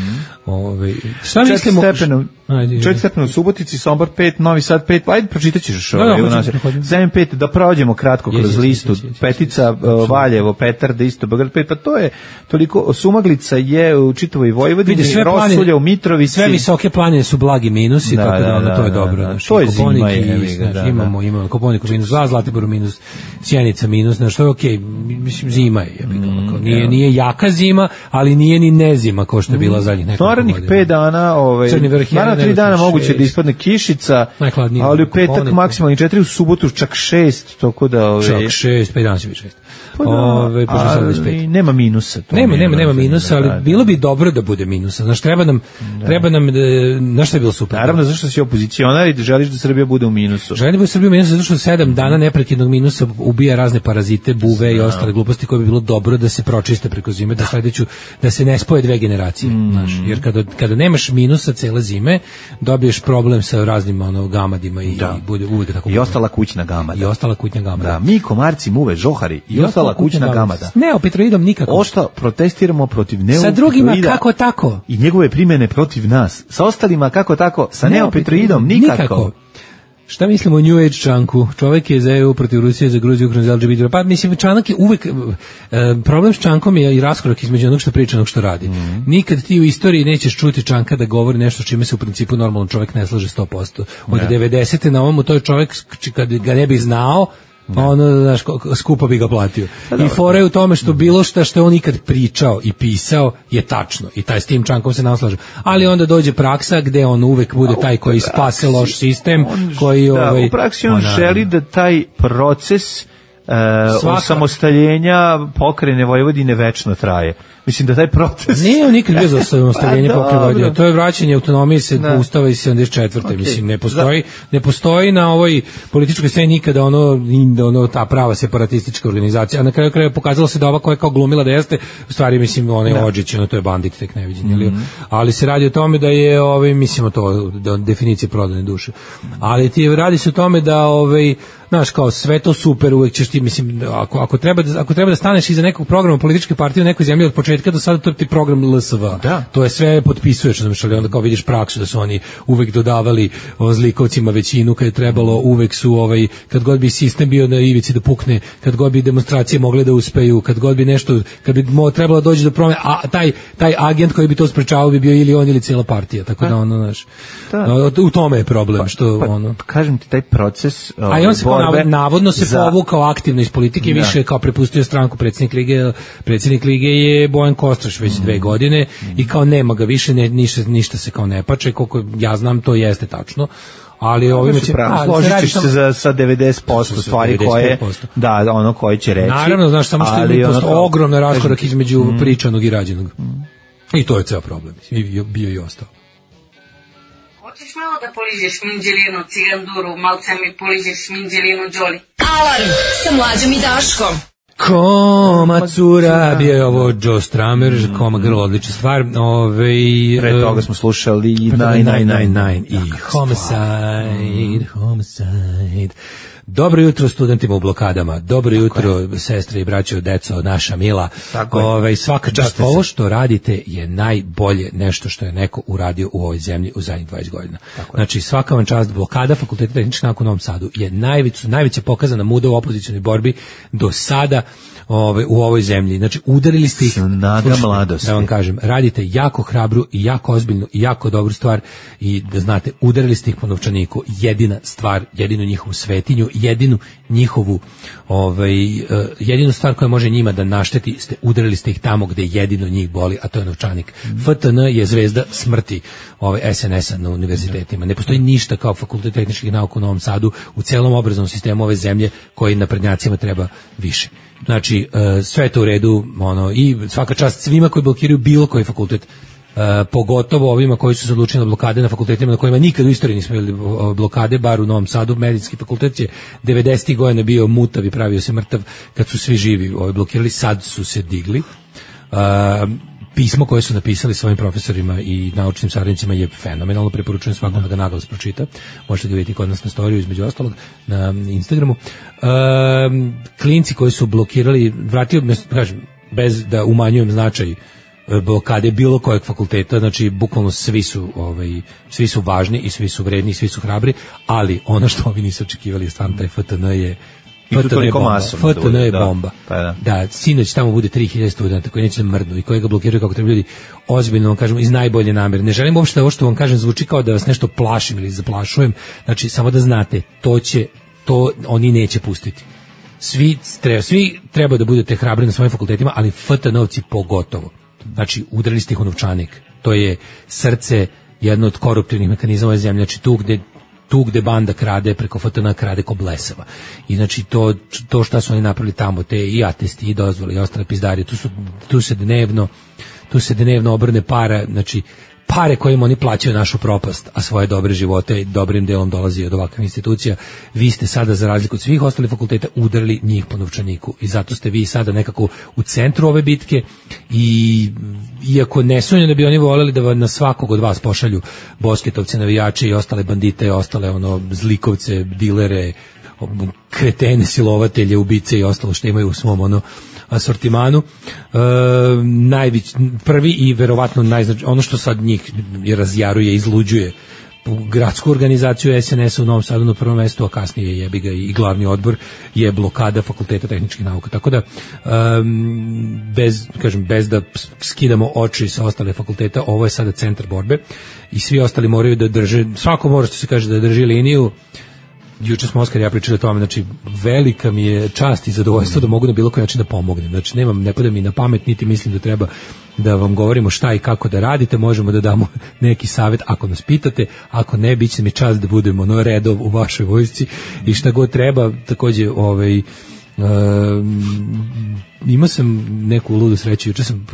Ovaj šta Četiri mislimo? stepena, Ajde, četiri stepena u Subotici, Sombor pet, Novi Sad pet, pa ajde pročitat ćeš Da, da, ovaj, hoću, u nas. hoću. Zem pet, da prođemo kratko kroz Jeći, listu, jeći, jeći, petica, jeći, uh, Valjevo, Petarda, isto Beograd pet, pa to je toliko, Sumaglica je u čitavoj Vojvodini, Vidi, sve Rosulja planine- u Mitrovici. Sve visoke planine su blagi minusi, Da, tako da, da, ono, to je da, dobro. da, Znači, to je zima, Koponik je, i, jebi ga, znaš, da, imamo, imamo Koponik minus dva, Zlatibor minus, Sjenica minus, znači, to je okej. mislim, zima je. Mm, nije, nije jaka zima, ali nije ni nezima kao što je bila zadnjih nekoliko godina. Narednih pet dana, ovaj, naravno tri dana moguće da ispadne kišica, ali u petak maksimalno četiri, u subotu čak šest, toko da... Ove... Čak šest, pet dana će biti šest. Pa da, ove, ali nema minusa. To nema, nema, nema minusa, ali da, da. Bilo bi dobro da bude minusa. Znaš, treba nam, da. treba nam, znaš što je bilo super? Naravno, zašto si opozicionar i želiš da Srbija bude u minusu? Želim da bude Srbija u minusu, zato što sedam dana neprekidnog minusa ubija razne parazite, buve da. I ostale gluposti koje bi bilo dobro da se pročiste preko zime, da, da sledeću, da se ne spoje dve generacije. Mm. Znaš, jer kada, kada nemaš minusa cele zime, dobiješ problem sa raznim ono, gamadima i, da. I bude uvijek tako. I ostala kućna gamada. I ostala kućna gamada. Da, mi komarci, muve, žohari i, I ostala kućna gamada. Neopetroidom nikako. Ošto protestiramo protiv neopetroida. Sa drugima kako tako. I njegove primjene protiv nas. Sa ostalima kako tako. Sa neopetroidom nikako. nikako. Šta mislimo o New Age čanku? Čovjek je za E U protiv Rusije, za Gruziju, Ukrajinu, za L G B T. Pa mislim, čanak je uvek... E, problem s čankom je i raskorak između onog što priča i onog što radi. Mm-hmm. Nikad ti u istoriji nećeš čuti čanka da govori nešto čime se u principu normalno čovjek ne slaže sto posto. Od devedesete na ovom, to je čovjek kad ga ne bi znao, pa ono, znaš, skupo bi ga platio. I fora je u tome što bilo šta što je on ikad pričao i pisao je tačno. I taj s tim čankom se naslažu. Ali onda dođe praksa gde on uvek bude taj koji spase loš sistem. Koji, da, ovaj, u praksi on ona, želi da taj proces uh, osamostaljenja pokrajine Vojvodine večno traje. Mislim da taj proces... Nije on nikad bio za osamostaljenje pokrajine Vojvodine. To je vraćanje autonomije se da. Ustava iz sedamdeset četvrte. Okay. Mislim, ne postoji, ne postoji na ovoj političkoj sceni nikada ono, ono, ta prava separatistička organizacija. A na kraju kraja pokazalo se da ova koja je kao glumila da jeste, u stvari, mislim, ona je Odžić, ono, to je bandit, tek neviđen. Mm-hmm. Ali se radi o tome da je, ovaj, mislimo to, da definicija prodane duše. Ali ti radi se o tome da, ovaj, znaš, kao sve to super, uvek ćeš ti, mislim, ako, ako, treba da, ako treba da staneš iza nekog programa političke partije u nekoj zemlji od početka do sada, to je ti program L S V. Da. To je sve potpisuješ, znači, ali onda kao vidiš praksu da su oni uvek dodavali o, zlikovcima većinu kad je trebalo, uvek su, ovaj, kad god bi sistem bio na ivici da pukne, kad god bi demonstracije mogle da uspeju, kad god bi nešto, kad bi mo, trebalo doći do promene, a taj, taj agent koji bi to sprečavao bi bio ili on ili cijela partija, tako da ono, znaš, da. U tome je problem, što pa, pa, ono... Kažem ti, taj proces... A i on se Navodno, navodno se za... povukao aktivno iz politike, da. Više kao prepustio stranku. Predsjednik lige, predsjednik lige je Bojan Kostraš već mm. dve godine mm. i kao nema ga više, ne, ništa, ništa se kao ne pače, koliko ja znam to jeste tačno. Ali ovime će složit ćeš se za sa devedeset posto stvari koje da ono koje će reći. Naravno, znaš, samo što je ono, ogromna raskorak između mm. pričanog i rađenog. Mm. I to je ceo problem. I bio i ostao. Hoćeš malo da poližeš minđelinu, ciganduru, malce mi poližeš minđelinu, Đoli. Alarm sa Mlađom i Daškom. Koma cura, bio je ovo Joe Strummer, mm. Koma Girl, odlična stvar. Ove, Pre toga smo slušali devet devet devet i Homicide, Homicide. Dobro jutro studentima u blokadama, dobro jutro je. Sestre i braćo, deco, naša mila. Ove, svaka čast, ovo što radite je najbolje nešto što je neko uradio u ovoj zemlji u zadnjih dvadeset godina. Tako znači svaka vam čast, blokada Fakulteta tehničkih nauka u Novom Sadu je najveća, najveća pokazana muda u opozicionoj borbi do sada ove, u ovoj zemlji. Znači udarili ste ih, snaga mladosti. Da vam kažem, radite jako hrabru i jako ozbiljnu i jako dobru stvar i da znate, udarili ste ih po novčaniku, jedina stvar, jedinu njihovu svetinju, jedinu njihovu ovaj, uh, jedinu stvar koja može njima da našteti, ste udarili ste ih tamo gde jedino njih boli, a to je novčanik. Mm. F T N je zvezda smrti ovaj, S N S-a na univerzitetima. Ne postoji ništa kao Fakultet tehničkih nauka u Novom Sadu u celom obrazovnom sistemu ove zemlje koji naprednjacima treba više. Znači, uh, sve je to u redu, ono, i svaka čast svima koji blokiraju bilo koji fakultet, uh, pogotovo ovima koji su se odlučili na blokade na fakultetima na kojima nikad u istoriji nismo imali blokade, bar u Novom Sadu. Medicinski fakultet je devedesetih godina bio mutav i pravio se mrtav kad su svi živi ovaj, blokirali, sad su se digli. Uh, pismo koje su napisali svojim profesorima i naučnim saradnicima je fenomenalno, preporučujem svakom da ga naglas pročita. Možete ga vidjeti kod nas na storiju, između ostalog, na Instagramu. E, klinci koji su blokirali, vratio, kažem, bez da umanjujem značaj blokade bilo kojeg fakulteta, znači bukvalno svi su, ovaj, svi su važni i svi su vredni i svi su hrabri, ali ono što ovi nisu očekivali je stvarno taj F T N je F T N je bomba. F T N je bomba. Da, da. Da, sinoć tamo bude tri hiljade studenta koji neće da mrdnu i koji ga blokiraju kako treba ljudi, ozbiljno vam kažem, iz najbolje namere. Ne želim uopšte da ovo što vam kažem zvuči kao da vas nešto plašim ili zaplašujem. Znači, samo da znate, to će, to oni neće pustiti. svi treba, svi treba da budete hrabri na svojim fakultetima, ali F T N-ovci pogotovo. Znači, udarili ste ih u novčanik. To je srce jedno od koruptivnih mehanizama ove zemlje. Znači, tu gde tu gde banda krade preko F T N krade ko blesava. I znači to to šta su oni napravili tamo, te i atesti i dozvole i ostale pizdarije, tu su tu se dnevno tu se dnevno obrne para, znači pare kojim oni plaćaju našu propast, a svoje dobre živote dobrim delom dolazi od ovakvih institucija. Vi ste sada, za razliku od svih ostalih fakulteta, udarili njih po novčaniku i zato ste vi sada nekako u centru ove bitke i iako ne sumnjam da bi oni voljeli da na svakog od vas pošalju bosketovce, navijače i ostale bandite i ostale ono zlikovce, dilere, kretene, silovatelje, ubice i ostalo što imaju u svom ono asortimanu, e, najvić, prvi i verovatno najznač, ono što sad njih razjaruje, izluđuje gradsku organizaciju S N S-a u Novom Sadu na prvom mestu, a kasnije jebi ga i glavni odbor, je blokada Fakulteta tehničkih nauka. Tako da, um, bez, kažem, bez da skidamo oči sa ostale fakulteta, ovo je sada centar borbe i svi ostali moraju da drže, svako mora što se kaže da drži liniju. Juče smo Oskar i ja pričali o tome, znači velika mi je čast i zadovoljstvo da mogu na bilo koji način da pomognem. Znači nemam, ne pada mi na pamet, niti mislim da treba da vam govorimo šta i kako da radite, možemo da damo neki savjet ako nas pitate, ako ne, bit će mi čast da budemo no redov u vašoj vojsci i šta god treba. Takođe, ovaj Um, imao sam neku ludu sreću, juče sam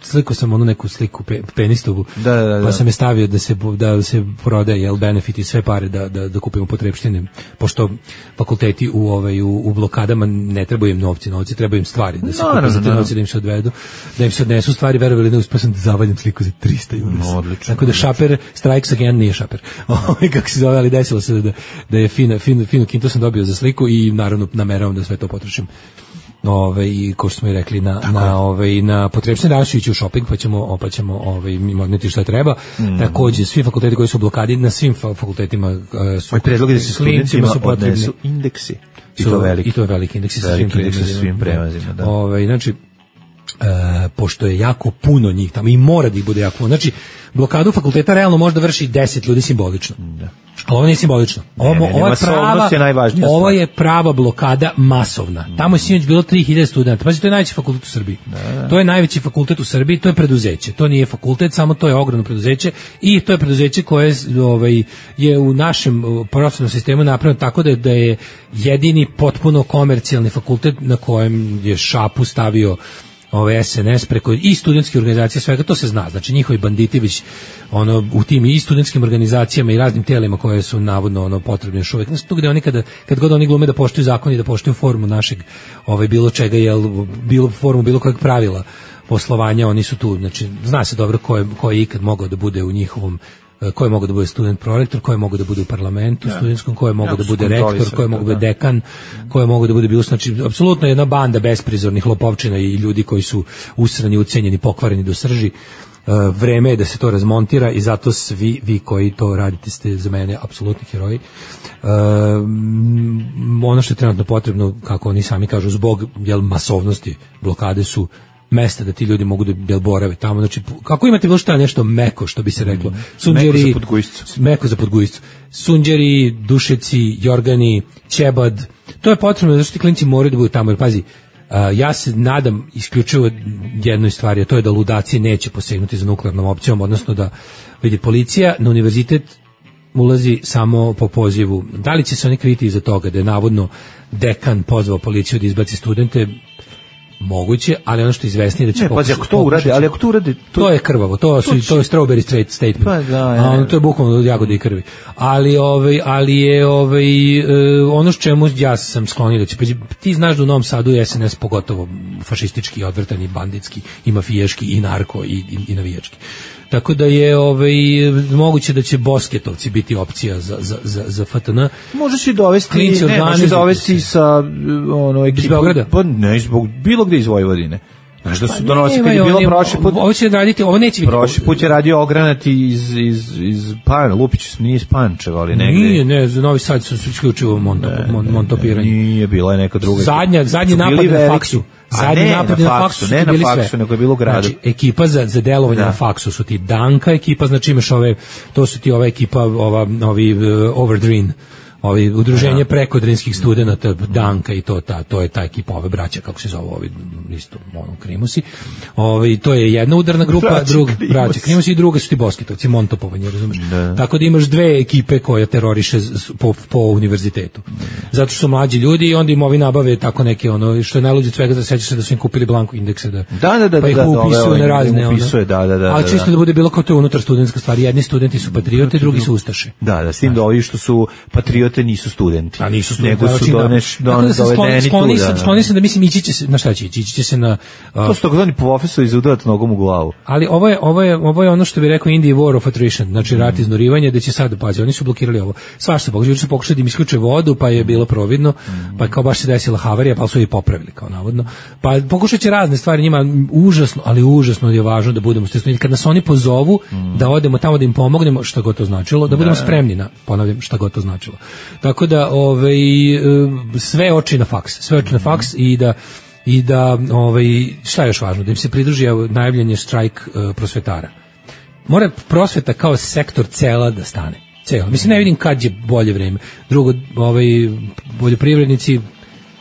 slikao sam onu neku sliku pe, penistovu, da, da, da. Pa sam je stavio da se da se prodaje jel benefit i sve pare da da da kupimo potrepštine, pošto fakulteti u ovaj u, u blokadama ne trebaju im novci, novci trebaju im stvari, da se kupe za te novce, da im se odvedu, da im se odnesu stvari, verovali ili ne, uspeo sam da zavaljam sliku za trista eura. No, odlično. Tako da šaper strikes again, nije šaper. Ovaj kako se zove, ali desilo se da da je fina fino fino kinto sam dobio za sliku i naravno nameravam da sve to potrošim. Ove i kao što smo i rekli na tako na ove na potrepštine, danas ići u shopping pa ćemo pa ćemo ovaj odneti šta treba. Mm. Takođe svi fakulteti koji su u blokadi, na svim fakultetima uh, su predlogi da se studentima su potrebni indeksi. I to veliki i to je veliki indeksi sa svim prevazima, svim prevazima, da. Ovaj znači Uh, pošto je jako puno njih tamo i mora da ih bude jako puno. Znači, blokadu fakulteta realno može da vrši deset ljudi simbolično. Da. Ali ovo nije simbolično. Ovo, ne, ne, ovo, je prava, je ovo je prava blokada masovna. Tamo je sinoć bilo tri hiljade studenta. Pazi, to je najveći fakultet u Srbiji. Da, da. To je najveći fakultet u Srbiji, to je preduzeće. To nije fakultet, samo to je ogromno preduzeće i to je preduzeće koje ovaj, je u našem prosvetnom sistemu napravljeno tako da je, da je jedini potpuno komercijalni fakultet na kojem je šapu stavio ove S N S preko i studentske organizacije, svega to se zna. Znači njihovi banditi već ono u tim i studentskim organizacijama i raznim telima koje su navodno ono potrebne još uvek. Znači tu gde oni kada kad god oni glume da poštuju zakon i da poštuju formu našeg ovaj bilo čega jel bilo formu bilo kojeg pravila poslovanja, oni su tu. Znači zna se dobro ko je ko je ikad mogao da bude u njihovom, ko je mogao da bude student prorektor, ko je mogao da bude u parlamentu ja. studentskom, ko je mogao ja, da bude rektor, ko je mogao da bude dekan, ko je mogao da bude bilo, znači apsolutno jedna banda besprizornih lopovčina i ljudi koji su usrani, ucenjeni, pokvareni do srži. Uh, vreme je da se to razmontira i zato svi vi koji to radite ste za mene apsolutni heroji. Uh, ono što je trenutno potrebno, kako oni sami kažu, zbog jel, masovnosti blokade su mesta da ti ljudi mogu da jel, borave tamo. Znači, kako imate bilo šta nešto meko, što bi se reklo. Sunđeri, meko za podgujiscu. Meko za podgujiscu. Sunđeri, Dušeci, Jorgani, Ćebad. To je potrebno zato što ti klinci moraju da budu tamo. Jer pazi, Uh, ja se nadam isključivo jednoj stvari, a to je da ludaci neće posegnuti za nuklearnom opcijom, odnosno da vidi policija na univerzitet ulazi samo po pozivu. Da li će se oni kriti iza toga da je navodno dekan pozvao policiju da izbaci studente? Moguće, ali ono što je izvesnije da će ne, pokušati. Pa, ako to urade, ali ako to urade, to, to je krvavo, to su to je strawberry straight statement. Pa, da, ja, a, to je bukvalno od jagode i krvi. Ali ovaj ali je ovaj e, ono što čemu ja sam sklonio da će ti znaš da u Novom Sadu je S N S pogotovo fašistički, odvrtani, banditski, i mafijaški i narko i i, i navijački. Tako da je ovaj moguće da će bosketovci biti opcija za za za za F T N. Možeš i dovesti, ne, možeš dovesti sa ono ekipom, pa ne zbog bilo gde iz Vojvodine. Znaš da su donosi kad je bilo prošli put. Ovo će raditi, ovo neće biti. Prošli put je radio ogranati iz iz iz Pan, Lupić, nije iz Pančeva, ali negde. Nije, ne, za Novi Sad su isključivo montopiranje. Nije, bila je neka druga. Zadnja, zadnji napad na faksu. Zadnji napad na faksu, ne na faksu, nego je bilo u gradu. Znači, ekipa za za delovanje da. na faksu su ti Danka ekipa, znači imaš ove, to su ti ova ekipa, ova novi uh, Overdream, Ovaj udruženje prekodrinskih studenata Danka i to ta to je ta ekipa ove braća kako se zove ovi isto ono Krimusi. Ovaj to je jedna udarna grupa, druga braća Krimusi i druga su ti Boskitovci, Montopovanje, razumeš? Tako da imaš dve ekipe koje teroriše po, po univerzitetu. Zato što su mlađi ljudi i onda im ovi nabave tako neke ono što je najluđe od svega, da sećaš se da su im kupili blanko indekse da. Da, da, da, pa ih da, upisuju na razne upisuje, da, da, da. Ali čisto da, da bude bilo kao to unutar studentska stvar. Jedni studenti su patriote, drugi su ustaše. Da, da, s tim da ovi što su patriote nisu studenti. A nisu studenti, nego su doneš, don, dovedeni skloni, tu. Da, skloni se da mislim ići će se, na šta će ići? Ići će se na... Uh, to su takozvani profesori iz udarat nogom u glavu. Ali ovo je, ovo je, ovo je ono što bi rekao Indie War of Attrition, znači rat mm. iznurivanja, da će sad, pazi, oni su blokirali ovo. Svašta se pokušali, su pokušali da im isključe vodu, pa je bilo providno, mm. pa kao baš se desila havarija, pa su je popravili, kao navodno. Pa pokušat će razne stvari njima, užasno, ali užasno je važno da budemo stresni. Kad nas oni pozovu, mm. da odemo tamo da im pomognemo, šta god to značilo, da budemo spremni na, ponavljam, šta god to značilo. Tako da, ovaj, sve oči na faks, sve oči na faks i da i da ovaj šta je još važno, da im se pridruži najavljanje štrajk uh, prosvetara. Mora prosveta kao sektor cela da stane. Cela. Mislim, ne vidim kad je bolje vreme. Drugo, ovaj poljoprivrednici,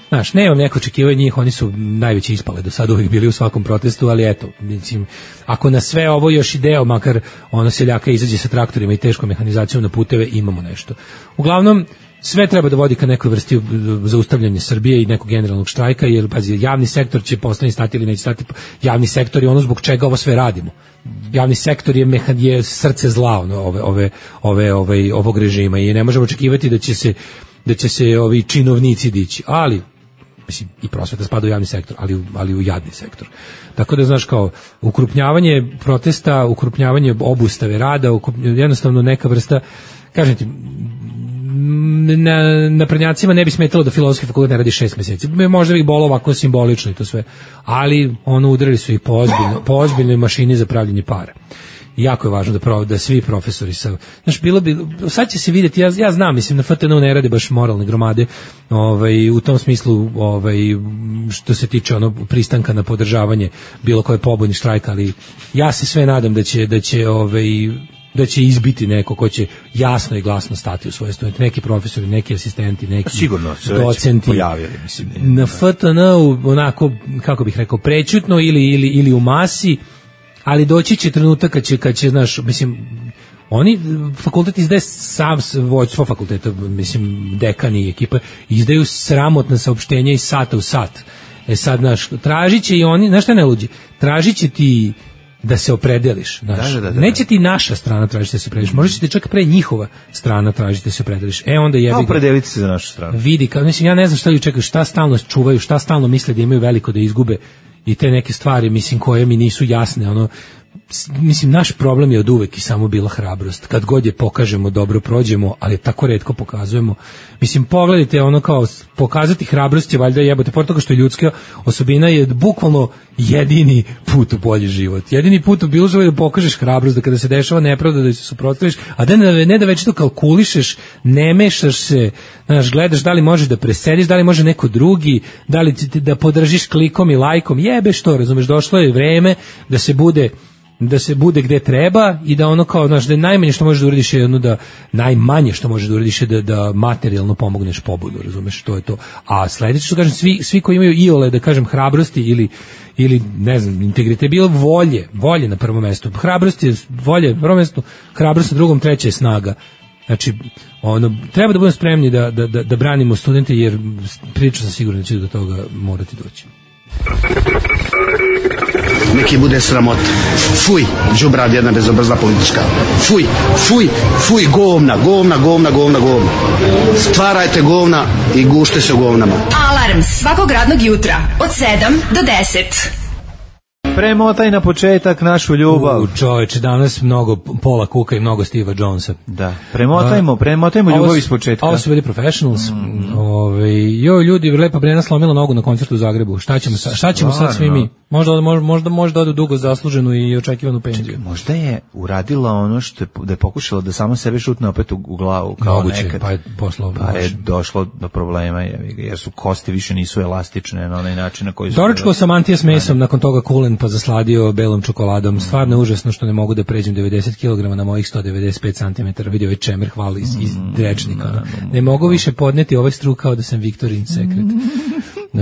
znaš, nemam neko očekivanje njih, oni su najveći ispale do sada, uvijek bili u svakom protestu, ali eto, mislim, ako na sve ovo još ideo, makar ono seljaka izađe sa traktorima i teškom mehanizacijom na puteve, imamo nešto. Uglavnom, sve treba da vodi ka nekoj vrsti zaustavljanja Srbije i nekog generalnog štrajka, jer pazi, javni sektor će postani stati ili neće stati. Javni sektor je ono zbog čega ovo sve radimo. Javni sektor je mehan, je srce zla ono, ove, ove, ove, ove, ovog režima i ne možemo očekivati da će se da će se ovi činovnici dići, ali mislim, i prosveta spada u javni sektor, ali, ali u jadni sektor. Tako da, znaš, kao, ukrupnjavanje protesta, ukrupnjavanje obustave rada, jednostavno neka vrsta, kažem ti, na, na prednjacima ne bi smetalo da filozofski fakultet ne radi šest meseci. Možda bi bolo ovako simbolično i to sve. Ali ono udarili su ih po, ozbiljno, po ozbiljnoj mašini za pravljenje para. I jako je važno da, pro, da svi profesori sa... Znaš, bilo bi... Sad će se vidjeti, ja, ja znam, mislim, na F T N-u ne rade baš moralne gromade, ovaj, u tom smislu, ovaj, što se tiče ono pristanka na podržavanje bilo koje pobojni štrajka, ali ja se sve nadam da će, da će ovaj, da će izbiti neko ko će jasno i glasno stati u svoje studente, neki profesori, neki asistenti, neki sigurno se docenti pojavili, mislim. Na F T N-u onako, kako bih rekao, prećutno ili, ili, ili u masi, ali doći će trenutak kad će, kad će, znaš, mislim, oni, fakultet izdaje sam, vođstvo fakulteta, mislim, dekani i ekipa, izdaju sramotna saopštenja iz sata u sat. E sad, znaš, tražit će i oni, znaš šta ne luđi, tražit će ti da se opredeliš, znaš. Da, da, da, da. Neće ti naša strana tražiti da se opredeliš, možda će ti čak pre njihova strana tražiti da se opredeliš. E onda jebi ga. Opredeliti se za našu stranu. Vidi, kao, mislim, ja ne znam šta li čekaju, šta stalno čuvaju, šta stalno misle da imaju veliko da izgube i te neke stvari, mislim, koje mi nisu jasne, ono, mislim, naš problem je od uvek i samo bila hrabrost. Kad god je pokažemo, dobro prođemo, ali tako retko pokazujemo. Mislim, pogledajte, ono kao, pokazati hrabrost je valjda jebote, pored toga što je ljudska osobina, je bukvalno jedini put u bolji život. Jedini put u bilo život da pokažeš hrabrost, da kada se dešava nepravda da se suprotstaviš, a da ne, ne da već to kalkulišeš, ne mešaš se, znaš, gledaš da li možeš da presediš, da li može neko drugi, da li ti, da podržiš klikom i lajkom, jebe što, razumeš, došlo je vreme da se bude da se bude gde treba i da ono kao, znaš, da najmanje što možeš da uradiš je ono da, najmanje što možeš da uradiš je da, da materijalno pomogneš pobudu, razumeš, to je to. A sledeće što kažem, svi, svi koji imaju iole, da kažem, hrabrosti ili, ili ne znam, integritet, bilo volje, volje na prvom mestu. Hrabrost je volje na prvom mestu, hrabrost na drugom, treće je snaga. Znači, ono, treba da budemo spremni da, da, da, da branimo studente, jer priču sam sigurno da će do toga morati doći. Neki bude sramot. Fuj, đubrad jedna bezobrazna politička. Fuj, fuj, fuj, govna, govna, govna, govna, govna. Stvarajte govna i gušte se u govnama. Alarm svakog radnog jutra od sedam do deset. Premotaj na početak našu ljubav. U, čoveče, danas mnogo Paula Cooka i mnogo Steva Jonesa. Da, premotajmo, premotajmo ljubav iz početka. Ovo su bili Professionals. Mm. Ove, joj, ljudi, Lepa Brena slomila nogu na koncertu u Zagrebu. Šta ćemo, sa, šta ćemo sad svi mi? Možda, možda, možda, možda odu dugo zasluženu i očekivanu penziju. Čekaj, možda je uradila ono što je, da je pokušala da sama sebe šutne opet u, u glavu. Kao moguće, nekad. Pa je poslao. Pa je došlo do problema, jer su kosti više nisu elastične na onaj način na koji su... Doručko sam Antija s mesom, nakon toga kulen, pa zasladio belom čokoladom. Stvarno je užasno što ne mogu da pređem devedeset kilograma na mojih sto devedeset pet centimetara. Vidio ovaj čemer, hvala iz, iz Drečnika. Ne mogu više podneti ovaj struk kao da sam Victorian Secret. Uh,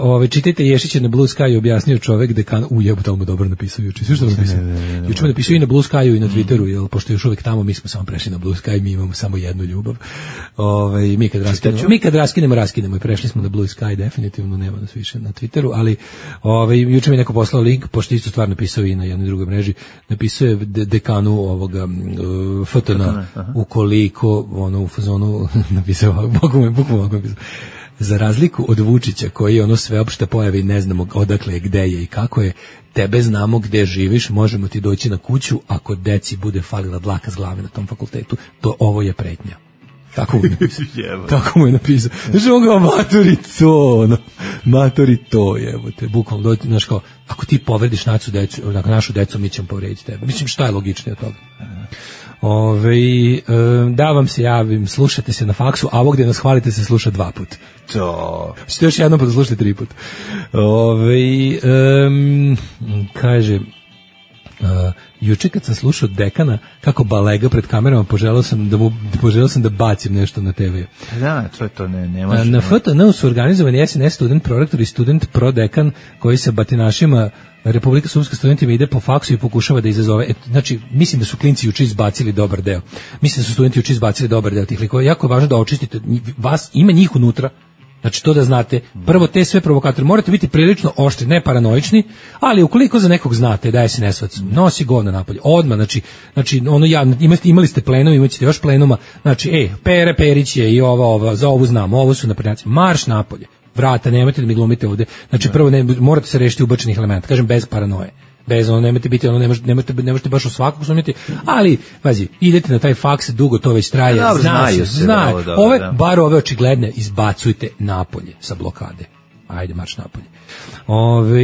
ove, čitajte Ješića na Blue Sky, objasnio čovek dekan, u jebote, ali mu dobro napisao juče. Sve što mu napisao. Juče mu napisao i na Blue Sky i na Twitteru, jer pošto još uvek tamo, mi smo samo prešli na Blue Sky, mi imamo samo jednu ljubav. Ove, mi kad raskinemo, mi kad raskinemo, raskinemo i prešli smo na Blue Sky, definitivno nema nas više na Twitteru, ali ove, juče mi neko poslao link, pošto isto stvar napisao i na jednoj drugoj mreži, napisao je de, dekanu ovoga uh, F T N, ukoliko ono u fazonu napisao, bukvalno bukvalno napisao, za razliku od Vučića koji ono sveopšte pojave i ne znamo odakle je, gde je i kako je, tebe znamo gde živiš, možemo ti doći na kuću ako deci bude falila dlaka s glave na tom fakultetu, to ovo je pretnja. Tako mu je napisao. Tako mu je napisao. Znači on ga matori to, ono, matori to, jebote, bukvalno doći, znaš kao, ako ti povrediš našu decu, našu decu, mi ćemo povrediti tebe. Mislim, šta je logičnije od toga? Ove, da vam se javim, slušate se na faksu, a ovo gde nas hvalite se sluša dva put. To. Ćete još jednom pa da slušate tri put. Ove, um, kaže, uh, juče kad sam slušao dekana kako balega pred kamerama, poželao sam da mu poželao sam da bacim nešto na te ve. Da, to je to, ne, ne može. Na F T N su organizovani S N S student prorektor i student prodekan koji se batinašima Republika Srpska studentima ide po faksu i pokušava da izazove. Et, znači, mislim da su klinci juče izbacili dobar deo. Mislim da su studenti juče izbacili dobar deo tih likova. Jako je važno da očistite vas, ima njih unutra. Znači, to da znate, prvo te sve provokatore, morate biti prilično oštri, ne paranoični, ali ukoliko za nekog znate da je S N S-ovac, nosi govna napolje, odmah, znači, znači ono ja, imate, imali ste plenum, imaćete još plenuma, znači, ej, Pere Perić je i ova, ova, za ovu znamo, ovo su naprednjaci, marš napolje, vrata, nemojte da mi glumite ovde, znači, prvo ne, morate se rešiti ubačenih elementa, kažem, bez paranoje. Bez ono, nemojte biti, ono, ne možete, ne možete, ne možete baš u svakog sumnjati, ali, vazi, idete na taj faks, dugo to već traje, da, znaju se, znaju, ove, da. Bar ove očigledne, izbacujte napolje sa blokade. Ajde, marš napolje. Ove,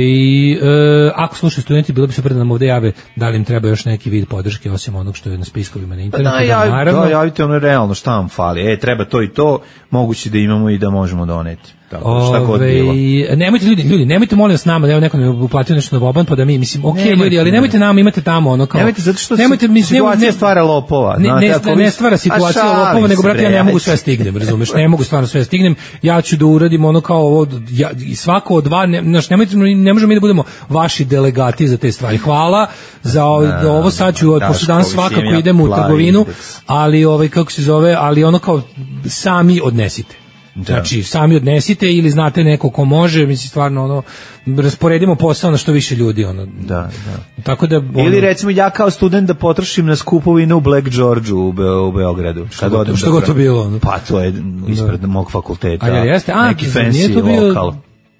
e, ako slušaju studenti, bilo bi super da nam ovde jave da li im treba još neki vid podrške, osim onog što je na spiskovima na internetu. Da, javi, naravno, da, javite ono realno šta vam fali. E, treba to i to, moguće da imamo i da možemo doneti. Tako, šta god bilo. Nemojte ljudi, ljudi, nemojte molim vas nama, da evo neko ne uplatio nešto na Boban, pa da mi, mislim, okej okay, ljudi, ali nemojte nama, imate tamo ono kao. Nemojte zato što nemojte, si, mislim, situacija ne, stvara lopova. Ne, ne, ne, ne stvara situacija lopova, nego brate, ja ne mogu sve stignem, razumeš? Ne mogu stvarno sve stignem. Ja ću da uradim ono kao ovo, ja, svako od dva, ne, naš, nemojte, ne možemo mi da budemo vaši delegati za te stvari. Hvala za ovo, da, ovo sad ću, pošto danas svakako idemo u trgovinu, ali ovaj, kako se zove, ali ono kao sami odnesite. Da. Znači, sami odnesite ili znate neko ko može, mislim stvarno ono, rasporedimo posao na što više ljudi ono. Da, da. Tako da ono, ili recimo ja kao student da potrošim na skupovine u Black Georgeu u, Be u Beogradu. Što god to, što to bilo ono. Pa to je ispred da. mog fakulteta. A jeste, a neki fancy bio... lokal.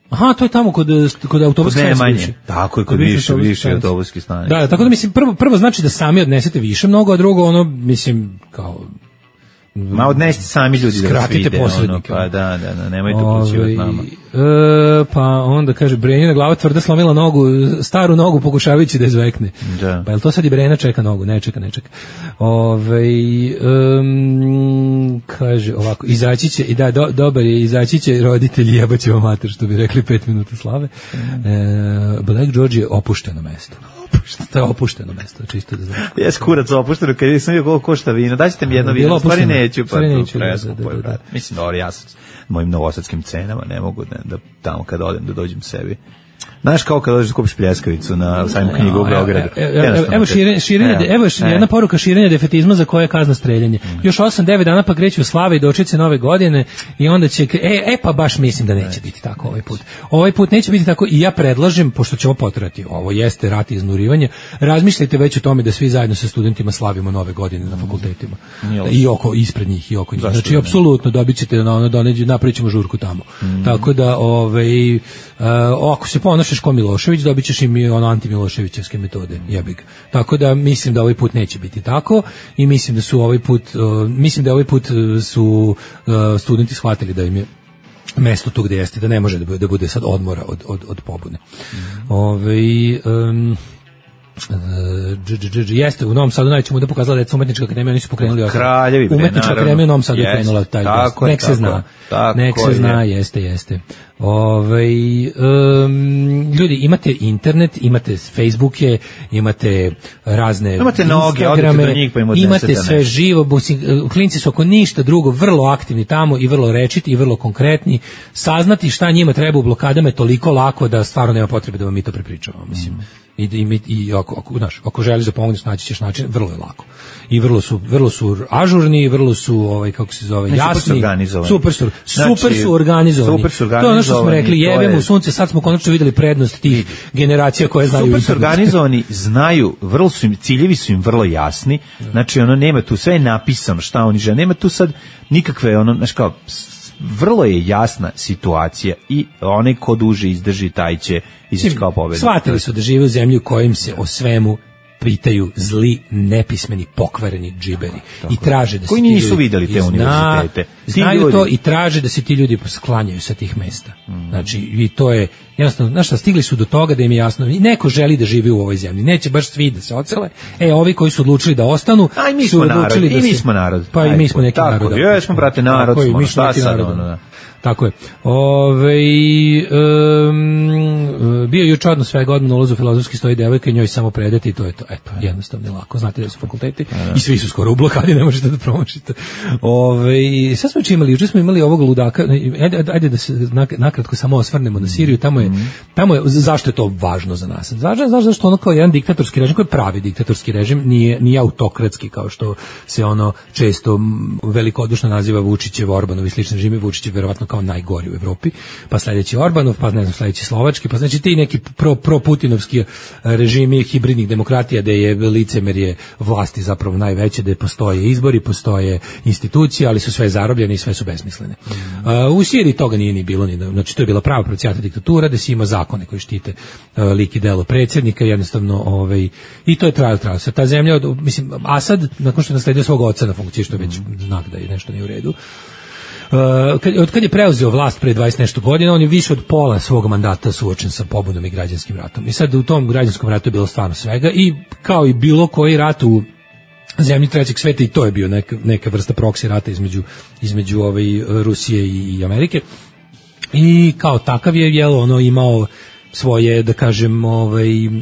Aha, to je tamo kod kod autobuske stanice. Tako je, kod više više autobuske stanice. Da, tako da mislim prvo prvo znači da sami odnesete više mnogo, a drugo ono mislim kao ma odnesite sami ljudi da vas vide, ono, pa da, da, da, nemojte uključivati nama. E, pa onda kaže, Brenjina glava tvrda slomila nogu, staru nogu pokušavajući da izvekne. Da. Pa je li to sad i Brena čeka nogu? Ne, čeka, ne čeka. Ove, um, kaže ovako, izaći će, i da, do, dobar je, izaći će roditelji jebaće o mater, što bi rekli pet minuta slave. E, Black George je opušteno mesto. To je opušteno mesto, čisto da znam. Jes kurac opušteno, kad sam vidio koliko košta vino. Daćete mi jedno vino, stvari neću, pa neću, da, da, da, da. Mislim, dobro, ja sam mojim novosadskim cenama ne mogu da, da tamo kad odem da dođem sebi. Znaš kao kad dođeš da kupiš pljeskavicu na sajmu knjigu u Beogradu. Evo širenje, širenje, evo jedna poruka širenja defetizma za koje je kazna streljanje. Još osam devet dana pa kreću slave i dočice nove godine i onda će, e, e pa baš mislim da neće biti tako ovaj put. Ovaj put neće biti tako i ja predlažem, pošto će ovo potrati, ovo jeste rat i iznurivanje, razmišljajte već o tome da svi zajedno sa studentima slavimo nove godine na fakultetima. I oko, ispred njih i oko njih. Znači, apsolutno dobit ćete na ono, doneđu, napravit ćemo žurku tamo. Tako da, ovaj, ako se ponašaš ko Milošević, dobit ćeš im ono anti-Miloševićevske metode, jebig. Tako da mislim da ovaj put neće biti tako i mislim da su ovaj put, uh, mislim da ovaj put su uh, studenti shvatili da im je mesto tu gde jeste, da ne može da bude, da bude sad odmora od, od, od pobune. Mm. Ove, um, dž, dž, dž, jeste u Novom Sadu najveća muda pokazala da je umetnička akademija, oni su pokrenuli Kraljevi, bre, umetnička naravno. akademija u Novom Sadu je Jeste, krenula taj tako je, nek se tako, zna tako nek se je. zna, jeste, jeste. Ovaj um, ljudi, imate internet, imate Facebooke, imate razne Imate noge, odete do njih pa im odnesete imate sve nešto. živo, busi- klinci su ako ništa drugo vrlo aktivni tamo i vrlo rečiti i vrlo konkretni. Saznati šta njima treba u blokadama je toliko lako da stvarno nema potrebe da vam mi to prepričavamo, mislim. I, i, i ako, ako, znaš, ako želiš da pomogneš, naći ćeš način, vrlo je lako. I vrlo su, vrlo su ažurni, vrlo su, ovaj, kako se zove, Ne, super su jasni. organizovani. Super su, Znači, super su organizovani. super su To je ono što smo organizovani, rekli, to jebemo je- u sunce, sad smo konačno videli prednost tih generacija koje znaju Super su internet. organizovani, znaju, vrlo su im, ciljevi su im vrlo jasni, znači ono nema tu, sve je napisano šta oni žele, nema tu sad nikakve, ono, znaš kao, s- vrlo je jasna situacija i onaj ko duže izdrži, taj će izaći kao pobednik. Shvatili su da žive u zemlji u kojim se o svemu pitaju zli, nepismeni, pokvareni džiberi i traže da se Koji ti nisu ljudi- videli te i zna- univerzitete. Ti Znaju ljudi- to i traže da se ti ljudi sklanjaju sa tih mesta. Znači, i to je jednostavno, znaš šta, stigli su do toga da im je jasno, i neko želi da živi u ovoj zemlji, neće baš svi da se ocele, e, ovi koji su odlučili da ostanu, A i mi su smo narod, odlučili da i mi se- smo narod. Pa i mi Ajde, smo neki tako, narod. jesmo, brate, narod Tako je, smo, mi ono, šta neki sad, narod, ono, da. Tako je. Ove, um, bio je juče odnos svega odmah na ulazu u filozofski stoji devojka i njoj samo predati i to je to. Eto, jednostavno je lako. Znate da su fakulteti i svi su skoro u blokadi, ne možete da promašite. Ove, sad smo juče imali, juče smo imali ovog ludaka, ajde, ajde da se nak- nakratko samo osvrnemo na Siriju, tamo je, tamo je, zašto je to važno za nas? Važno je, znaš, zašto ono kao jedan diktatorski režim, koji je pravi diktatorski režim, nije, nije autokratski kao što se ono često m, velikodušno naziva Vučićev, Orbanov i slični režimi. Vučić je verovatno kao najgori u Evropi, pa sledeći Orbanov, pa ne znam, sledeći Slovački, pa znači ti neki pro, pro-putinovski režimi hibridnih demokratija gde je licemerje vlasti zapravo najveće, gde postoje izbori, postoje institucije, ali su sve zarobljene i sve su besmislene. Uh, u Siriji toga nije ni bilo, ni da, znači to je bila prava procijata diktatura, da si ima zakone koji štite uh, lik i delo predsjednika, jednostavno, ovaj, i to je trajalo, trajalo se. Ta zemlja, od, mislim, Asad, nakon što je nasledio svog oca na funkciji, što je već znak da je nešto nije u redu, Uh, kad, od kad je preuzeo vlast pre dvadeset nešto godina, on je više od pola svog mandata suočen sa pobudom i građanskim ratom. I sad u tom građanskom ratu je bilo stvarno svega i kao i bilo koji rat u zemlji trećeg sveta, i to je bio neka, neka vrsta proksi rata između, između ovaj, Rusije i, i Amerike. I kao takav je, jel, ono imao svoje, da kažem, ovaj, uh,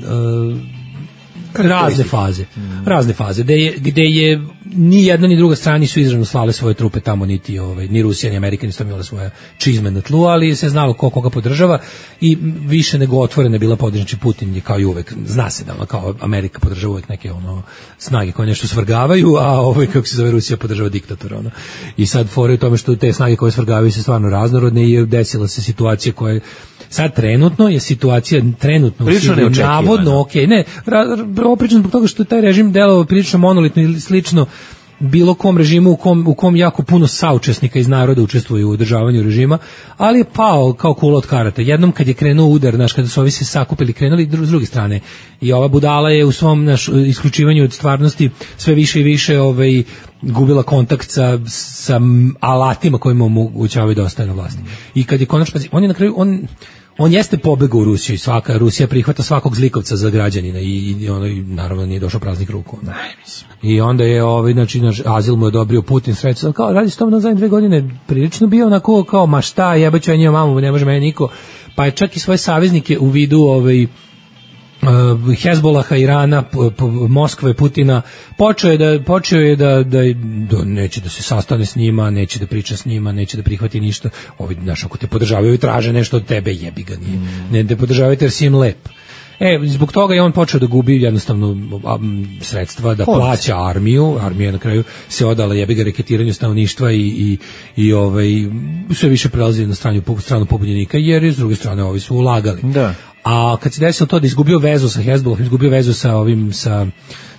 razne faze. Razne faze. Gde je, gde je ni jedna ni druga strana nisu izravno slale svoje trupe tamo, niti ovaj, ni Rusija ni Amerika nisu imale svoje čizme na tlu, ali se znalo ko koga podržava i više nego otvorena je bila podržana. Znači Putin je kao i uvek, zna se da ono, kao Amerika podržava uvek neke ono snage koje nešto svrgavaju, a ovaj, kako se zove, Rusija podržava diktatora. Ono. I sad fore u tome što te snage koje svrgavaju se stvarno raznorodne i desila se situacija koja je sad trenutno je situacija trenutno Prilično neočekivana. navodno ok, ne, oprično zbog toga što je taj režim delovao prilično monolitno ili slično bilo kom režimu u kom, u kom jako puno saučesnika iz naroda učestvuju u održavanju režima, ali je pao kao kula od karata. Jednom kad je krenuo udar, znaš, kada su ovi se sakupili, krenuli s druge strane, i ova budala je u svom naš, isključivanju od stvarnosti sve više i više ovaj, gubila kontakt sa, sa alatima kojima omogućavaju da ostaje na vlasti. I kad je konačno, on je na kraju, on On jeste pobegao u Rusiju i svaka Rusija prihvata svakog zlikovca za građanina i, i ono i naravno nije došao praznih ruku. Onda. I onda je ovaj znači naš azil mu je odobrio Putin sredstva, kao radi se tamo na zadnje dve godine prilično bio onako kao ma šta jebaću ja njemu mamu, ne može meni niko. Pa je čak i svoje saveznike u vidu ovaj Uh, Hezbolaha, Irana, p, p, Moskve, Putina, počeo je da počeo je da, da da neće da se sastane s njima, neće da priča s njima, neće da prihvati ništa. Ovi znaš, ako te podržavaju i traže nešto od tebe, jebi ga, nije. Ne te podržavaju jer si im lep. E, zbog toga je on počeo da gubi jednostavno a, m, sredstva, da plaća armiju, armija na kraju se odala jebi ga reketiranju stanovništva i, i, i ovaj, sve više prelazi na stranu, stranu pobunjenika, jer s druge strane ovi su ulagali. Da. A kad se desilo to da izgubio vezu sa Hezbolahom, izgubio vezu sa ovim, sa,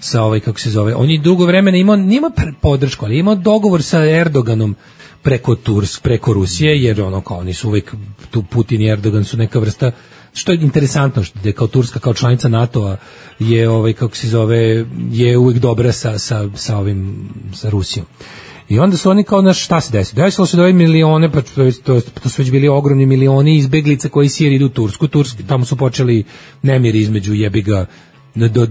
sa ovaj, kako se zove, on je dugo vremena imao, nima podršku, ali imao dogovor sa Erdoganom preko Tursk, preko Rusije, jer ono kao oni su uvek, tu Putin i Erdogan su neka vrsta, što je interesantno, što je kao Turska, kao članica NATO-a, je ovaj, kako se zove, je uvek dobra sa, sa, sa ovim, sa Rusijom. I onda su oni kao, naš, šta se desilo? Desilo se da ove milione, pa to, to, to su već bili ogromni milioni izbeglica koji iz Sirije idu u Tursku. Turski, tamo su počeli nemiri između jebiga do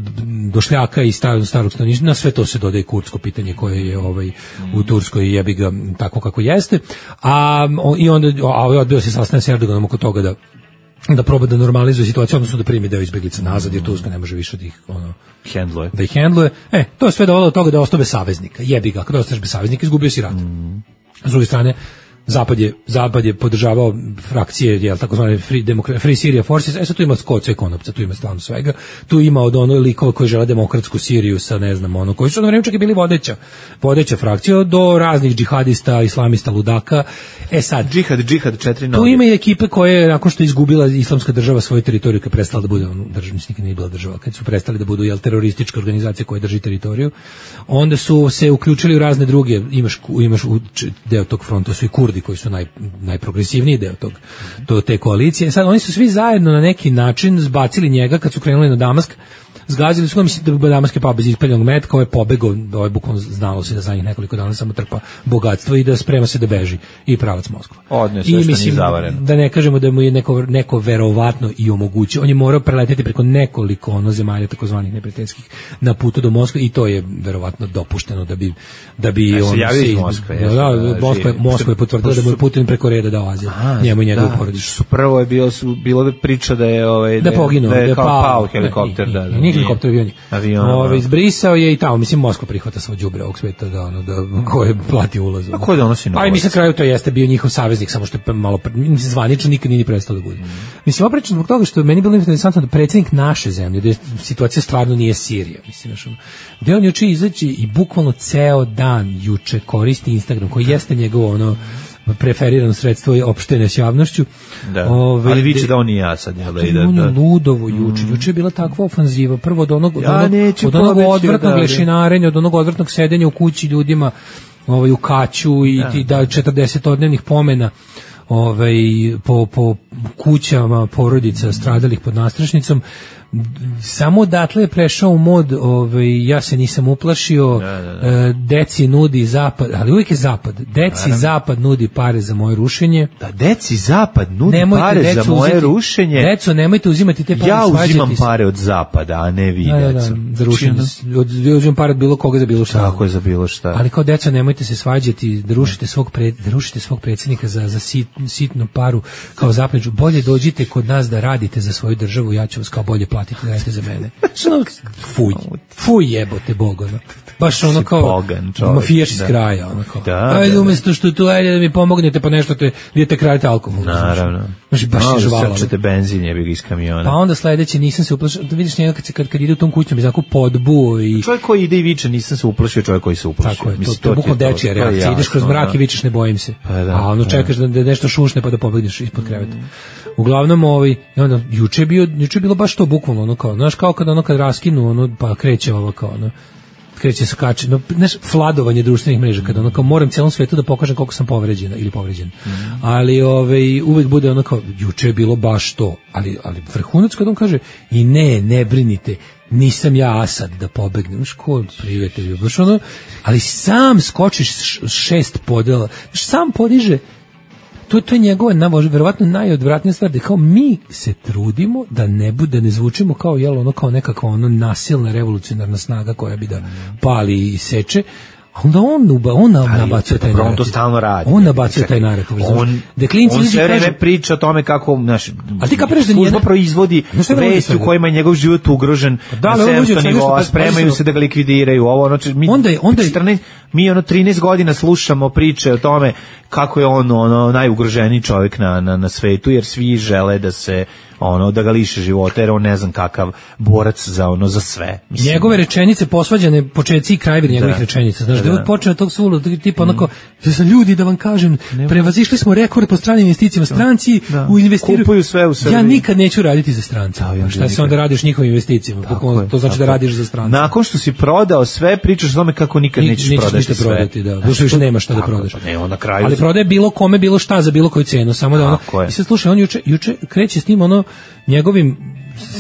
došljaka i starog starog stanovništva, na sve to se dodaje kurdsko pitanje koje je ovaj u Turskoj jebi ga tako kako jeste, a i onda a odbio se sastanak s Erdoganom oko toga da da proba da normalizuje situaciju, odnosno da primi deo izbeglica nazad, jer Turska ne može više da ih ono handluje. Da ih handluje. E, to je sve dovelo do toga da ostave saveznika. Jebi ga, kada ostaneš bez saveznika, izgubio si rat. Mm. S druge strane, Zapad je, Zapad je podržavao frakcije, jel, takozvane Free, Democrat, Free Syria Forces, e sad tu ima koca i konopca, tu ima stvarno svega, tu ima od ono likova koji žele demokratsku Siriju sa, ne znam, ono, koji su na vreme čak i bili vodeća, vodeća frakcija, do raznih džihadista, islamista, ludaka, e sad... Džihad, džihad, četiri noge. Tu ima i ekipe koje, nakon što je izgubila islamska država svoju teritoriju, kad prestala da bude, ono, država, nikad nije bila država, kad su prestali da budu, jel, terorističke organizacije koje drži teritoriju, onda su se uključili u razne druge, imaš, imaš u deo tog fronta, su i Kurdi koji su naj, najprogresivniji deo tog, to, te koalicije. Sad, oni su svi zajedno na neki način zbacili njega kad su krenuli na Damask, zgazili su ga, mislim da Damask je pao bez ispaljenog metka, ovaj pobegao, ovaj bukvalno znalo se da za njih nekoliko dana samo trpa bogatstvo i da sprema se da beži i pravac Moskva. Odne sve što nije zavareno. Da ne kažemo da mu je neko, neko verovatno i omogućio. On je morao preleteti preko nekoliko ono zemalja takozvanih neprijateljskih na putu do Moskve i to je verovatno dopušteno da bi da bi ja on se javio iz Moskve. Da, da, da, Moskva, Moskva je potvrdila da mu je Putin preko reda dao azil. Njemu i njegovu porodicu. Prvo je bilo su bilo priča da je ovaj da poginuo, da je, da je kao pao, pao helikopter, da, da. Helikopter avioni. Avion. Ovaj izbrisao je i tamo, mislim Moskva prihvata svo đubre ovog sveta da ono da ko je plati ulaz. A ko donosi novac? Pa i mi se kraju to jeste bio njihov saveznik, samo što je malo mislim zvanično nikad nije ni prestao da bude. Mm. Mislim oprečno zbog toga što je meni bilo interesantno da predsjednik naše zemlje, da situacija stvarno nije Sirija, mislim znači da on juče izaći i bukvalno ceo dan juče koristi Instagram koji jeste njegovo ono preferirano sredstvo je opštene s javnošću. Da. Ove, ali viče da on i ja sad. Ja, da, da, on je ludovo juče. Mm. Juče je bila takva ofanziva. Prvo od onog, ja od onog, od onog odvrtnog lešinarenja, od onog odvrtnog sedenja u kući ljudima ovaj, u kaću i da, da četrdesetodnevnih pomena ovaj, po, po kućama porodica stradalih pod nastrašnicom. Samo odatle je prešao u mod ovaj, ja se nisam uplašio, da, da, da. Deci nudi zapad, ali uvijek je zapad, deci Naravno. Zapad nudi pare za moje rušenje. Da, deci zapad nudi nemojte pare za moje uzeti, rušenje. Deco, nemojte uzimati te pare. Ja uzimam pare od zapada, a ne vi, da, deco. Da, da, za rušenje. Od, uzimam pare od bilo koga za bilo šta. Tako je za bilo šta. Ali kao deco, nemojte se svađati, da rušite svog, pred, da rušite svog predsjednika za, za sit, sitnu paru kao zapleđu. Bolje dođite kod nas da radite za svoju državu, ja ću vas kao bolje platiti da radite za mene. Fuj, fuj jebote Bog, ono. Baš ono kao mafijaš iz kraja, ono kao. Da, ajde, da, umjesto što tu, ajde da mi pomognete pa nešto te, idete kradite alkohol. Naravno. Znači, baš je žvala. Srčete benzin, jebi ga iz kamiona. Pa onda sledeće, nisam se uplašio, da vidiš njega kad, se, kad, kad ide u tom kućom, izako podbuo i... Čovjek koji ide i viče, nisam se uplašio, čovjek koji se uplašio. Tako je, to, to je bukvalno dečija reakcija. Ideš kroz mrak i vičeš, ne bojim se. A ono čekaš da nešto šušne pa da pobegneš ispod kreveta. Uglavnom ovaj i onda juče je bio juče je bilo baš to bukvalno ono kao znaš kao kad ono kad raskinu ono pa kreće ovo kao ono kreće se kači no znaš fladovanje društvenih mreža kad ono kao moram celom svetu da pokažem koliko sam povređena ili povređen. Mm. Ali ovaj uvek bude ono kao juče je bilo baš to ali ali vrhunac kad on kaže i ne ne brinite nisam ja Asad da pobegnem škol prijatelju baš ono ali sam skočiš šest podela sam podiže. To, to je njegova, na, verovatno najodvratnija stvar, da kao mi se trudimo da ne bude, ne zvučimo kao, jel, ono, kao nekakva ono nasilna revolucionarna snaga koja bi da pali i seče, onda on, on nabacuje taj narativ. On to stalno radi. On nabacuje taj narativ. On, on sve vreme priča o tome kako naš, ali ti kapiraš da služba proizvodi vesti u kojima je njegov život ugrožen na sedamsto nivoa, spremaju se da ga likvidiraju. Ovo, ono, mi, onda je, onda je, četrnaest, mi ono trinaest godina slušamo priče o tome kako je on ono najugroženiji čovjek na, na, na svetu, jer svi žele da se ono da ga liše života, jer on ne znam kakav borac za ono za sve. Mislim. Njegove rečenice posvađane početci i krajevi njegovih rečenica. Znaš, da, da je počeo tog sulu, tipa onako, mm. za ljudi da vam kažem, prevazišli smo rekord po stranim investicijama, stranci da. u investiraju. Kupuju sve u Srbiji. Ja nikad neću raditi za strance. Da, šta se onda radiš njihovim investicijama? Tako to znači tako. Da radiš za strance. Nakon što si prodao sve, pričaš o tome kako nikad Ni, nećeš, nećeš prodati sve. Prodati, da. Zato što više nema šta da prodaš. Pa ne, on na kraju. Ali prodaje bilo kome bilo šta za bilo koju cenu, samo da ono. I sad slušaj, on juče juče kreće s tim ono njegovim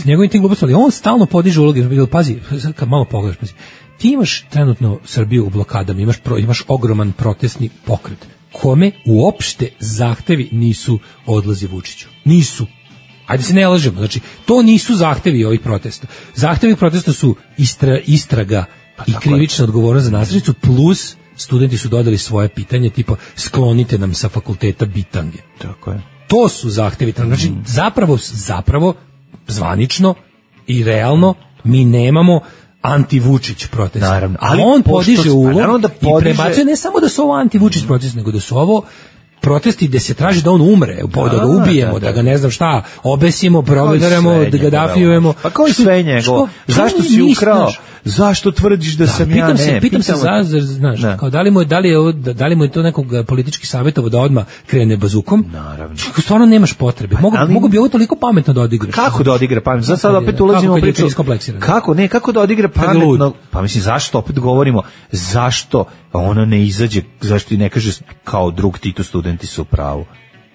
s njegovim tim glupostima, ali on stalno podiže uloge, pazi, kad malo pogledaš, pazi, ti imaš trenutno Srbiju u blokadama, imaš, pro, imaš ogroman protestni pokret, kome uopšte zahtevi nisu odlazi Vučiću. Nisu. Ajde se ne lažemo, znači to nisu zahtevi ovih protesta. Zahtevi protesta su istra, istraga pa, i krivična odgovornost za nasilnicu plus studenti su dodali svoje pitanje tipa sklonite nam sa fakulteta bitange. Tako je. To su zahtevi, znači mm. zapravo zapravo zvanično i realno mi nemamo anti-Vučić protest. Naravno, ali on podiže ulog da podiže... i prebacuje ne samo da su ovo anti-Vučić protest, nego da su ovo protesti gde se traži da on umre, da, da ga ubijemo, da, da. da ga ne znam šta, obesimo, provedaramo, da ga dafijujemo. Pa kao i sve njegovo. Zašto si ukrao? Zašto tvrdiš da, da sam pitam ja se, ne? Pitam se, za, znaš, ne. kao da li mu je, da li je, ovo, da li mu je to nekog politički savjetovo da odmah krene bazukom? Naravno. Stvarno nemaš potrebe. Mogu, ali, mogu bi ovo toliko pametno da odigraš. Kako da odigra pametno? Sad sad opet ulazimo u priču. Kako, ne, kako da odigra pametno? Pa mislim, zašto opet govorimo? Zašto ono ne izađe, zašto i ne kaže kao drug Tito studenti su u pravu?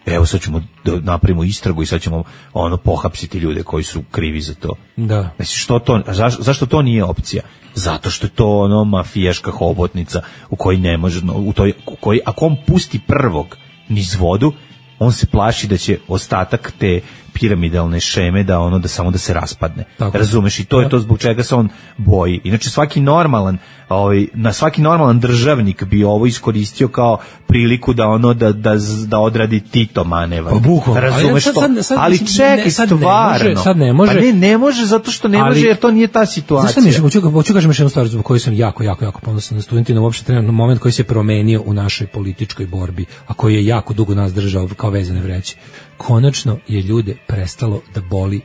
Evo sad ćemo da napravimo istragu i sad ćemo ono pohapsiti ljude koji su krivi za to. Da. Znači što to, zaš, zašto to nije opcija? Zato što je to ono mafijaška hobotnica u kojoj ne može, u toj, u kojoj, ako on pusti prvog niz vodu, on se plaši da će ostatak te piramidalne šeme da ono da samo da se raspadne. Tako. Razumeš, i to je to zbog čega se on boji. Inače svaki normalan, ovaj na svaki normalan državnik bi ovo iskoristio kao priliku da ono da da da odradi Tito manevar. Pa, razumeš to? Sad, sad, ali čekaj, ne, sad stvarno. Ne može, sad ne može. Pa ne, ne može zato što ne ali, može jer to nije ta situacija. Znaš šta mi, hoću, hoću kažem još jednu stvar zbog koju sam jako, jako, jako ponosan na studentima, uopšte trenutno moment koji se promenio u našoj političkoj borbi, a koji je jako dugo nas držao kao vezane vreće. Konačno je ljude prestalo da boli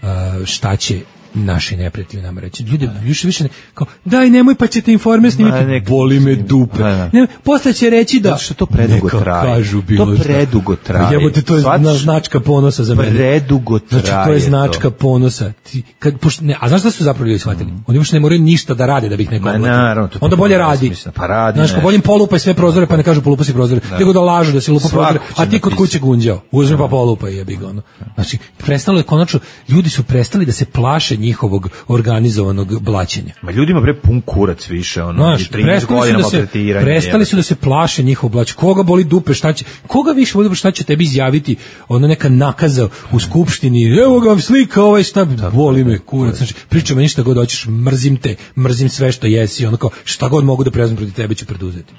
uh, šta će naši neprijatelji nama reći. Ljude više više ne, kao daj nemoj pa ćete informe snimiti. Boli me dupe. Ne, posle će reći da što to predugo traje. Kažu bilo to predugo traje. Jebote, to je Svač, značka ponosa za mene. Predugo traje. Znači to je značka to. ponosa. Ti kad pošto ne, a znaš šta su zapravo ljudi shvatili? Mm. Oni uopšte ne moraju ništa da rade da bi ih neko oblatio. Onda bolje radi. Pa radi. Znaš, bolje polupaj sve prozore pa ne kažu polupa si prozore. Nego da lažu da si lupa prozore, a ti kod kuće gunđao. Uzmi pa polupaj jebi ga ono. Znači prestalo je konačno, ljudi su prestali da se plaše njihovog organizovanog blaćenja. Ma ljudima bre pun kurac više, ono, znaš, trinaest godina maltretiranja. Prestali su da se plaše njihov blać. Koga boli dupe, šta će, koga više boli dupe, šta će tebi izjaviti, ono neka nakaza u skupštini, evo ga slika, ovaj šta, boli me kurac, znači, priča me ništa god hoćeš, mrzim te, mrzim sve što jesi, ono kao, šta god mogu da prezmem protiv tebe ću preduzeti.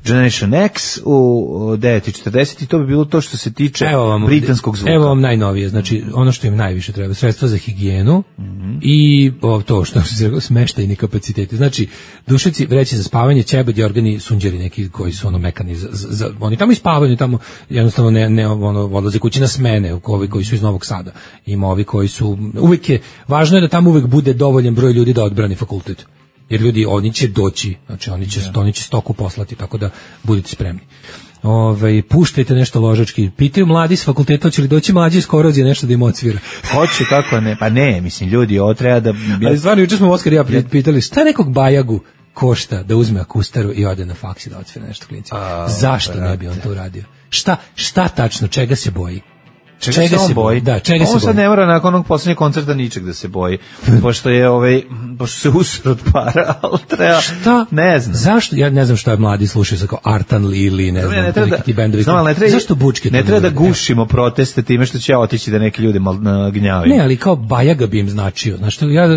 Generation X u devet i četrdeset i to bi bilo to što se tiče vam, britanskog zvuka. Evo vam najnovije, znači ono što im najviše treba, sredstva za higijenu mm-hmm. i o, to što se rekao, smeštajni kapaciteti. Znači, dušeci, vreće za spavanje, ćebedi, organi, sunđeri neki koji su ono mekani, za, za, oni tamo ispavaju, tamo jednostavno ne, ne ono, odlaze kući na smene, ovi koji su iz Novog Sada. Ima ovi koji su, uvijek je, važno je da tamo uvijek bude dovoljan broj ljudi da odbrani fakultet. Jer ljudi, oni će doći, znači oni će, oni će stoku poslati, tako da budite spremni. Ove, puštajte nešto ložački. Pitaju mladi s fakulteta, hoće li doći mlađi iz korozije nešto da im odsvira? Hoće, kako ne? Pa ne, mislim, ljudi, ovo treba da... Ali stvarno, juče smo Oskar i ja pitali, šta nekog bajagu košta da uzme akustaru i ode na faks i da odsvira nešto klinci? Zašto brate. Ne bi on to uradio? Šta, šta tačno, čega se boji? Čega, čega se on boji? Da, čega on se sad boji? ne mora nakon onog posljednjeg koncerta ničeg da se boji. Pošto je ovaj, pošto se usro od para, ali treba... Šta? Ne znam. Zašto? Ja ne znam šta je mladi slušaju, sa kao Artan Lili, ne znam, ne, ne treba da, ti bendovi. Znam, ne treba, zašto bučke? Ne treba da gušimo proteste time što će otići da neki ljudi mal gnjavaju. Ne, ali kao bajaga bi im značio. Znaš što, ja...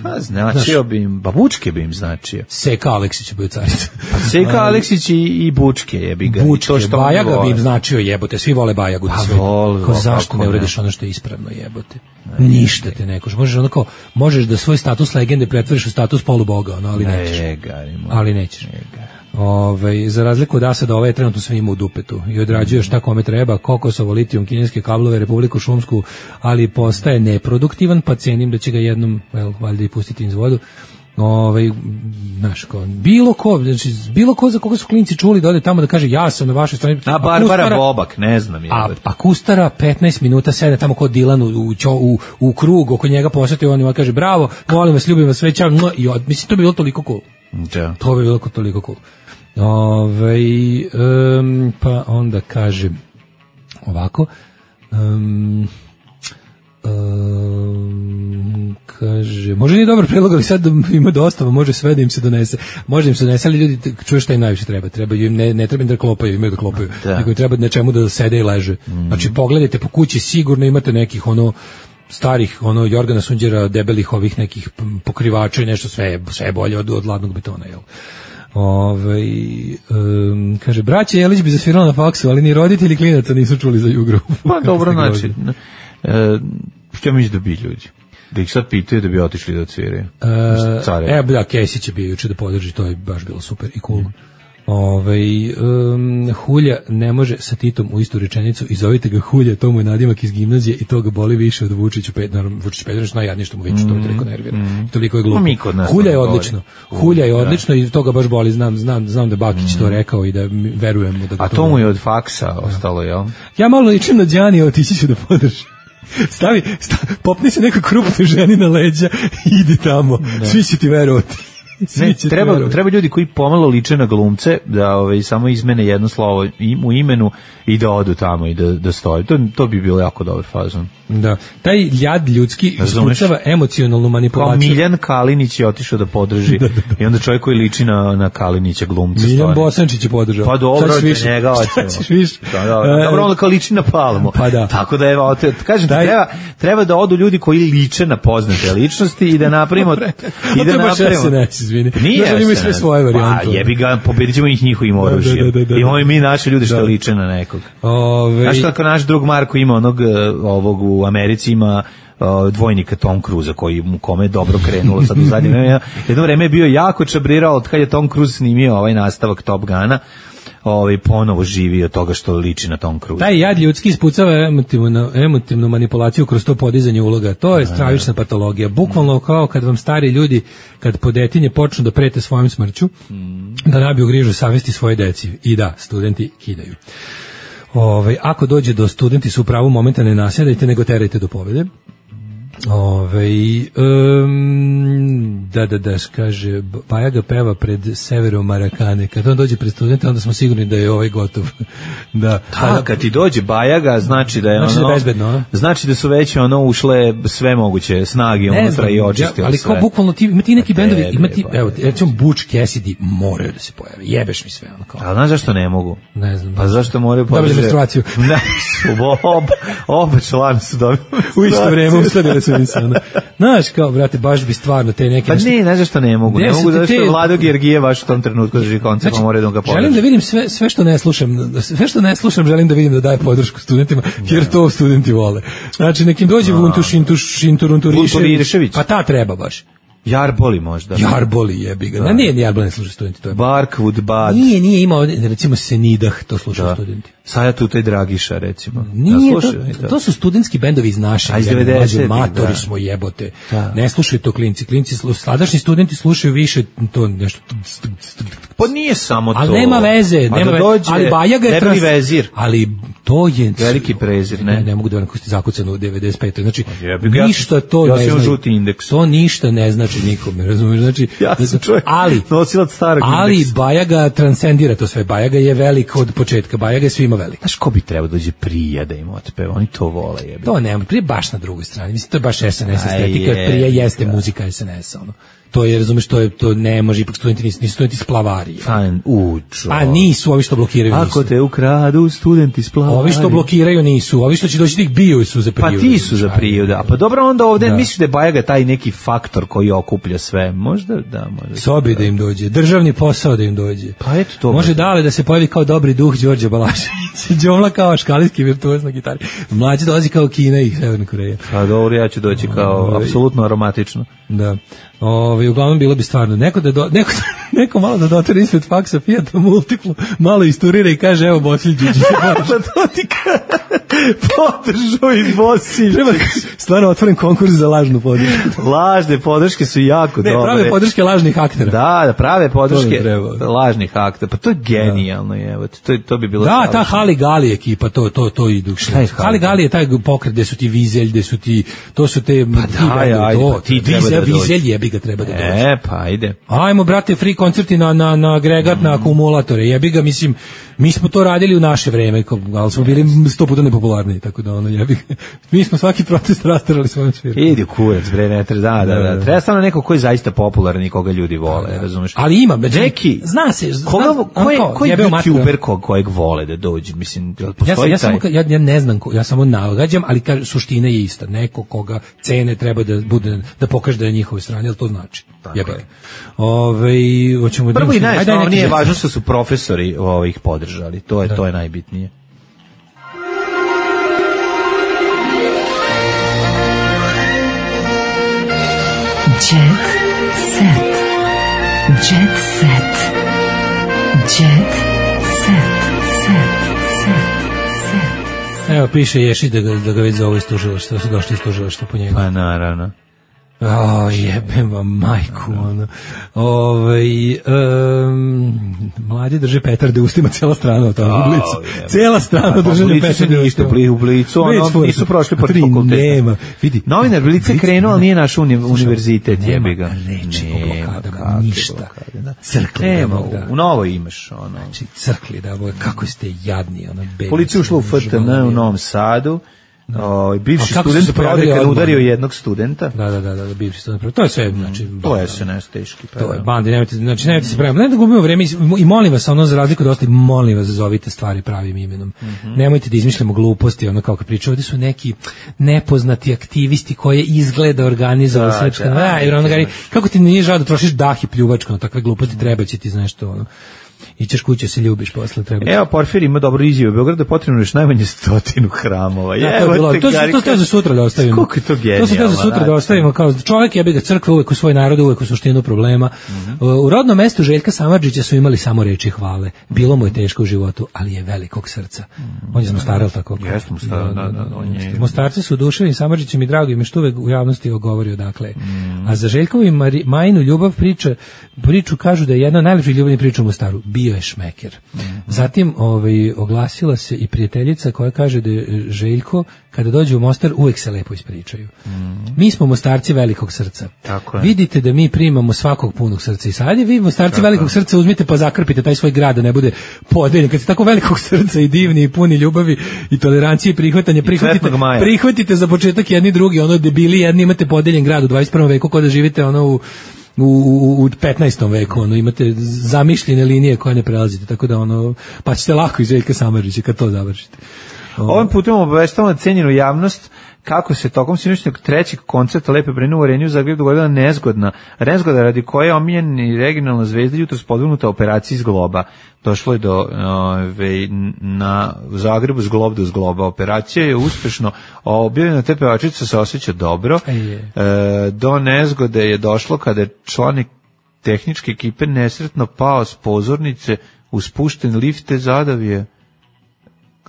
Pa, značio znaš, bi im, ba bučke bi im značio. Seka Aleksić bi u caricu. Pa Seka Aleksić i, i bučke jebi ga. Bučke, to što bajaga bi im značio, jebote, svi vole bajagu. Da pa vol, ko zašto ne urediš ono što je ispravno, jebote. Ništa te nekoš. Možeš onako, možeš da svoj status legende pretvoriš u status poluboga, ono, ali nećeš. Ali nećeš. Ove, za razliku od Asada, ovaj je trenutno sve ima u dupetu i odrađuje šta kome treba, kokosovo, litijum, kineske kablove, Republiku Šumsku, ali postaje neproduktivan, pa cenim da će ga jednom, well, valjda i pustiti iz vodu. Ovaj, znaš, ko, bilo ko, znači, bilo ko za koga su klinci čuli da ode tamo da kaže ja sam na vašoj strani. A Barbara Kustara, Bobak, ne znam. A, a Kustara petnaest minuta sede tamo kod Dilan u, u, u, u krug, oko njega posjeti, on ima kaže bravo, volim vas, ljubim vas, sve čao, i od, mislim, to bi bilo toliko cool. Ja. To bi bilo toliko cool. Ove, um, pa onda kaže ovako, um, um, kaže, može nije dobar predlog, ali sad ima dostava, može sve da im se donese. Može im se donese, ali ljudi, čuješ šta im najviše treba. Treba im, ne, ne treba im da klopaju, imaju da klopaju. Da. Nego im treba na čemu da sede i leže. Mm. Znači, pogledajte po kući, sigurno imate nekih, ono, starih, ono, Jorgana Sunđera, debelih ovih nekih pokrivača i nešto, sve, sve bolje od, od ladnog betona, jel? Ove, um, kaže, braća Jelić bi zasvirala na faksu, ali ni roditelji klinaca nisu čuli za Jugru. Pa dobro, znači, e, što misliš da bi ljudi? Da ih sad pitaju da bi otišli da odsviraju? E, evo, da, Kesić je bio juče da podrži, to je baš bilo super i cool. Mm. Ove, um, Hulja ne može sa Titom u istu rečenicu i zovite ga Hulja, to mu je nadimak iz gimnazije i to ga boli više od Vučiću Pet, naravno Vučić Petrović najjadnije što mu viče, to je toliko nervira. Mm. Toliko je glupo. Hulja je odlično. Hulja je odlično i to ga baš boli, znam, znam, znam da Bakić mm. to rekao i da verujem mu da ga a to, to mu je od faksa ostalo, jel? Ja malo ličim na Đani, otići ću da podržim. Stavi, stavi, popni se neka krupna ženi na leđa i idi tamo. Ne. Svi će ti verovati. Ne, treba, treba ljudi koji pomalo liče na glumce da ovaj, samo izmene jedno slovo u imenu i da odu tamo i da, da stoji. To, to bi bilo jako dobar fazon. Da. Taj ljad ljudski ispucava emocionalnu manipulaciju. Kao Miljan Kalinić je otišao da podrži da, da, da. I onda čovjek koji liči na, na Kalinića glumca. Miljan Bosančić je podržao. Pa dobro, njega hoćemo. Da, da, da. Dobro, onda kao liči na Palmu. Pa da. Tako da evo, te, kažem ti, treba, treba da odu ljudi koji liče na poznate ličnosti i da napravimo... i da napravimo... Izvini. Nije ja imaju sve svoje varijante. Pa jebi ga, pobedit ćemo ih njihovim oružjem. Da, da, da, da, da. Imamo i mi naše ljude što da. liče na nekog. Ove... Znaš kako naš drug Marko ima onog, ovog u Americi ima uh, dvojnika Tom Cruisa koji mu kome je dobro krenulo sad u zadnje vreme. Jedno vreme je bio jako čabrirao od kad je Tom Cruise snimio ovaj nastavak Top Guna. Ovaj ponovo živi od toga što liči na Tom Cruise. Taj jad ljudski ispucava emotivnu, emotivnu manipulaciju kroz to podizanje uloga. To je stravična patologija. Bukvalno kao kad vam stari ljudi, kad po detinje počnu da prete svojom smrću, mm. da nabiju grižu savesti svoje deci. I da, studenti kidaju. Ove, ako dođe do studenti su u pravu momenta ne nasjedajte, nego terajte do pobjede. Ove, um, da, da, da, kaže, Bajaga peva pred Severom Marakane. Kad on dođe pred studente, onda smo sigurni da je ovaj gotov. Da, da kad ti dođe Bajaga, znači da je znači ono, da bezbedno, znači da su već ono ušle sve moguće snage unutra i očistile ja, ali sve. Kao bukvalno ti, ima ti neki bendovi, ima ti, evo, recimo Butch Cassidy moraju da se pojave. Jebeš mi sve ono kao. A znaš zašto ne mogu? Ne znam. Pa zašto moraju podržati? Dobili menstruaciju. Ne, su oba, oba člana su dobili. U isto vreme uskladili su mi se. Znaš, kao, brate, baš bi stvarno te neke... Pa ne, ne, zašto ne mogu. Ne mogu, zašto te... Vlado Gergije baš u tom trenutku drži koncert, znači, pa moraju da ga podrži. Želim da vidim sve, sve što ne slušam, sve što ne slušam želim da vidim da daje podršku studentima, jer to studenti vole. Znači, nekim dođe Vuntuš, Intuš, Inturunturišević, pa ta treba baš. Jarboli možda. Jarboli jebi ga. Da. Nije, nije Jarboli ne slušaju studenti. To je Barkwood Bad. Nije, nije imao, recimo Senidah, to slušaju da. studenti. Saja Tuta i Dragiša, recimo. Nije, da, to, to su studentski bendovi iz našeg. A iz devedesetih, matori da. smo jebote. Da. Ne slušaju to klinci. Klinci, sadašnji studenti slušaju više to nešto. Pa nije samo to. Ali nema veze. Nema veze. Ali Bajaga je trans... vezir. Ali to je... Veliki prezir, ne? Ne, ne mogu da vam kosti zakucano u devedeset petoj Znači, ja, ništa to ja ne znači. Žuti indeks. To ništa ne znači nikome, razumiješ? Znači, ja sam čovjek ali, nosilac starog ali indeksa. Bajaga transcendira to sve. Bajaga je velik od početka. Bajaga je svima velik. Znaš ko bi trebao dođe Prija da im otpeva? Oni to vole, jebi. To nema, Prija baš na drugoj strani. Mislim, to je baš es en es estetika. Prija jeste muzika es en es-a, ono. To je, razumeš, to je, to ne može, ipak studenti nisu, nisu studenti splavari. Fajn, učo. A nisu, ovi što blokiraju nisu. Ako te ukradu, studenti splavari. Ovi što blokiraju nisu, ovi što će doći tih biju su za Priju. Pa ti su za Priju, da. Pa dobro, onda ovde da. Misliš da je Bajaga taj neki faktor koji okuplja sve. Možda, da, možda. Sobi da im dođe, državni posao da im dođe. Pa eto to. Može dale da se pojavi kao dobri duh Đorđe Balašević. Đomla kao škalijski virtuoz na gitari. Mlađi dolazi kao Kina i Severna Koreja. Pa dobro, ja ću doći kao apsolutno aromatično. Da. Ovaj uglavnom bilo bi stvarno neko da do, neko neko malo da dotere ispred faksa Fijata Multiplu, malo isturira i kaže evo Bosilj Điđić. Pa to ti podržao i Bosilj. Treba stvarno otvoren konkurs za lažnu podršku. Lažne podrške su jako ne, dobre. Prave podrške lažnih aktera. Da, da, prave podrške lažnih aktera. Pa to je genijalno, da. Evo. To to bi bilo. Da, savršeno. Ta Hali Gali ekipa, to to to idu. Hali Gali je taj pokret gde su ti Vizelj, gde su ti to su te pa da, ajde, pa ti Vizelj, Vizelj jebi ga treba da dođe. E, pa ajde. Ajmo, brate, free koncerti na, na, na agregat, mm. na akumulatora. Jebi ga, mislim, Mi smo to radili u naše vreme, ali smo bili sto puta nepopularniji, tako da ono jebi. Mi smo svaki protest rastarali svojom svirkom. Idi kurac, bre, ne treba, da, da, da. Treba samo neko ko je zaista popularan i koga ljudi vole, razumeš? Ali ima, neki, zna se, zna, koga, ko je, ko je YouTuber kog, kojeg vole da dođe, mislim, ja, sam, ja, samo, ja, ja ne znam, ja samo nagađam, ali kaže, suština je ista, neko koga cene treba da bude, da pokaže da je njihove strane, ali to znači. Jebe. Ove, hoćemo prvo i najosnovnije je važno što su profesori ovih podržali, to je, da. To je najbitnije. Jet set. Jet set. Jet set. Set. Set. Set. Evo piše Ješi da ga, da ga već zove iz tužilaštva, da su došli iz tužilaštva po njega. Pa naravno. O, jebem vam majku, ono. Ove, um, mladi drže petarde ustima, cijela strana od toga, u Blicu. Cijela strana držanja petarde u ustima. U Blicu, ono, nisu prošli po fakultetu. Nema, vidi. Novinar Blica je krenuo, ali nije naš univerzitet, jebi ga. Nema reči o blokadama, ništa. Crkli. Nema, u Novoj imaš, ono. Znači, crkli, da, kako ste jadni, ono, beli. Policija ušla u F T N u Novom Sadu. O, bivši student prodeka udario jednog studenta. Da, da, da, da, bivši student. To je sve, znači, to je se ne teški. Pa to je bandi, nemojte, znači nemojte se praviti. Ne da gubimo vreme i molim vas, ono za razliku od ostalih, molim vas zovite stvari pravim imenom. Mm-hmm. Nemojte da izmišljamo gluposti, ono kao kad pričaju, ovdje su neki nepoznati aktivisti koje izgleda organizovali srpska. Da, da, da, da, kako ti nije žao da trošiš dah i pljuvačku na takve gluposti, treba će ti znaš to, ono. Ićeš kuće, se ljubiš posle, treba. Evo, Porfir ima dobru izjavu. U Beogradu je potrebno još najmanje stotinu hramova. Ja, to, je bilo, to, to, to je za sutra da ostavimo. Koliko je to genijalno. To se za sutra da ostavimo. Kao čovjek jebi ga, crkva uvek u svoj narod, uvek u suštinu problema. Mm-hmm. U rodnom mestu Željka Samardžića su imali samo reči hvale. Bilo mu je teško u životu, ali je velikog srca. Mm-hmm. On je Mostar, ali tako? Jeste Mostar, da, da, da, da. Mostarci su oduševljeni Samardžićem i drago im je što uvek u javnosti govorio, dakle. Mm-hmm. A za Željkovu i Majinu ljubav priča, priču kažu da je jedna od najlepših ljubavnih priča u Mostaru. Bio je šmeker. Mm-hmm. Zatim ovaj, oglasila se i prijateljica koja kaže da je Željko kada dođe u Mostar uvek se lepo ispričaju. Mm-hmm. Mi smo Mostarci velikog srca. Tako je. Vidite da mi primamo svakog punog srca i sad je vi Mostarci tako velikog srca uzmite pa zakrpite taj svoj grad da ne bude podeljen. Kad ste tako velikog srca i divni i puni ljubavi i tolerancije i prihvatanja, prihvatite, prihvatite za početak jedni drugi, ono debili jedni imate podeljen grad u dvadeset prvom veku kao da živite ono u U, u, u petnaestom veku, ono, imate zamišljene linije koje ne prelazite, tako da ono, pa ćete lako iz Željka Samardžića kad to završite. Ovim putem obaveštavamo cenjenu javnost kako se tokom sinoćnog trećeg koncerta Lepe Brene u Areniju Zagreb dogodila nezgodna, nezgoda radi koje je omiljeni regionalna zvezda jutros podvrgnuta operaciji zgloba. Došlo je do ove, na Zagrebu zglob do zgloba. Operacija je uspešno objavljena, te pevačica se osjeća dobro. E, do nezgode je došlo kada je članik tehničke ekipe nesretno pao s pozornice u spušten lift te zadavije.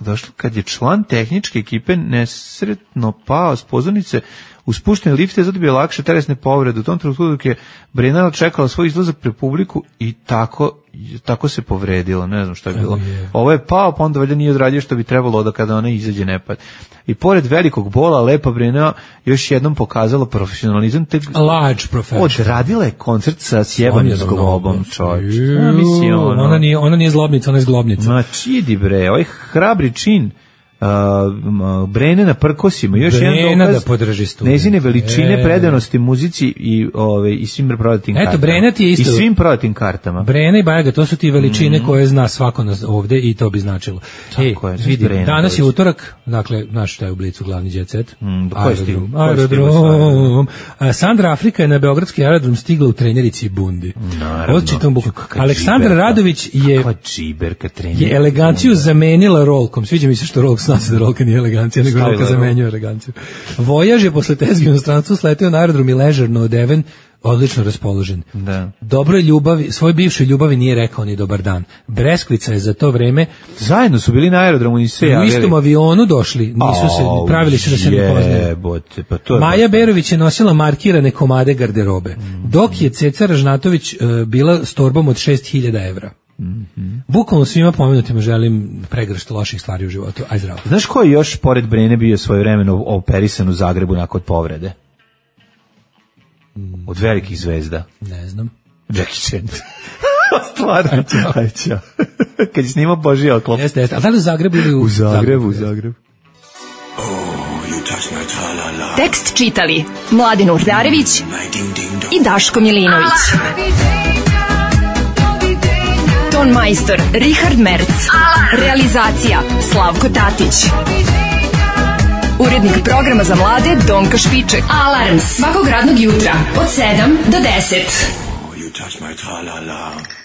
Došlo kad je član tehničke ekipe nesretno pao s pozornice u spuštene lifte, zato bi je lakše telesne povrede. U tom trenutku dok je Brenana čekala svoj izlazak pre publiku i tako, tako se povredila. Ne znam šta je bilo. Ovo je pao, pa onda valjda nije odradio što bi trebalo da kada ona izađe ne pad. I pored velikog bola, Lepa Brena još jednom pokazala profesionalizam. Te large professional. Odradila je koncert sa sjebanim zglobom, čovječ. Ja, mislim, ono. Ona nije, ona nije zglobnica, ona je zglobnica. Ma čidi bre, ovaj hrabri čin Uh, Brene na prkosima, još Brena jedan dokaz da podrži student. Njezine veličine, e. predanosti muzici i ove i svim prodatim kartama. Eto, Brena ti je isto. I svim prodatim kartama. Brena i Bajaga, to su ti veličine mm. koje zna svako nas ovde i to bi značilo. Tako e, je, vidi, Brena, danas je utorak, dakle, znaš šta je u Blicu glavni jet set? Mm, aerodrom. aerodrom. Sandra Afrika je na beogradski aerodrom stigla u trenerici Bundi. Naravno. Aleksandra Radović je, je eleganciju zamenila rolkom. Sviđa mi se što rolk zna se da rolka nije elegancija, nego rolka zamenjuje eleganciju. Vojaž je posle tezge u inostranstvu sletio na aerodrom i ležerno odeven, odlično raspoložen. Da. Dobroj ljubavi, svoj bivšoj ljubavi nije rekao ni dobar dan. Breskvica je za to vreme zajedno su bili na aerodromu i se u istom avionu došli, nisu se pravili se da se ne poznaju. Pa to je Maja Berović je nosila markirane komade garderobe, mm. dok je Ceca Ražnatović uh, bila s torbom od šest hiljada evra. Mm-hmm. Bukvalno svima pomenutima želim pregršt loših stvari u životu. Aj zdravo. Znaš ko je još pored Brene bio svojevremeno operisan u Zagrebu nakon povrede? Od velikih zvezda. Ne znam. Jackie Chan. Stvarno. Aj, ćao. Kad je snimao Božji oklop. Jeste, jeste. A da li u Zagrebu ili u... U Zagrebu, u Zagrebu. Tekst čitali Mladin Urdarević i Daško Milinović. Ton majstor Richard Merc. Realizacija Slavko Tatić. Urednik programa za mlade Donka Špiček. Alarms svakog radnog jutra od sedam do deset. You touch my tra-la-la.